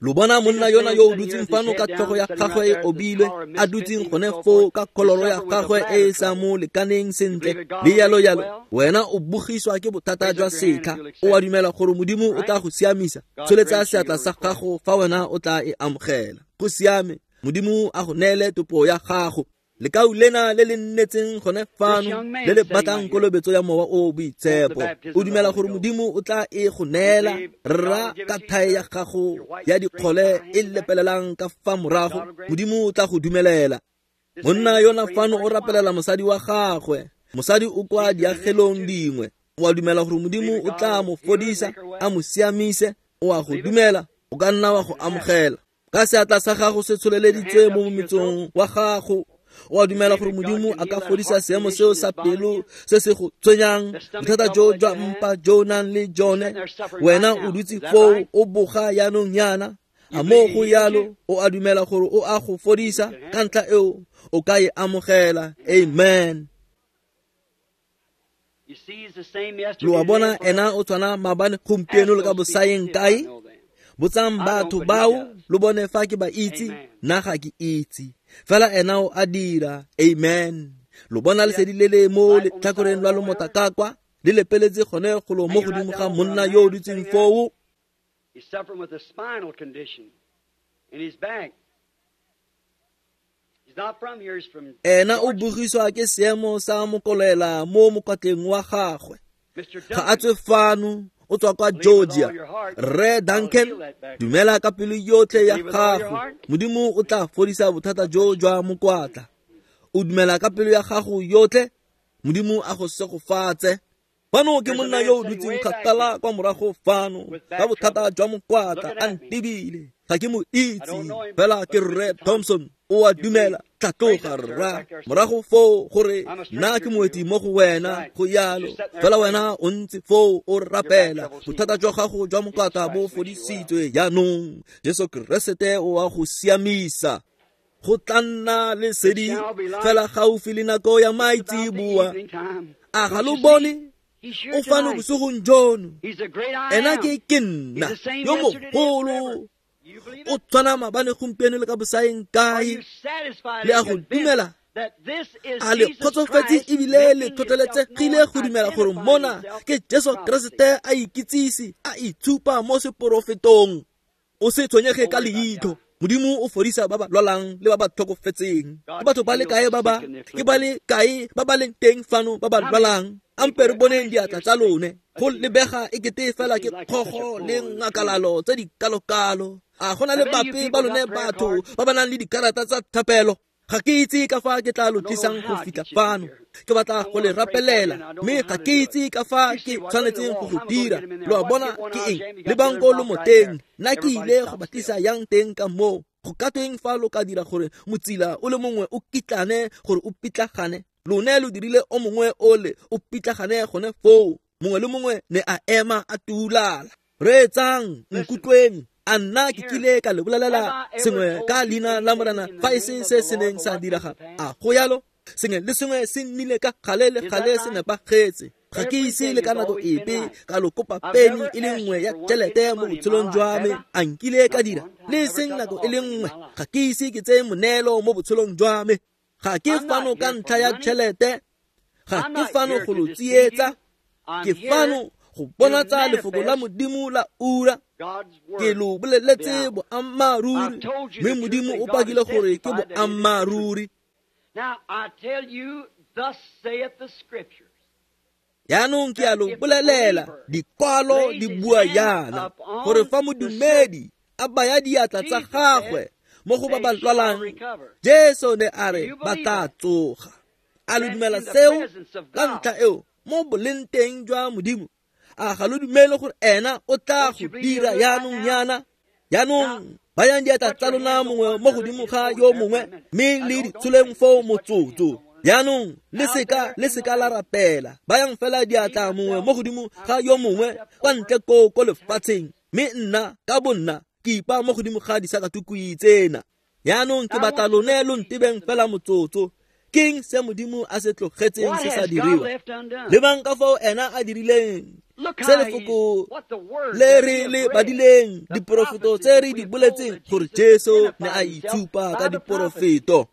Lo bona monna yona yo o dutseng fano ka tlhogo ya gagwe e obilwe, a dutseng gone foo ka kholoro ya gagwe e e sa mo lekaneng sentle, le yalo yalo. Wena o bogiswa ke bothata jwa setlha. O a dumela gore Modimo o tla go siamisa? Tsholetsa seatla sa gago fa wena o tla e amogela. Go siame. Modimo a go neele topo ya gago. Lekau lena le le nnetseng gone fano, le le batlang kolobetso ya Mowa o o Boitshepo, o dumela gore Modimo o tla e go neela? Rra, ka thae ya gago ya dikgole e lepelelang ka fa morago, Modimo o tla go dumelela. Monna yona fano o rapelela mosadi wa gagwe. Mosadi o kwa diagelong dingwe. O a dumela gore Modimo o tla mo fodisa, a mo siamise? O a go dumela? O ka nna wa go amogela. Ka seatla sa gago se tsholeleditswe mo mometsong wa gago, o a dumela gore Modimo a ka fodisa seemo seo sa pelo se se go tshwenyang, bothata jo jwa mpa jo o nang le jone? Wena o dutse foo o boga yaanong yana. A mo go yalo, o a dumela gore o a go fodisa? Ka ntlha eo o ka e amogela. Amen. Lo a bona, ena o tshwana maabane, gompieno le ka bosaeng kae? Botsang batho bao, lo bone fa ke ba itse. Nna ga ke itse, fela ena o a dira. Amen. Lo bona lesedi le le mo letlhakoreng lwa lomota ka kwa, le lepeletse gone golo mo godimo ga monna yo o dutseng foo. He's suffering with a spinal condition in his back. He's not from here, he's from Ena o bogiswa ke seemo sa mokolela mo mokwatleng wa gagwe. Mister Ga a Duncan. tswe fano, o tswa kwa Georgia. Rre Duncan, dumela ka pelo yotlhe ya gago, Modimo o tla fodisa bothata jo jwa mokwatla. O dumela ka pelo ya gago yotlhe, Modimo a go segofatse. Fano ke monna yo o dutseng kgakala kwa morago fano ka bothata jwa mokwatla, a ntebile. Ga ke mo itse, fela ke Rre Thompson. O a dumela? Tlhatloga, rra, morago foo gore nna ke moeti mo go wena. Go yalo, fela wena o ntse foo o rapela. Bothata jwa gago jwa mokwatla bo fodisitswe jaanong. Jesu Keresete o a go siamisa. Go tla nna lesedi fela gaufi le nako ya maitseboa. A ga lo bone? O fano bosigong jono. Ena ke ke nna yo mogolo. O tshwana maabane, gompieno le ka bosaeng kae. Le a go dumela? A le kgotsofetse ebile le tlhotlheletsegile go dumela gore mona ke Jesu Keresete a ikitsise, a itshupa mo seporofetong? O se tshwenyege ka leitlho. Modimo o fodisa ba ba lwalang le ba ba tlhokofetseng. Ke batho ba le kae ba ba ke ba le kae ba ba leng teng fano ba ba lwalang? Ampe re boneng diatla tsa lone. Go lebega e kete fela ke kgogo le ngakalalo tse di kalokalo. A go na le bape ba lone batho ba ba nang le dikarata tsa thapelo? Ga ke itse ka fa ke tla lo tlisang go fitlha fano. Ke batla go le rapelela, mme ga ke itse ka fa ke tshwanetseng go go dira. Lo a bona ke eng? Lebang ko lomoteng. Nna ke ile go ba tlisa yang teng ka moo. Go ka tweng fa lo ka dira gore motsila o le mongwe o kitlane gore o pitlagane? Lone lo dirile o mongwe ole o pitlagane gone foo. Mongwe le mongwe ne a ema a tuulala. Reetsang, nkutlweng. A nna ke kile ka le bolelela sengwe ka leina la Morena fa e se se se neng sa diragala? A go yalo? Sengwe le sengwe se nnile ka gale le gale se nepagetse. Ga ke ise le ka nako epe ka lo kopa peni e le nngwe ya tšhelete mo botshelong jwa me. A nkile ka dira le seng nako e le nngwe. Ga ke ise ke tseye moneelo mo botshelong jwa me. Ga ke fano ka ntlha ya tšhelete. Ga ke fano go lo tsietsa. Ke fano go bonatsa lefoko la Modimo la ura. Ke lo boleletse boammaaruri, mme Modimo o pakile gore ke boammaaruri. Jaanong ke a lo bolelela, dikwalo di bua jaana, gore fa modumedi a baya diatla tsa gagwe mo go ba ba lwalang, Jesu ne a re ba tla tsoga. A lo dumela seo? Ka ntlha eo, mo boleng teng jwa Modimo, a ga lo dumele gore ena o tla go dira jaanong yana? Jaanong bayang diatla tsa lona mongwe mo godimo ga yo mongwe, mme le di tsholeng foo motsotso. Jaanong le seka le seka la rapela. Bayang fela diatla mongwe mo godimo ga yo mongwe kwa ntle koo ko lefatsheng, mme nna ka bonna ke ipa mo godimo ga disakatukwi tsena. Jaanong ke batla lone lo ntebeng fela motsotso. Keng se Modimo a se tlogetseng se sa diriwa? Lebang ka fao ena a dirileng se lefoko le re le badileng, diporofeto tse re di boletseng gore Jesu ne a itshupa ka diporofeto.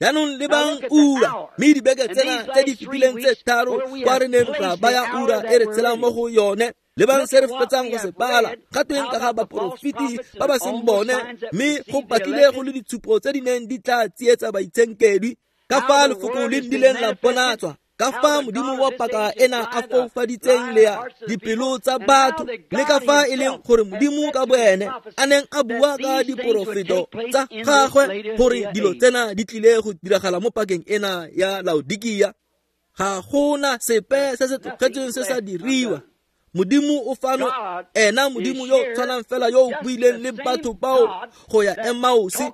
Jaanong lebang ura, mme dibeke tsena tse di fetileng tse tharo kwa re neng ra baya ura e re tshelang mo go yone. Lebang se re fetsang go se bala, ga tweng ka ga baporofeti ba ba seng bone, mme go batlile go le ditshupo tse di neng di tla tsietsa baitshenkedwi. Ka fa lefoko le nnileng la bonatswa, ka fa Modimo wa paka ena a foufaditseng le ya dipelo tsa batho, le ka fa e leng gore Modimo ka boene a neng a bua ka diporofeto tsa gagwe gore dilo tsena di tlile go diragala mo pakeng ena ya Laodikia. Ga gona sepe se se tlogetsweng se sa diriwa. Modimo o fano, ena Modimo yo tshwanang fela yo o buileng le batho bao go ya Emausi,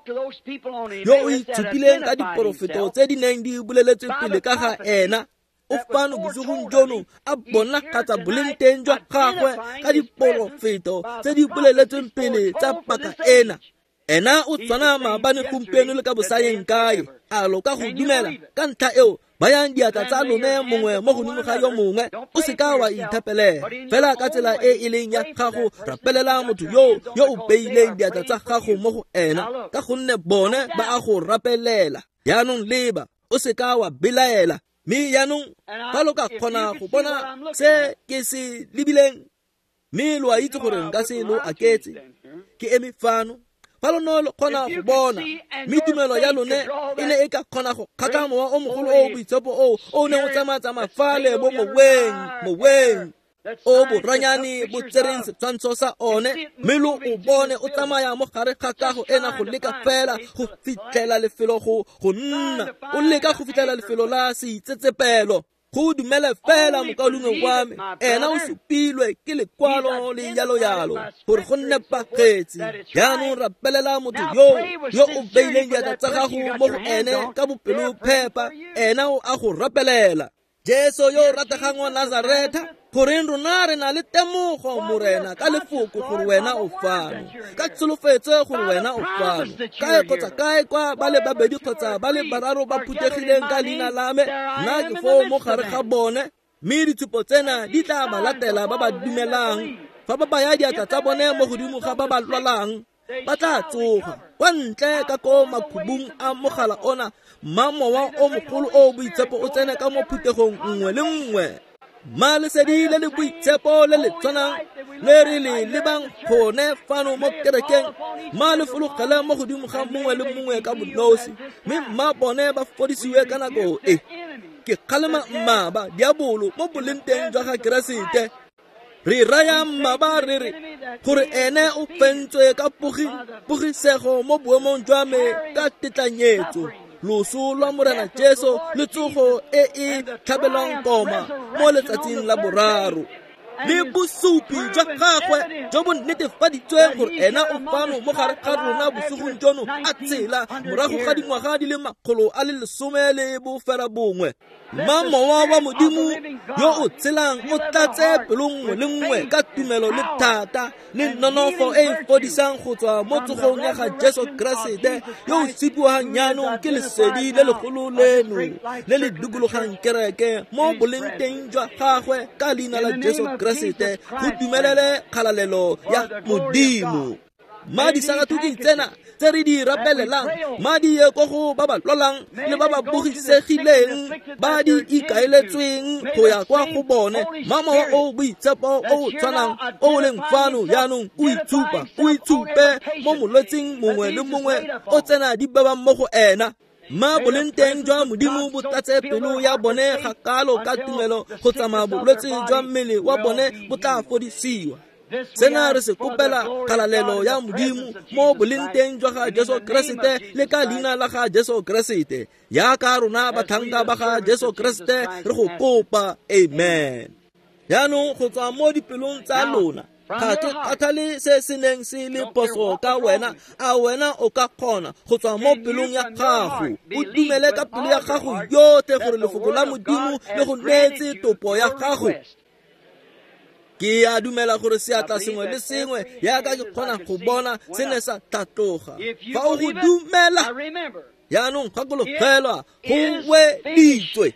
yo o itshupileng ka diporofeto tse di neng di boleletswe pele ka ga ena, o fano bosigong jono a bonagatsa boleng teng jwa gagwe ka diporofeto tse di boleletsweng pele tsa paka ena. Ena o tshwana maabane, gompieno le ka bosayeng kae. A lo ka go dumela? Ka ntlha eo, bayang diatla tsa lone mongwe mo godimo ga yo mongwe. O seka wa ithapelela fela ka tsela e e leng ya gago. Rapelela motho yo yo o beileng diatla tsa gago mo go ena, ka gonne bone ba a go rapelela. Jaanong leba, o seka wa belaela. Mme jaanong fa lo ka kgona go bona se ke se lebileng, mme lo a itse gore nka se lo aketse, ke eme fano. Fa lo ne lo kgona go bona, mme tumelo ya lone e ne e ka kgona go kgatlha mowa o mogolo o boitshepo o o neng o tsamaya-tsamaya fale mo moweng moweng o boranyane bo tsereng setshwantsho sa one, mme lo o bone o tsamaya mo gare ga kago ena go leka fela go fitlhela lefelo go go nna, o leka go fitlhela lefelo la seitsetsepelo. Go dumele fela mokaulengwe wa me, ena o supilwe ke lekwalo le yalo-yalo gore go nepagetse. Jaanong rapelela motho yo yo o beileng diatla tsa gago mo go ene ka bopelophepa, ena o a go rapelela. Jesu yo o rategang wa Nazaretha, goreng rona re na le temogo, Morena, ka lefoko gore wena o fano, ka tsholofetso gore wena o fano. Kae kgotsa kae kwa ba le babedi kgotsa ba le bararo ba phuthegileng ka leina la me, nna ke foo mo gare ga bone. Mme ditshupo tsena di tla ba latela ba ba dumelang. Fa ba baya diatla tsa bone mo godimo ga ba ba lwalang, ba tla tsoga. Kwa ntle ka ko makhubung a mogala ona, mma mowa o mogolo o boitshepo o tsene ka mo phuthegong nngwe le nngwe. Mma lesedi le le boitshepo le le tshwanang le re le lebang gone fano mo kerekeng, mma le fologele mo godimo ga mongwe le mongwe ka bonosi, mme mma bone ba fodisiwe ka nako e. Ke kgalema mmaba diabolo mo boleng teng jwa ga Keresete. Re raya mmaba re re gore ene o fentswe ka pogisego mo boemong jwa me ka tetlanyetso, loso lwa Morena Jesu le tsogo e e tlhabelwang koma mo letsatsing la boraro. Le bosupi jwa gagwe jo bo netefaditsweng gore ena o fano mo gare ga rona bosigong jono a tshela morago ga dingwaga di le makgolo a le lesome le bofera bongwe. Mma mowa wa Modimo yo o tshelang o tlatse pelo nngwe le nngwe ka tumelo le thata le nonofo e e fodisang go tswa mo tsogong ya ga Jesu Keresete yo o supiwang jaanong ke lesedi le legolo leno le le dikologang kereke mo boleng teng jwa gagwe ka leina la Jesu Keresete go dumelele kgalalelo ya Modimo. Madi sakatuki tsena tse re di rapelelang, madi ye ko go ba ba lwalang le ba ba bogisegileng ba di ikaeletsweng go ya kwa go bone. Mma mowa o boitshepo o o tshwanang o o leng fano jaanong o itshupa, o itshupe mo molwetsing mongwe le mongwe o tsena di bebang mo go ena. Mma boleng teng jwa Modimo bo tlatse pelo ya bone ga kalo ka tumelo go tsamaya bolwetse jwa mmele wa bone bo tla fodisiwa. Sena re se kopela kgalalelo ya Modimo mo boleng teng jwa ga Jesu Keresete le ka leina la ga Jesu Keresete. Jaaka rona batlhanka ba ga Jesu Keresete re go kopa, amen. Jaanong go tswa mo dipelong tsa lona, ga ke kgathale se se neng se le phoso ka wena, a wena o ka kgona go tswa mo pelong ya gago o dumele ka pelo ya gago yotlhe gore lefoko la Modimo le go neetse topo ya gago. Ke a dumela gore seatla sengwe le sengwe jaaka ke kgona go bona se ne sa tlhatloga. Fa o go dumela jaanong gakologelwa go weditswe.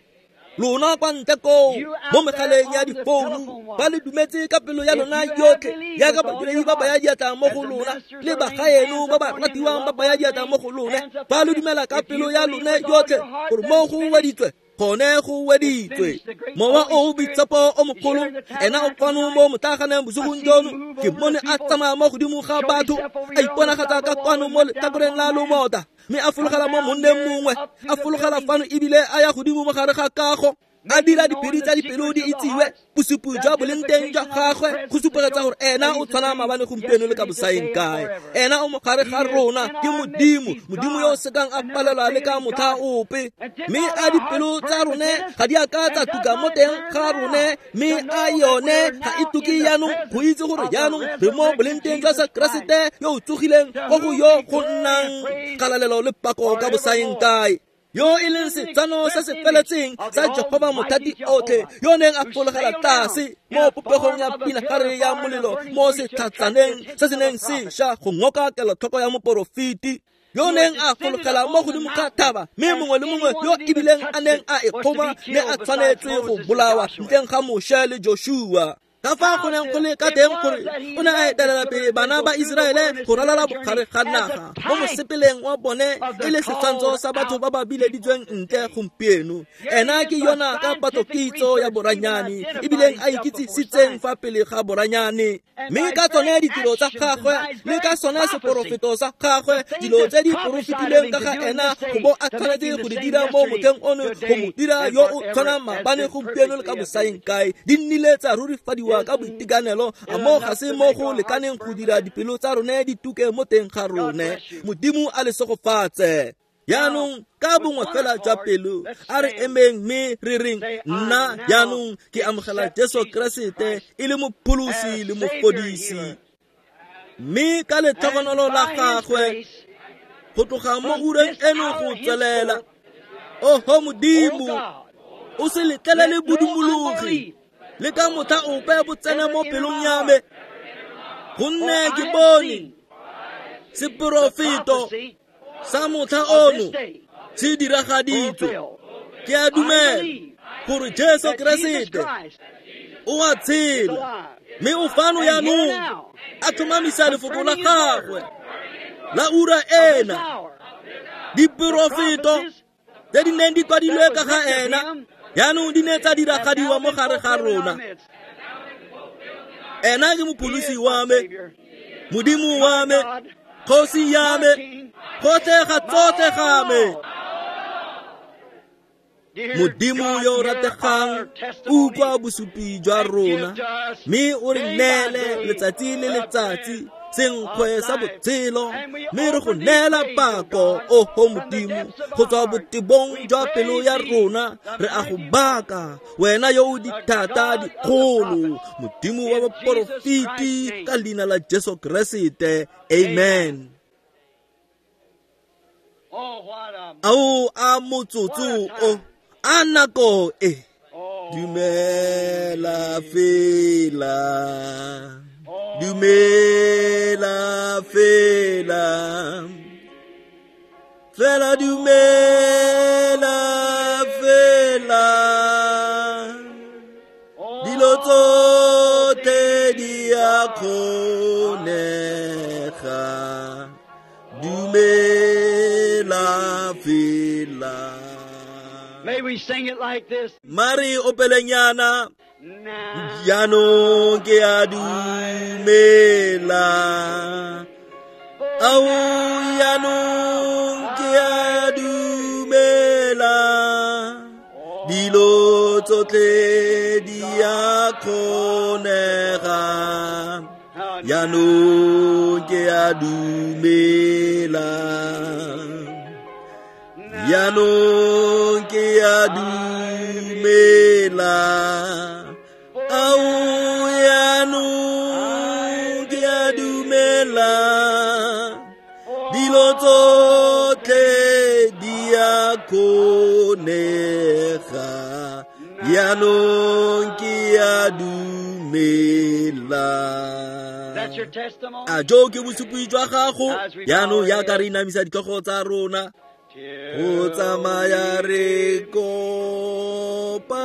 Lona kwa ntle koo mo megaleng ya difounu ba le dumetse ka pelo ya lona yotlhe jaaka badiredi ba baya diatla mo go lona le bagaeno ba ba ratiwang ba baya diatla mo go lone. Ba le dumela ka pelo ya lone yotlhe gore mo go weditswe gone go weditswe. Mowa o boitshepo o mogolo ena o fano mo motlaganeng bosigong jono. Ke mmone a tsamaya mo godimo ga batho a iponagatsa ka kwano mo letlhakoreng la lomota, mme a fologela mo monneng mongwe, a fologela fano ebile a ya godimo mo gare ga kago, a dira diphiri tsa dipelo di itsiwe. Bosupi jwa boleng teng jwa gagwe go supegetsa gore ena o tshwana maabane gompieno le ka bosaeng kae. Ena o mo gare ga rona ke Modimo, Modimo yo o sekang a palelwa le ka motlha ope. Mme a dipelo tsa rone ga di a ka tsa tuka mo teng ga rone, mme a yone ga e tuke jaanong go itse gore jaanong re mo boleng teng jwa sa Keresete yo o tsogileng ko go yo go nnang kgalalelo le pako ka bosaeng kae. Yo e leng setsano se se feletseng sa Jehova Mothati otlhe yo neng a fologela tlase mo popegong ya pinagare ya molelo mo setlhatsaneng se se neng se ša go ngoka kelotlhoko ya moporofeti, yo neng a fologela mo godimo ga thaba, mme mongwe le mongwe yo ebileng a neng a e kgoma ne a tshwanetswe go bolawa ntleng ga Moshe le Joshua. Ka fa go neng go le ka teng gore o ne a etelela pele bana ba Iseraele go ralala bogare ga naga mo mosepeleng wa bone e le setshwantsho sa batho ba ba bileditsweng ntle gompieno. Ena ke yona ka patlokitso ya boranyane ebileng a ikitsisitseng fa pele ga boranyane, mme ka tsone ditiro tsa gagwe le ka sone seporofeto sa gagwe, dilo tse di porofetileng ka ga ena go bo a tshwanetse go di dira mo motlheng ono go mo dira yo o tshwanang maabane gompieno le ka bosaeng kae, di nnile tsa rurifadiwa ka boitekanelo. A mo ga se mo go lekaneng go dira dipelo tsa rone di tuke mo teng ga rone. Modimo a le segofatse. Jaanong ka bongwe fela jwa pelo a re emeng mme re reng, nna jaanong ke amogela Jesu Keresete e le mopholosi le mofodisi, mme ka letlhogonolo la gagwe go tloga mo ureng eno go tswelela, oho Modimo, o se letlelele bodumologi le ka motlha ope bo tsene mo pelong ya me, gonne ke bone seporofeto sa motlha ono se diragaditswe. Ke a dumela gore Jesu Keresete o a tshela, mme o fano jaanong a tlhomamisa lefoko la gagwe la ura ena. Diporofeto tse di neng di kwadilwe ka ga ena jaanong di ne tsa diragadiwa mo gare ga rona. Ena ke mopholosi wa me, Modimo wa me, kgosi ya me, gotlhe ga tsotlhe ga me. Modimo yo o rategang, utlwa bosupi jwa rona, mme o re neele letsatsi le letsatsi senkgwe sa botshelo, mme re go neela pako, oho Modimo, go tswa botebong jwa pelo ya rona. Re a go baka, wena yo o dithata dikgolo, Modimo wa baporofeti, ka leina la Jesu Keresete. Amen. Ao a motsotso o, a nako e. Dumela fela, dumela fela, fela dumela fela, dilo tsotlhe di a kgonega, dumela fela. May we sing it like this. Mari opelenyana, jaanong ke a dumela, ao jaanong ke a dumela, dilo tsotlhe di a kgonega, jaanong ke a dumela, jaanong ke a dumela, ao jaanong ke a dumela, dilo tsotlhe di a kgonega, jaanong ke a dumela. A jo ke bosupi jwa gago? Jaanong jaaka re inamisa ditlhogo tsa rona, go tsamaya re kopana,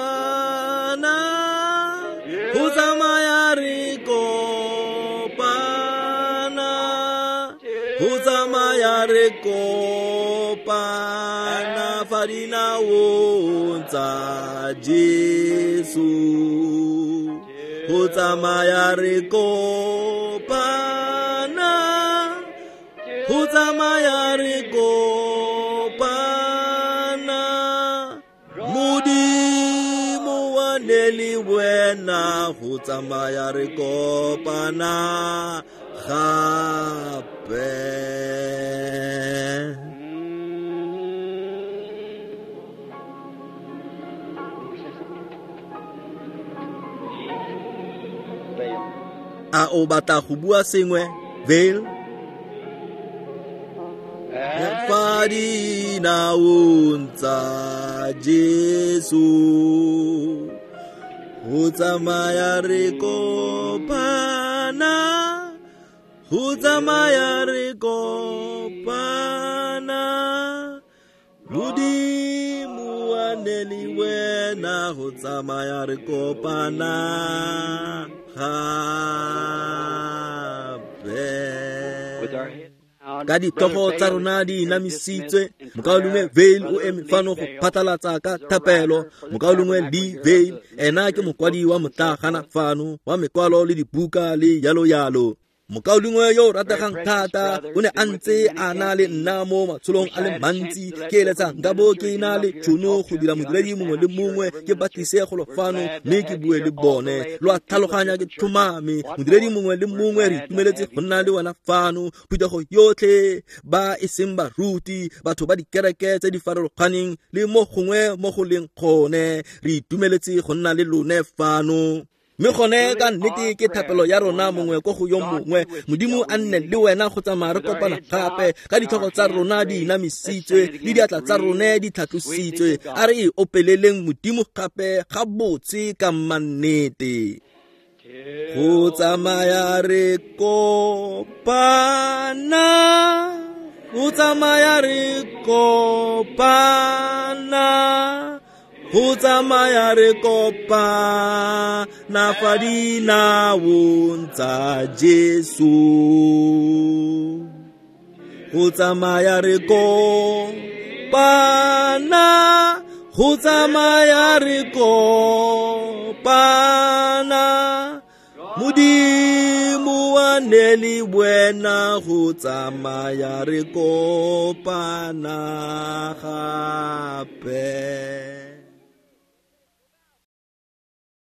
go tsamaya re kopana, go tsamaya re kopana fa dinaong tsa Jesu, go tsamaya re kopana, go tsamaya re kopana, Modimo wa ne le wena, go tsamaya re kopana gape. A o batla go bua sengwe, Vale? Fa dinaong tsa Jesu, go tsamaya re kopana, go tsamaya re kopana, Modimo wa ne le wena, go tsamaya re kopana gape. Ka ditlhogo tsa rona di inamisitswe, mokaulengwe Vale o eme fano go phatlalatsa ka thapelo. Mokaulengwe Lee Vale, ena ke mokwadi wa motlagana fano wa mekwalo le dibuka le yalo yalo. Mokaulengwe yo o rategang thata o ne a ntse a na le nna mo matsholong a le mantsi. Ke eletsa nka bo ke na le tšhono go dira modiredi mongwe le mongwe, ke batlise golo fano mme ke bue le bone. Lo a tlhaloganya, ke tlhomame modiredi mongwe le mongwe re itumeletse go nna le wena fano. Phuthego yotlhe ba e seng baruti, batho ba dikereke tse di farologaneng le mo gongwe mo go leng gone, re itumeletse go nna le lone fano. Mme gone ka nnete ke thapelo ya rona mongwe ko go yo mongwe, Modimo a nne le wena go tsamaya re kopana gape, ka ditlhogo tsa rona di inamisitswe le diatla tsa rone di tlhatlositswe. A re e opeleleng Modimo gape ga botse ka mannete. Go tsamaya re kopana, go tsamaya re kopana, go tsamaya re kopana fa dinaong tsa Jesu, go tsamaya re kopana, go tsamaya re kopana, Modimo wa ne le wena, go tsamaya re kopana gape.